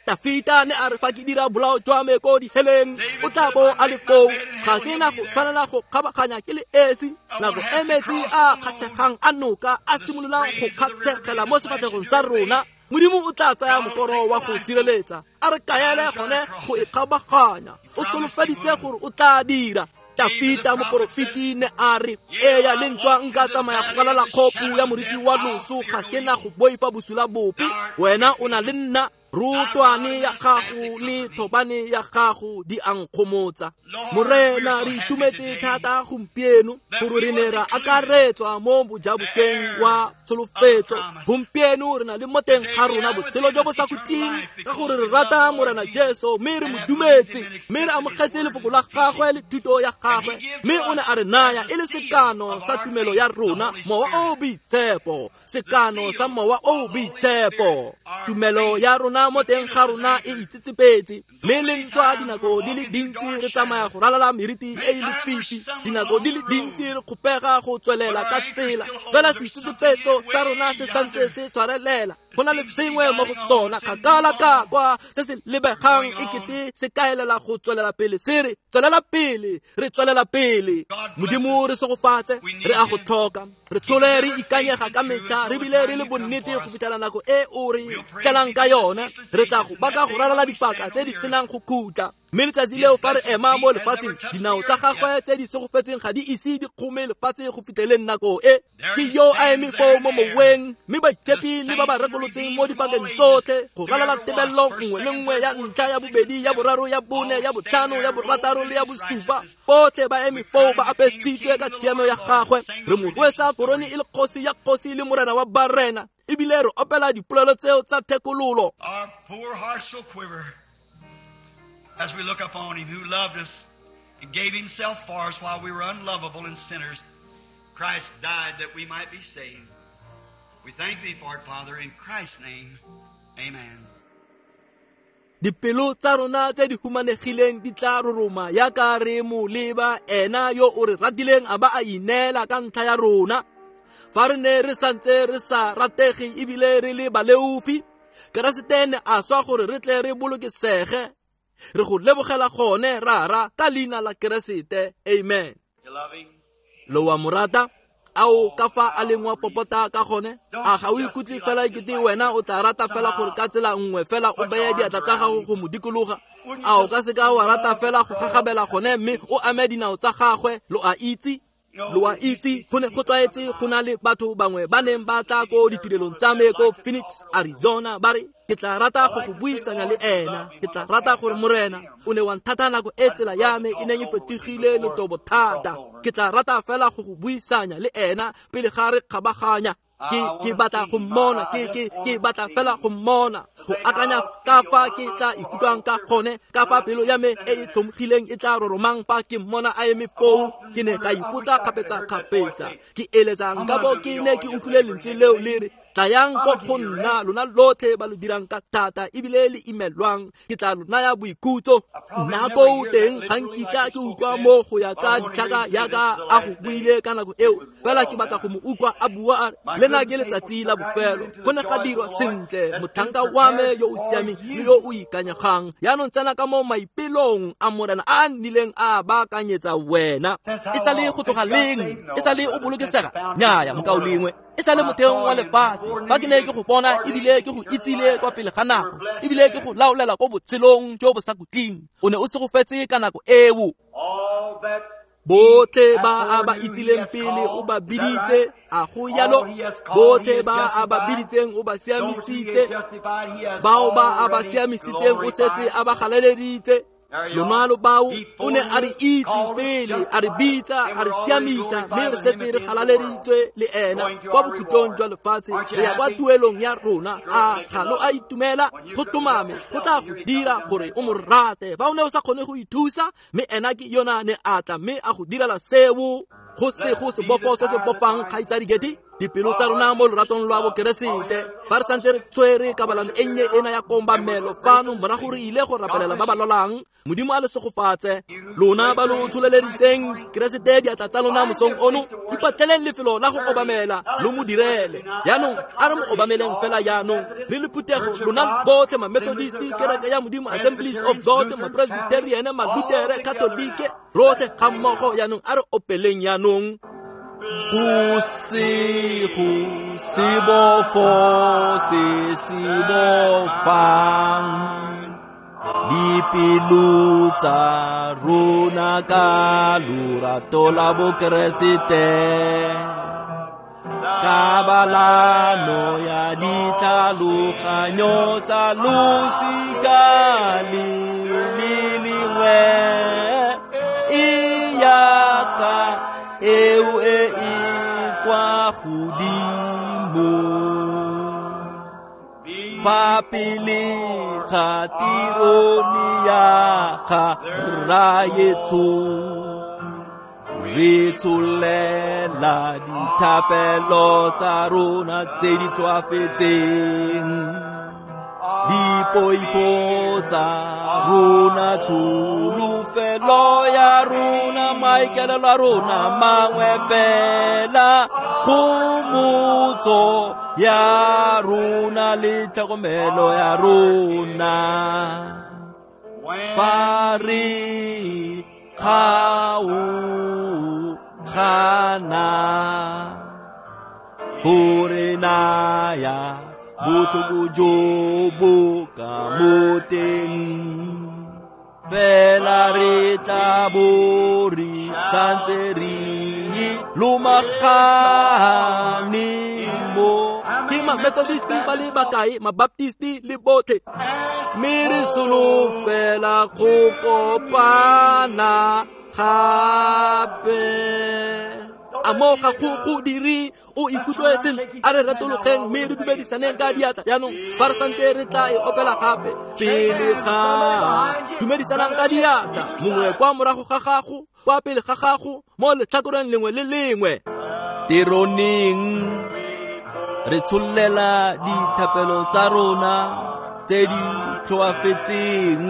Tafita ne a re fa ke dira bolao jwa me ko diheleng, o tla bo a le foo. Ga ke na go tshwanela go kgabaganya ke le esi. Nako e metsi a kgatšhegang a noka a simololang go kgatšhegela mo sefatlhegong sa rona, Modimo o tla tsaya mokoro wa go sireletsa, a re kaele gone go e kgabaganya. O solofeditse gore o tla dira. Tafita moporofeti ne a re, eya le ntswa nka tsamaya go kalala kgopu ya moriti wa loso, ga ke na go boifa bosula bope. Wena o na le nna, rotwane ya gago le thobane ya gago di a nkgomotsa. Morena, re itumetse thata gompieno gore re ne ra akaretswa mo bojabosweng wa tsholofetso. Gompieno re na le mo teng ga rona botshelo jo bo sa khutleng, ka gore re rata Morena Jesu, mme re mo dumetse, mme re amogetse lefoko la gagwe le thuto ya gagwe, mme o ne a re naya e le sekano sa tumelo ya rona, Mowa o Boitshepo, sekano sa Mowa o Boitshepo. Tumelo ya rona mo teng ga rona e itsetsepetse, mme le ntswa dinako di le dintsi re tsamaya go ralala meriti e e lefifi, dinako di le dintsi re kgopega go tswelela ka tsela, fela seitsetsepetso sa rona se santse se tshwarelela. Go na le sengwe mo go sona kgakala ka kwa se se lebegang ekete se kaelela go tswelela pele, se re tswelela pele, re tswelela pele. Modimo re segofatse, re a go tlhoka. Re tshole re ikanyega ka metlha, re bile re le bonnete go fitlhela nako e o re tlelang ka yone. Re tla go baka go ralala dipaka tse di senang go khutla. Mme letsatsi leo fa re ema mo lefatsheng, dinao tsa gagwe tse di segofetseng ga di ise di kgome lefatshe go fitlheleng nako e. Ke yo a eme foo mo moweng, mme baitshepi le ba ba rekolotseng mo dipakeng tsotlhe go ralala tebelelo nngwe le nngwe ya ntlha, ya bobedi, ya boraro, ya bone, ya botlhano, ya borataro le ya bosupa, botlhe ba eme foo ba apesitswe ka tshiamo ya gagwe. Re mo rwesa korone e le kgosi ya kgosi le morena wa barena, ebile re opela dipolelo tseo tsa thekololo. Our poor hearts will quiver as we look upon him who loved us and gave himself for us while we were unlovable and sinners. Christ died that we might be saved. We thank thee for it, Father, in Christ's name. Amen. Dipelo tsa rona tse di humanegileng di tla roroma yaka re mo leba ena yo o re ratileng a ba a ineela ka ntlha ya rona. Fa re ne re santse re sa ratege ebile re le baleofi, Keresete ne a swa gore re tle re bolokesege. Re go lebogela gone rara ka leina la Keresete. Amen. Lo wa mo rata? Ao ka fa a leng wa popota ka gone? A ga o ikutlwe fela ekete wena o tla rata fela gore ka tsela nngwe fela o beye diatla tsa gago go mo dikologa? A o ka seka wa rata fela go gagabela gone mme o ame dinao tsa gagwe? Lo a itse, lo a itse, go ne go tlwaetse go na le batho bangwe ba neng ba tla ko ditirelong tsa me ko Phoenix, Arizona, ba re, ke tla rata go go buisanya le ena, ke tla rata gore Morena o ne wa nthata nako e tsela ya me e neng e fetogile letobo thata. Ke tla rata fela go go buisanya le ena pele ga re kgabaganya. Ke batla go mmona, ke batla fela go mmona, go akanya ka fa ke tla ikutlwang ka gone, ka fa pelo ya me e e tlhomogileng e tla roromang fa ke mmona a eme foo. Ke ne ka ipotsa kgapetsa-kgapetsa, ke eletsa nka bo ke ne ke utlwile lentswe leo le re, Tlayang ko go nna lona lotlhe ba lo dirang ka thata ebile le imelwang, ke tla lo naya boikhutso. Nna ko teng ga nkitla ke utlwa mo go ya ka ditlhaka yaka a go buile ka nako eo, fela ke batla go mo utlwa a bua a re lena ke letsatsi la bofelo. Go ne ga dirwa sentle, motlhanka wa me yo o siameng le yo o ikanyegang. Yaanong tsena ka mo maipelong a Morena a nnileng a baakanyetsa wena. E sa le go tloga leng? E sa le o bolokesega? Nnyaya, mokaulengwe, e sa le motheong wa lefatshe. Fa ke ne ke go bona ebile ke go itsile kwa pele ga nako, ebile ke go laolela ko botshelong jo bo sa khutleng, o ne o segofetse ka nako eo. Botlhe ba a ba itsileng pele o ba biditse, a go yalo. Botlhe ba a ba biditseng o ba siamisitse, bao ba a ba siamisitseng o setse a ba galaleditse. Lona lo bao o ne a re itse pele, a re bitsa, a re siamisa, mme re setse re galaleditswe le ena kwa bokhutlong jwa lefatshe. Re ya kwa tuelong ya rona. A ga lo a itumela? Go tlhomame go tla go dira gore o mo rate. Fa o ne o sa kgone go ithusa, mme ena ke yona ne a tla mme a go direla seo. Go se go sebofo se se bofang kgaitsadi Getty dipelo tsa rona mo loratong lwa bokeresete. Fa re santse re tshwere kabalano e nnye ena ya kombamelo fano, morago re ile go rapelela ba ba lwalang. Modimo a le segofatse. Lona ba lo tsholeleditseng Keresete diatla tsa lona mosong ono, ipatleleng lefelo la go obamela lo mo direle. Yaanong a re mo obameleng fela yaanong re le phuthego, lona botlhe ma-Methodist, Kereke ya Modimo, Assemblies of God, ma-Presbyterian, ma-Lutere, Katolike, rotlhe ga mmogo. Yaanong a re opeleng yaanong. Go se go sebofo se se bofang dipelo tsa rona ka lorato la bokeresete, kabalano ya ditlhaloganyo tsa losika le le lengwe e yaka eo e e kwa godimo. Fa pele ga tirone ya ga Rraetsho, re tsholela dithapelo tsa rona tse di tlhoafetseng, dipoifo tsa rona, tsholofelo ya rona, maikaelelo a rona mangwe fela, kgomotso ya rona le tlhokomelo ya rona. Fa re kgaogana go re naya botlhoko jo bo ka mo teng, fela re tla bo re santse re lomagane mo. Ke ma-Methodist ba le bakae, ma-Baptist le botlhe, mme re solofela go kopana gape. A mo ga go go dire o ikutlwe sentle? A re retologeng mme re dumedisaneng ka diatla jaanong. Fa re santse re tla e opela gape pele ga dumedisanang ka diatla, mongwe kwa morago ga gago, kwa pele ga gago, mo letlhakoreng lengwe le lengwe. Teroneng re tshollela dithapelo tsa rona tse di tlhoafetseng.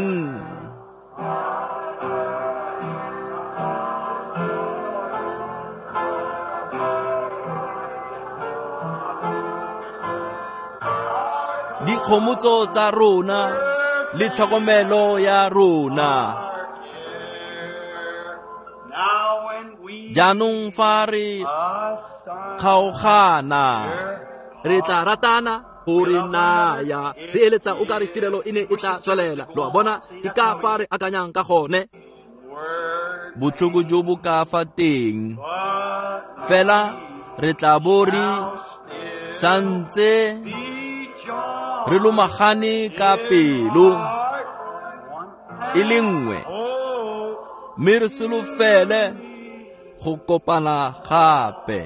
Dikgomotso tsa rona le tlhokomelo ya rona. Jaanong fa re kgaogana, re tla ratana gore naya re eletsa o ka re tirelo e ne e tla tswelela. Lo a bona, ke ka fa re akanyang ka gone. Botlhoko jo bo ka fa teng, fela re tla bo re santse re lomagane ka pelo e le nngwe, mme re solofele go kopana gape.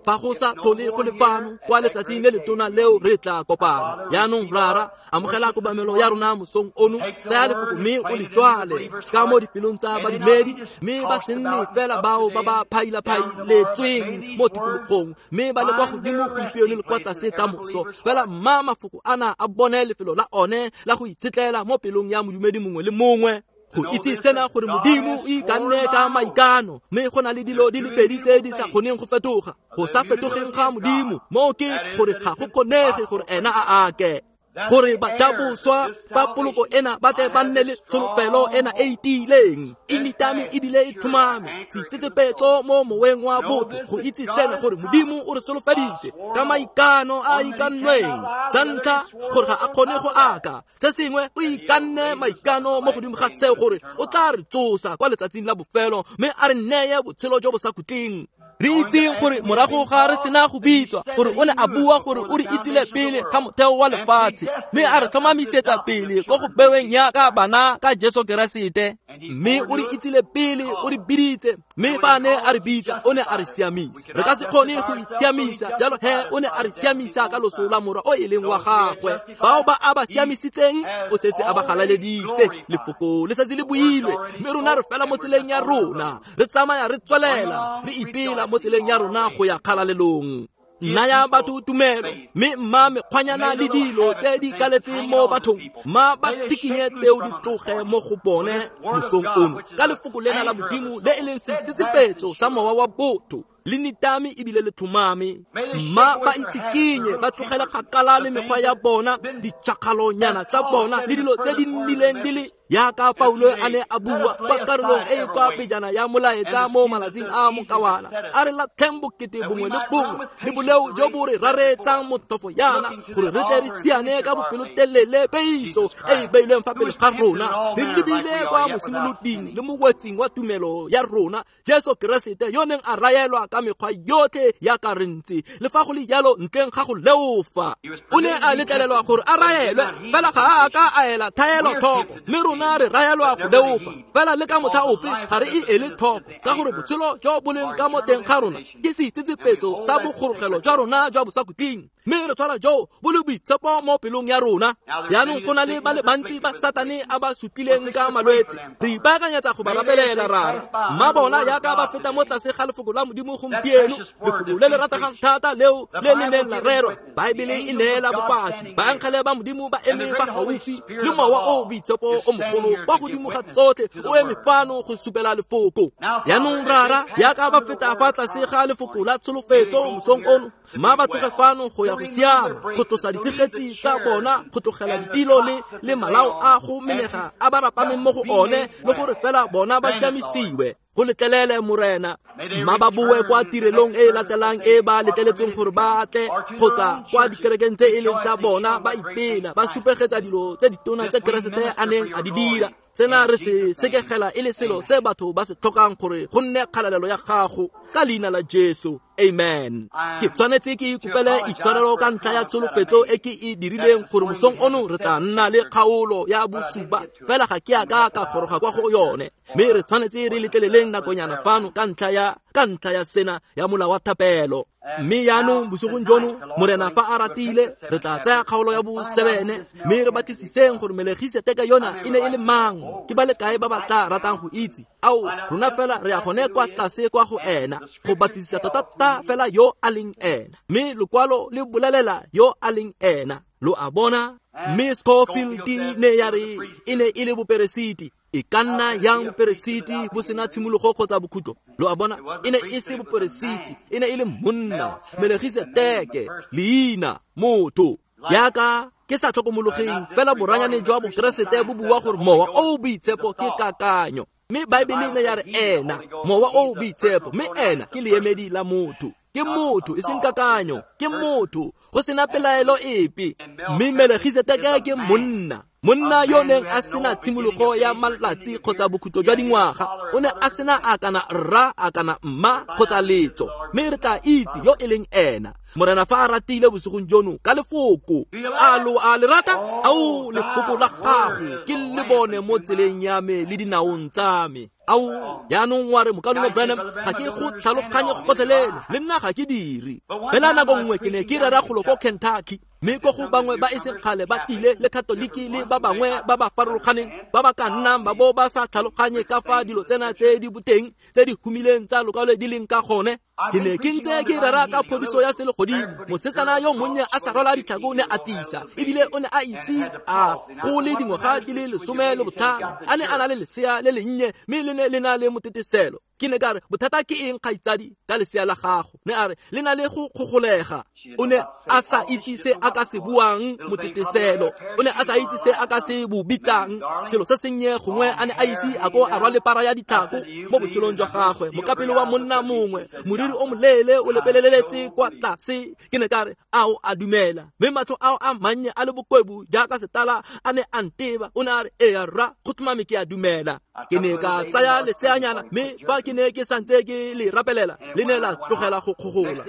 Fa go sa tlhole go le fano kwa letsatsing le letona leo re tla kopana. Jaanong Rara, amogela kobamelo ya rona mosong ono, tsaya lefoko mme o le jwale ka mo dipelong tsa badumedi, mme ba se nne fela bao ba ba phailaphailetsweng mo tikologong, mme ba le kwa godimo gompieno le kwa tlase ka moso. Fela mma mafoko ana a bone lefelo la one la go itshetlela mo pelong ya modumedi mongwe le mongwe. Go itse sena gore Modimo o ikanne ka maikano, mme go na le dilo di le pedi tse di sa kgoneng go fetoga. Go sa fetogeng ga Modimo mo ke gore ga go kgonege gore ena a ake, gore bajaboswa ba poloko ena ba tle ba nne le tsholofelo ena e tiileng, e nitame ebile e tlhomame, seitsetsepetso mo moweng wa botho. Go itse sena gore Modimo o re solofeditse ka maikano a ikannweng. Sa ntlha, gore ga a kgone go aka. Se sengwe, o ikanne maikano mo godimo ga seo gore o tla re tsosa kwa letsatsing la bofelo, mme a re neye botshelo jo bo sa khutleng. Re itseng gore morago ga re sena go bitswa, gore o ne a bua gore o re itsile pele ga motheo wa lefatshe, mme a re tlhomamisetsa pele ko go beweng yaka bana ka Jesu Keresete. Mme o re itsile pele, o re biditse, mme fa a ne a re bitsa, o ne a re siamisa. Re ka se kgone go itshiamisa, jalo he o ne a re siamisa ka loso la morwa o e leng wa gagwe. Bao ba a ba siamisitseng, o setse a ba galaleditse. Lefoko le setse le builwe, mme rona re fela mo tseleng ya rona, re tsamaya re tswelela, re ipela mo tseleng ya rona go ya kgalalelong. Naya batho tumelo, mme mma mekgwanyana le dilo tse di kaletseng mo bathong, mma ba tsikinye tseo di tloge mo go bone mosong ono, ka lefoko lena la Modimo le e leng seitsetsepetso sa mowa wa botho, le nitame ebile le tlhomame. Mma ba itsikinye, ba tlogele kgakala le mekgwa ya bona, ditšhakgalonyana tsa bona le dilo tse di nnileng di le yaka Paulo a ne a bua kwa karolong e e kwa pejana ya molaetsa mo malatsing a mokawana, a re latlheng bokete bongwe le bongwe le boleo jo bo re raretsang motlhofo yana, gore re tle re siane ka bopelotelele peiso e e beilweng fa pele ga rona, re lebile kwa mosimoloding le mowetsing wa tumelo ya rona, Jesu Keresete, yo neng a raelwa ka mekgwa yotlhe yaka re ntse, le fa go le jalo ntleng ga go leofa. O ne a letlelelwa gore a raelwe, fela ga a ka a ela thaelo tlhoko, mme rona re raelwa go leofa, fela le ka motlha ope ga re e ele tlhoko, ka gore botshelo jo bo leng ka mo teng ga rona ke seitsetsepetso sa bogorogelo jwa rona jwa bosakhutleng, mme re tshwara jo bo le boitshepo mo pelong ya rona. Jaanong go na le ba le bantsi ba Satane a ba sutlileng ka malwetse, re ipaakanyetsa go ba rapelela, Rara. Mma bona yaka ba feta mo tlase ga lefoko la Modimo gompieno, lefoko le le rategang thata leo le le neng la rerwa. Baebele e neela bopaki, baengele ba Modimo ba eme fa gaufi le mowa o boitshepo o mogolo kwa godimo ga tsotlhe o eme fano go supela lefoko. Jaanong Rara, yaka ba feta fa tlase ga lefoko la tsholofetso mosong ono, mma ba tloge fano go ya go siama, go tlosa ditshegetsi tsa bona, go tlogela ditilo le malao a go menega a ba rapameng mo go one, le gore fela bona ba siamisiwe. Go letlelele, Morena. Mma ba boe kwa tirelong e e latelang e ba letleletseng gore ba tle, kgotsa kwa dikerekeng tse e leng tsa bona, ba ipela, ba supegetsa dilo tse ditona tse Keresete a neng a di dira. Sena re se sekegela e le selo se batho ba se tlhokang gore go nne kgalalelo ya gago, ka leina la Jesu. Amen. Ke tshwanetse ke ikopele itshwarelo ka ntlha ya tsholofetso e ke e dirileng gore mosong ono re tla nna le kgaolo ya bosupa, fela ga ke a ka ka goroga kwa go yone, mme re tshwanetse re letleleleng nakonyana fano ka ntlha ya sena ya mola wa thapelo. Mme jaanong bosigong jono, Morena fa a ratile, re tla tsaya kgaolo ya bo-7, mme re batlisiseng gore Melegiseteke yona e ne e le mang. Ke ba le kae ba ba tla ratang go itse? Ao, rona fela re ya gone kwa tlase kwa go ena, go batlisisa tota-tota fela yo a leng ena. Mme lokwalo le bolelela yo a leng ena. Lo a bona? Mme Scofield ne ya re e ne e le boperesiti. E ka nna yang boperesiti bo sena tshimologo kgotsa bokhutlo? Lo a bona? E ne e se boperesiti, e ne e le monna, Melegiseteke, leina, motho. Yaka ke sa tlhokomologeng fela boranyane jwa bokeresete bo bua gore mowa o boitshepo ke kakanyo, mme Baebele ne ya re ena mowa o boitshepo, mme ena ke leemedi la motho. Ke motho, e seng kakanyo, ke motho, go sena pelaelo epe. Mme Melegiseteke ke monna, monna yo neng a sena tshimologo ya malatsi kgotsa bokhutlo jwa dingwaga. O ne a sena a kana rra, a kana mma kgotsa letso, mme re tla itse yo e leng ena. Morena fa a ratile bosigong jono ka lefoko. A lo a le rata? Ao, lefoko la gago ke le bone mo tseleng ya me le dinaong tsa me. Ao jaanong wa re mokaulengwe Branham ga ke go tlhaloganye go gotlhelele le nna ga ke dire. Fela nako nngwe ke ne ke rera golo ko Kentucky, mme ko go bangwe ba e seng kgale ba tlile le Katoliki le ba bangwe ba ba farologaneng ba ba ka nnang ba bo ba sa tlhaloganye ka fa dilo tsena tse di boteng tse di humileng tsa lokwalo di leng ka gone. Ke ne ke ntse ke rera ka phodiso ya selegodimo. Mosetsana yo monnye a sa rwala ditlhako ne a tisa, ebile o ne a ise a gole dingwaga di le 15, a ne a na le lesea le lennye mme le ne le na le moteteselo. Ke ne ka re, bothata ke eng kgaitsadi ka lesea la gago? Ne a re, le na le go kgogolega. O ne a sa itse se a ka se buang moteteselo, o ne a sa itse se a ka se bo bitsang selo se sennye, gongwe a ne a ise a ko a rwale para ya ditlhako mo botshelong jwa gagwe. Mokapelo wa monna mongwe, moriri o moleele o lepeleletse kwa tlase. Ke ne ka re, ao a dumela. Mme matlho ao a mannye a le bokwebu jaaka setala a ne a nteba. O ne a re, ee rra, go tlhomame ke a dumela. Ke ne ka tsaya leseanyana, mme fa ke ne ke santse ke le rapelela, le ne la tlogela go kgogola,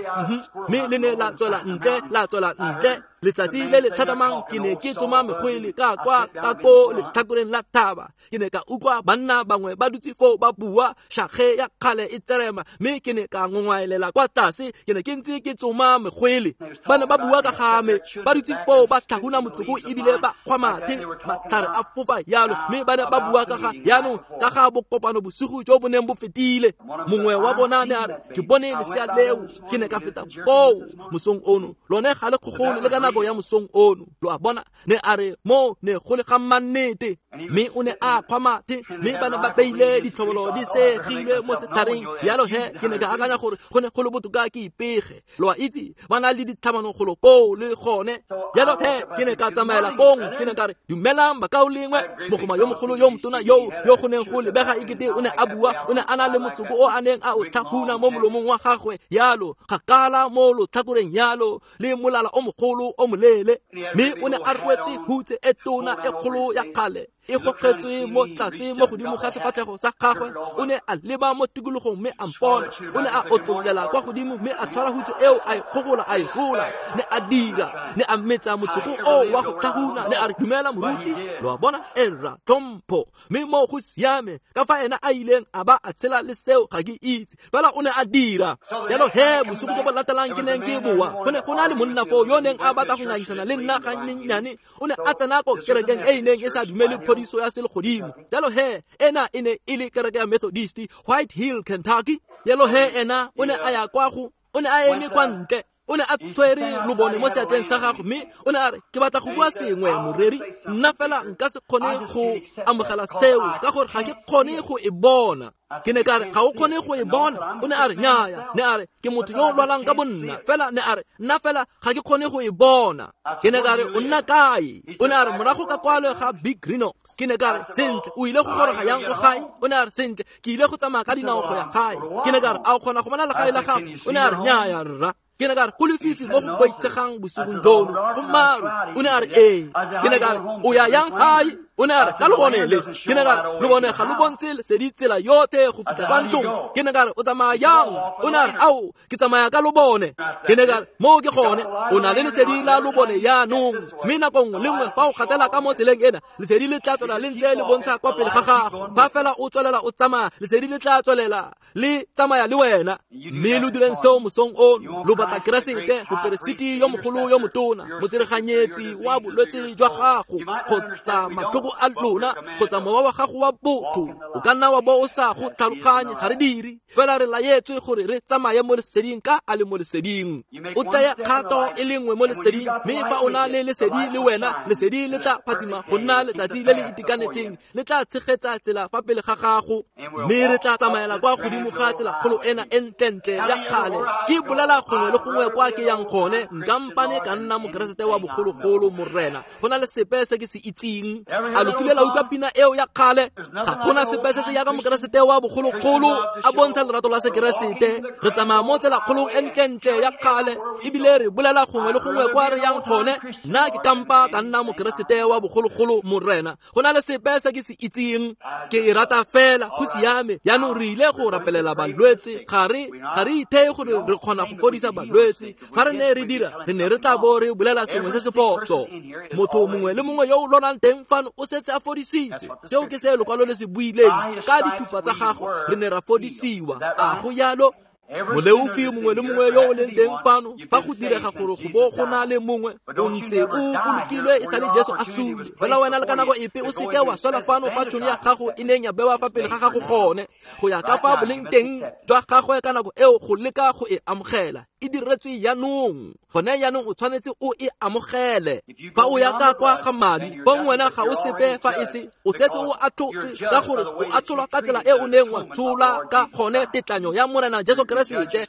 mme le ne la tswela ntle, la tswela ntle. Letsatsi le le tlhatlhamang ke ne ke tsoma mekgwele ka kwa ka ko letlhakoreng la thaba. Ke ne ka utlwa banna bangwe ba dutse foo ba bua, shakge ya kgale e tserema, mme ke ne ka ngongwaelela kwa tlase. Ke ne ke ntse ke tsoma mekgwele, ba ne ba bua ka ga me, ba dutse foo ba tlhahuna motsoko ebile ba kgwa mathe, matlhare a fofa yalo, mme ba ne ba bua ka ga jaanong ka ga bokopano bosigo jo bo neng bo fetile. Mongwe wa bona ne a re, ke bone lesea leo, ke ne ka feta foo mosong ono, lone ga le kgogole le ka nako ya mosong ono. Lo a bona? Ne a re, mo ne go le ga mannete. Mme o ne a kgwa mathe, mme ba ne ba beile ditlhobolo di segilwe mo setlhareng. Jalo he ke ne ka akanya gore go ne go le botoka ke ipege. Lo a itse, ba na le ditlhamano golo koo le gone. Jalo he ke ne ka tsamaela kong, ke ne ka re, dumelang bakaulengwe. Mogoma yo mogolo yo motona yo go neng go lebega ekete o ne a bua, o ne a na le motsoko o a neng a o tlhahuna mo molomong wa gagwe yalo, kgakala mo lotlhakoreng yalo, le molala o mogolo o moleele. Mme o ne a rwetse hutse e tona e kgolo ya kgale e gogetswe mo tlase mo godimo ga sefatlhego sa gagwe. O ne a leba mo tikologong mme a mpona. O ne a otlollela kwa godimo mme a tshwara hutse eo, a e kgogola, a e rola. Ne a dira, ne a metsa motsoko o wa go tlhahuna. Ne a re, dumela moruti. Lo a bona? Erra tlhompho. Mme mo go siame ka fa ena a ileng a ba a tshela le seo ga ke itse, fela o ne a dira. Jalo he bosigo jo bo latelang ke neng ke boa, go ne go na le monna foo yo neng a batla go ngangisana le nna gannyenyane. O ne a tsena ko kerekeng e e neng e sa dumele phodiso ya selegodimo. Jalo he ena e ne e le kereke ya Methodist, White Hill, Kentucky. Jalo he ena o ne a ya kwa go, o ne a eme kwa ntle, o ne a tshwere lobone mo seatleng sa gagwe, mme o ne a re, ke batla go bua sengwe moreri, nna fela nka se kgone go amogela seo ka gore ga ke kgone go e bona. Ke ne ka re, ga o kgone go e bona? O ne a re, nnyaya. Ne a re, ke motho yo o lwalang ka bonna, fela ne a re, nna fela ga ke kgone go e bona. Ke ne ka re, o nna kae? O ne a re, morago ka kwalo ga Big Rhinox. Ke ne ka re, sentle, o ile go goroga yang ko gae? O ne a re, sentle, ke ile go tsamaya ka dinao go ya gae. Ke ne ka re, a o kgona go bona legae la gago? O ne a re, nnyaya rra. Ke ne ka re, go lefifi mo go boitshegang bosigong jono, go maru. O ne a re, ee. Ke ne ka re, o ya yang gae? O ne a re, ka lobone le. Ke ne ka re, lobone ga lo bontshe lesedi tsela yotlhe go fitlha kwa ntlong. Ke ne ka re, o tsamaya yang? O ne a re, ao, ke tsamaya ka lobone. Ke ne ka re, moo ke gone, o na le lesedi la lobone jaanong, mme nako nngwe le nngwe fa o gatela ka mo tseleng ena, lesedi le tla tswela le ntse le bontsha kwa pele ga gago. Fa fela o tswelela o tsamaya, lesedi le tla tswelela le tsamaya le wena. Mme lo direng seo mosong ono. Lo batla Keresete, moperesiti yo mogolo yo motona, motsereganyetsi wa bolwetse jwa gago kgotsa matlhoko a lona kgotsa mowa wa gago wa botho. O ka nna wa bo o sa go tlhaloganye, ga re dire, fela re laetswe gore re tsamaye mo leseding ka a le mo leseding. O tseye kgato e le nngwe mo leseding, mme fa o na le lesedi le wena, lesedi le tla phatsima go nna letsatsi le le itekanetseng, le tla tshegetsa tsela fa pele ga gago. Mme re tla tsamaela kwa godimo ga tsela kgolo ena e ntlentle ya kgale. Ke bolela gongwe le gongwe kwa ke yang gone, nka mpane ka nna mokeresete wa bogologolo, morena. Go na le sepe se ke se itseng. A lo kile la utlwa pina eo ya kgale? Ga gona sepe se se yaka mokeresete wa bogologolo a bontsha lerato la sekeresete. Re tsamaya mo tsela kgolong e ntlentle ya kgale, ebile re bolela gongwe le gongwe kwa re yang gone, nna ke kampa ka nna mokeresete wa bogologolo, morena. Go na le sepe se ke se itseng. Ke e rata fela, go siame. Jaanong re ile go rapelela balwetse. Ga re itheye gore re kgona go fodisa balwetse. Fa re ne re dira, re ne re tla bo re bolela sengwe se se phoso. Motho mongwe le mongwe yo o lwalang teng fano o setse a fodisitswe. Seo ke se lokwalo le se buileng, ka dithupa tsa gago re ne ra fodisiwa. A go yalo? Moleofi mongwe le mongwe yo o leng teng fano, fa go direga gore go bo go na le mongwe o ntse o bolokilwe e sale Jesu a sule, fela wena le ka nako epe o seke wa swela fano fa tšhono ya gago e neng ya bewa fa pele ga gago gone, go ya ka fa boleng teng jwa gagwe ka nako eo go leka go e amogela. E diretswe jaanong, gone jaanong o tshwanetse o e amogele. Fa o ya ka kwa ga madi, fong wena ga o sepe fa e se, o setse o atlhotse, ka gore o atlholwa ka tsela e o neng wa tshola ka gone tetlanyo ya Morena Jesu Keresete.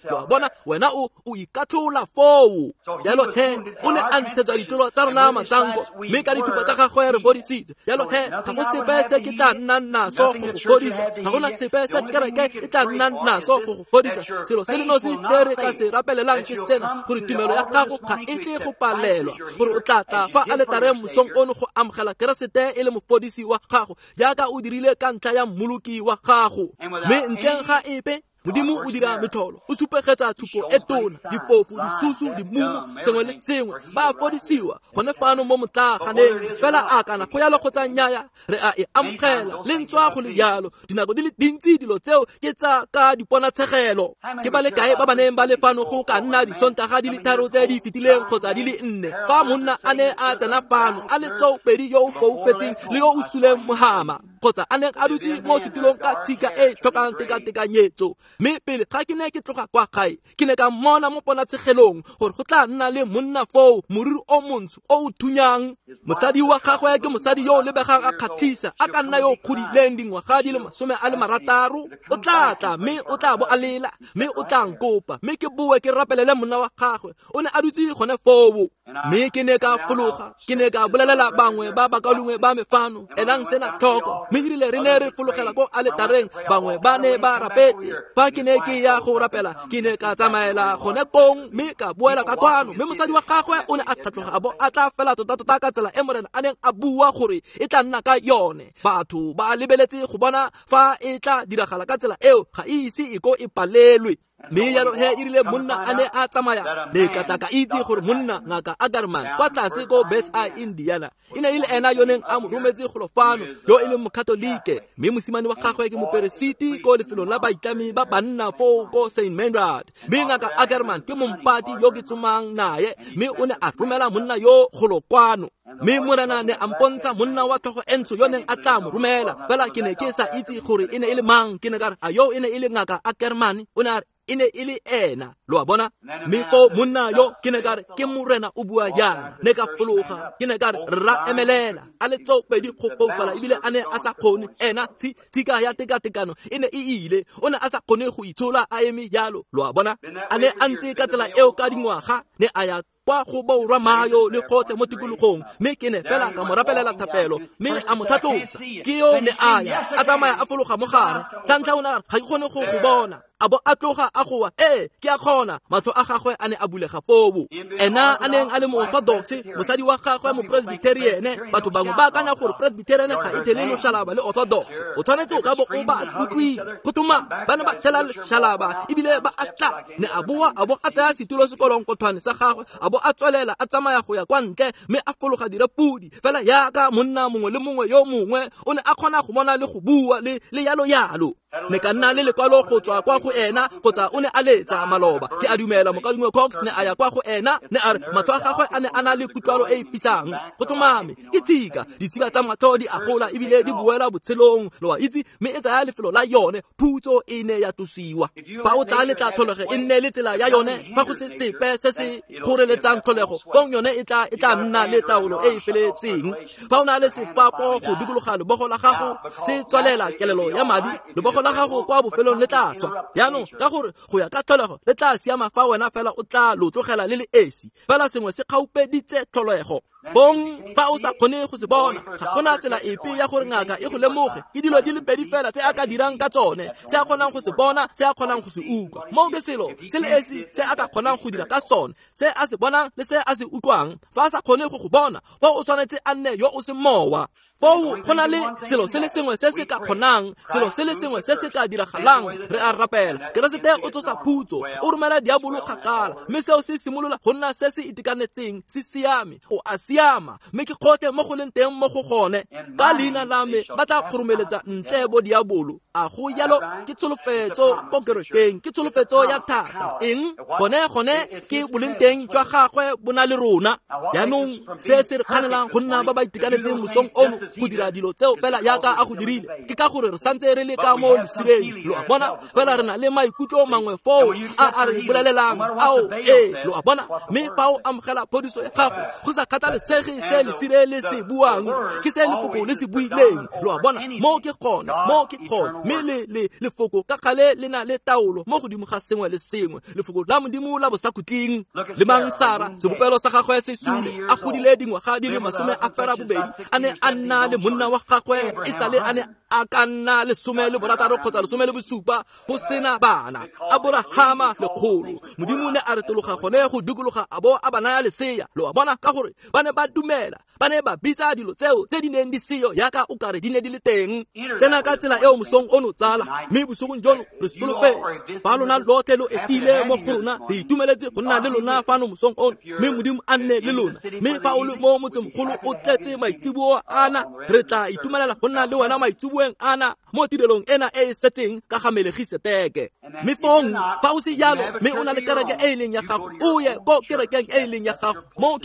Lo a bona, wena o ikatlhola foo. Jalo he, o ne a ntshetsa ditlolo tsa rona matsanko, mme ka dithupa tsa gagwe re fodisitswe. Jalo he, ga go sepe se ke tla nnang naso go go fodisa, ga gona sepe se kereke e tla nnang naso go go fodisa. Selo se le nosi se re ka se rapelelang ke sena, gore tumelo ya gago ga e tle go palelwa, gore o tla tla fa aletareng mosong ono go amogela Keresete e le mofodisi wa gago, jaaka o dirile ka ntlha ya mmoloki wa gago. Mme ntleng ga epe, Modimo o dira metlholo, o supegetsa tshupo e tona, difofu, disusu, dimumu, sengwe le sengwe, ba fodisiwa gone fano mo motlaganeng. Fela a kana go yalo kgotsa nnyaya, re a e amogela le ntswa go le yalo. Dinako di le dintsi dilo tseo ke tsa ka diponatshegelo. Ke ba le kae ba ba neng ba le fano go ka nna disontaga di le 3 tse di fetileng kgotsa di le 4, fa monna a ne a tsena fano a le tsoopedi yo o foufetseng le yo o suleng mohama, kgotsa a neng a dutse mo setulong ka tshika e tlhokang tekatekanyetso. Mme pele ga ke ne ke tloga kwa gae, ke ne ka mmona mo ponatshegelong gore go tla nna le monna foo, moriri o montsho o o thunyang. Mosadi wa gagwe ke mosadi yo o lebegang a kgatlhisa, a ka nna yo o kgodileng dingwaga di le 60. O tla tla mme o tla bo a lela, mme o tla nkopa, mme ke boe ke rapelele monna wa gagwe. O ne a dutse gone foo. Mme ke ne ka fologa, ke ne ka bolelela bangwe ba bakaulengwe ba me fano, elang sena tlhoko. Mme erile re ne re fologela ko aletareng, bangwe ba ne ba rapetse. Fa ke ne ke ya go rapela, ke ne ka tsamaela gone kong mme ka boela ka kwano. Mme mosadi wa gagwe o ne a tlhatloga a bo a tla fela tota-tota ka tsela e Morena a neng a bua gore e tla nna ka yone. Batho ba lebeletse go bona fa e tla diragala ka tsela eo, ga e ise e ko e palelwe. Mme jalo he erile monna a ne a tsamaya, ne ka tla ka itse gore monna ngaka Ackerman kwa tlase ko Birds Eye, Indiana, e ne e le ena yo neng a mo rometse golo fano, yo e leng mokatolike, mme mosimane wa gagwe ke moperesiti ko lefelong la baitlami ba banna foo ko St. Meinrad. Mme ngaka Ackerman ke mompati yo ke tsomang naye, mme o ne a romela monna yo golo kwano. Mme Morena ne a mpontsha monna wa tlhogo e ntsho yo neng a tla mo romela, fela ke ne ke sa itse gore e ne e le mang. Ke ne ka re, a yo e ne e le ngaka Ackerman? O ne a re e ne e le ena. Lo a bona? Mme foo monna yo ke ne ka re, ke Morena o bua jaana. Ne ka fologa, ke ne ka re, rra emelela. A le tsoopedi go foufala ebile a ne a sa kgone. Ena tshika ya tekatekano e ne e ile, o ne a sa kgone go itshola a eme jalo. Lo a bona? A ne a ntse ka tsela eo ka dingwaga, ne a ya kwa go borwa Mayo le gotlhe mo tikologong, mme ke ne fela ka mo rapelela thapelo, mme a mo tlhatlosa. Ke yo ne a ya, a tsamaya a fologa mo gare. Sa ntlha o ne a re, ga ke kgone go go bona. A bo a tloga a goa, ee, ke a kgona. Matlho a gagwe a ne a bulega foo. Ena a neng a le mo-orthodox, mosadi wa gagwe mo-presbyterian. Batho bangwe ba akanya gore presbyterian ga e thele loshalaba le orthodox. O tshwanetse o ka bo o ba utlwile. Go thoma, ba ne ba thela loshalaba ebile ba a tla. Ne a boa a bo a tsaya setulo sekolonkothwane sa gagwe, a bo a tswelela a tsamaya go ya kwa ntle, mme a fologa direpodi. Fela yaka monna mongwe le mongwe yo mongwe o ne a kgona go bona le go bua le yalo yalo. Ne ka nna le lekwalo go tswa kwa go ena, kgotsa o ne a letsa maloba. Ke a dumela mokaulengwe Cox ne a ya kwa go ena, ne a re matlho a gagwe a ne a na le kutlwalo e e fisang. Go tlhomame, ke tshika, ditshika tsa matlho di a gola ebile di boela botshelong, lo a itse, mme e tsaya lefelo la yone. Phutso e ne ya tlosiwa. Fa o tla letla tlholego e nne le tsela ya yone, fa go se sepe se se kgoreletsang tlholego, fong yone e tla nna le taolo e e feletseng. Fa o na le sefapo go dikologa lebogo la gago, se tswalela kelelo ya madi, lebogo la gago kwa bofelong le tla swa. Jaanong ka gore go ya ka tlholego le tla siama fa wena fela o tla lo tlogela le le esi, fela sengwe se kgaupeditse tlholego. Bong fa o sa kgone go se bona, ga gona tsela epe ya gore ngaka e go lemoge. Ke dilo di le pedi fela tse a ka dirang ka tsone, se a kgonang go se bona, se a kgonang go se utlwa. Moo ke selo se le esi se a ka kgonang go dira ka sone, se a se bonang le se a se utlwang. Fa a sa kgone go go bona, fa o tshwanetse a nne yo o se mowa. Foo go na le selo se le sengwe se se ka kgonang, selo se le sengwe se se ka diragalang. Re a rapela. Keresete o tlosa phutso, o romela diabolo kgakala, mme seo se simolola go nna se se itekanetseng, se siame. O a siama, mme ke gotlhe mo go leng teng mo go gone. Ka leina la me ba tla kgoromeletsa ntle bo diabolo. A go jalo? Ke tsholofetso ko kerekeng, ke tsholofetso ya thata. Eng? Gone ke boleng teng jwa gagwe bo na le rona. Jaanong se se re kganelang go nna ba ba itekanetseng mosong ono go dira dilo tseo fela jaaka a go dirile, ke ka gore re santse re le ka mo lesireng. Lo a bona? Fela re na le maikutlo mangwe foo a re bolelelang ao, ee, lo a bona. Mme fa o amogela phodiso ya gago, go sa kgathalesege se lesire le se buang, ke se lefoko le se buileng. Lo a bona? Mo ke gone, mo ke gone. Mme le lefoko ka gale le na le taolo mo godimo ga sengwe le sengwe. Lefoko la Modimo la bosakhutleng. Le mang Sara, sebopelo sa gagwe se sule, a godile dingwaga di le 80, a ne a nna le monna wa gagwe e sale a ne a ka nna 16 kgotsa 17, go sena bana. Aborahama lekgolo. Modimo ne a retologa gone go dikologa a bo a ba naya lesea. Lo a bona? Ka gore ba ne ba dumela, ba ne ba bitsa dilo tseo tse di neng di seyo yaka o kare di ne di le teng. Tsena ka tsela eo mosong ono, tsala. Mme bosigong jono re solofetse ba lona lotlhe lo etile mo go rona. Re itumeletse go nna le lona fano mosong ono, mme Modimo a nne le lona. Mme fa o le mo motsemogolo o tletse maitseboa ana, re tla itumelela go nna le wena maitseboeng ana mo tirelong ena e e setseng ka ga Melegiseteke. Mme fong fa o se jalo, mme o na le kereke e e leng ya gago, o ye ko kerekeng e e leng ya gago. Mo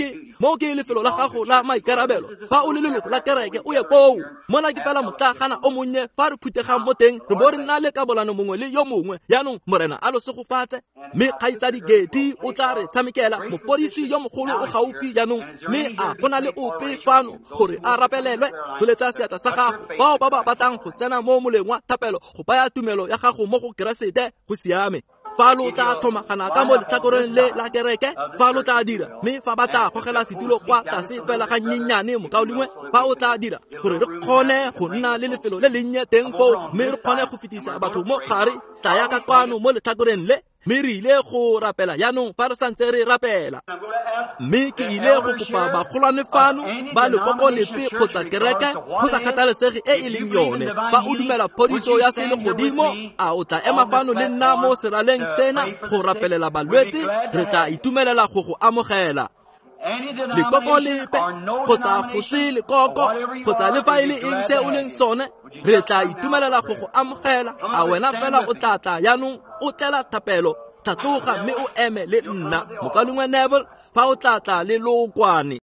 ke lefelo la gago la maikarabelo. Fa o le leloko la kereke, o ye koo. Mona ke fela motlagana o monnye fa re phutegang mo teng, re bo re nna le kabolano mongwe le yo mongwe. Jaanong Morena a lo segofatse. Mme kgaitsadi Geti o tla re tshamekela. Mofodisi yo mogolo o gaufi jaanong, mme a go na le ope fano gore a rapelelwe? Tsholetsa seatla sa gago. Bao ba ba batlang go tsena mo moleng wa thapelo go baya tumelo ya gago mo go Keresete, go siame. Fa lo tla tlhomagana ka mo letlhakoreng le la kereke, fa lo tla dira, mme fa ba tla gogela setulo kwa tlase fela ga nnyenyane, mokaulengwe, fa o tla dira gore re kgone go nna le lefelo le lennye teng foo, mme re kgone go fetisa batho mo gare, tlaya ka kwano mo letlhakoreng le. Mme re ile go rapela jaanong fa re santse re rapela. Mme ke ile go kopa bagolwane fano ba lekoko lepe kgotsa kereke, go sa kgathalesege e e leng yone, fa o dumela phodiso ya selegodimo, a o tla ema fano le nna mo seraleng sena go rapelela balwetse? Re tla itumelela go go amogela. Lekoko lepe kgotsa go se lekoko kgotsa le fa e le eng se o leng sone, re tla itumelela go go amogela. A wena fela o tla tla jaanong o tlela thapelo? Tlhatloga mme o eme le nna, mokaulengwe Neville, fa o tla tla le lookwane.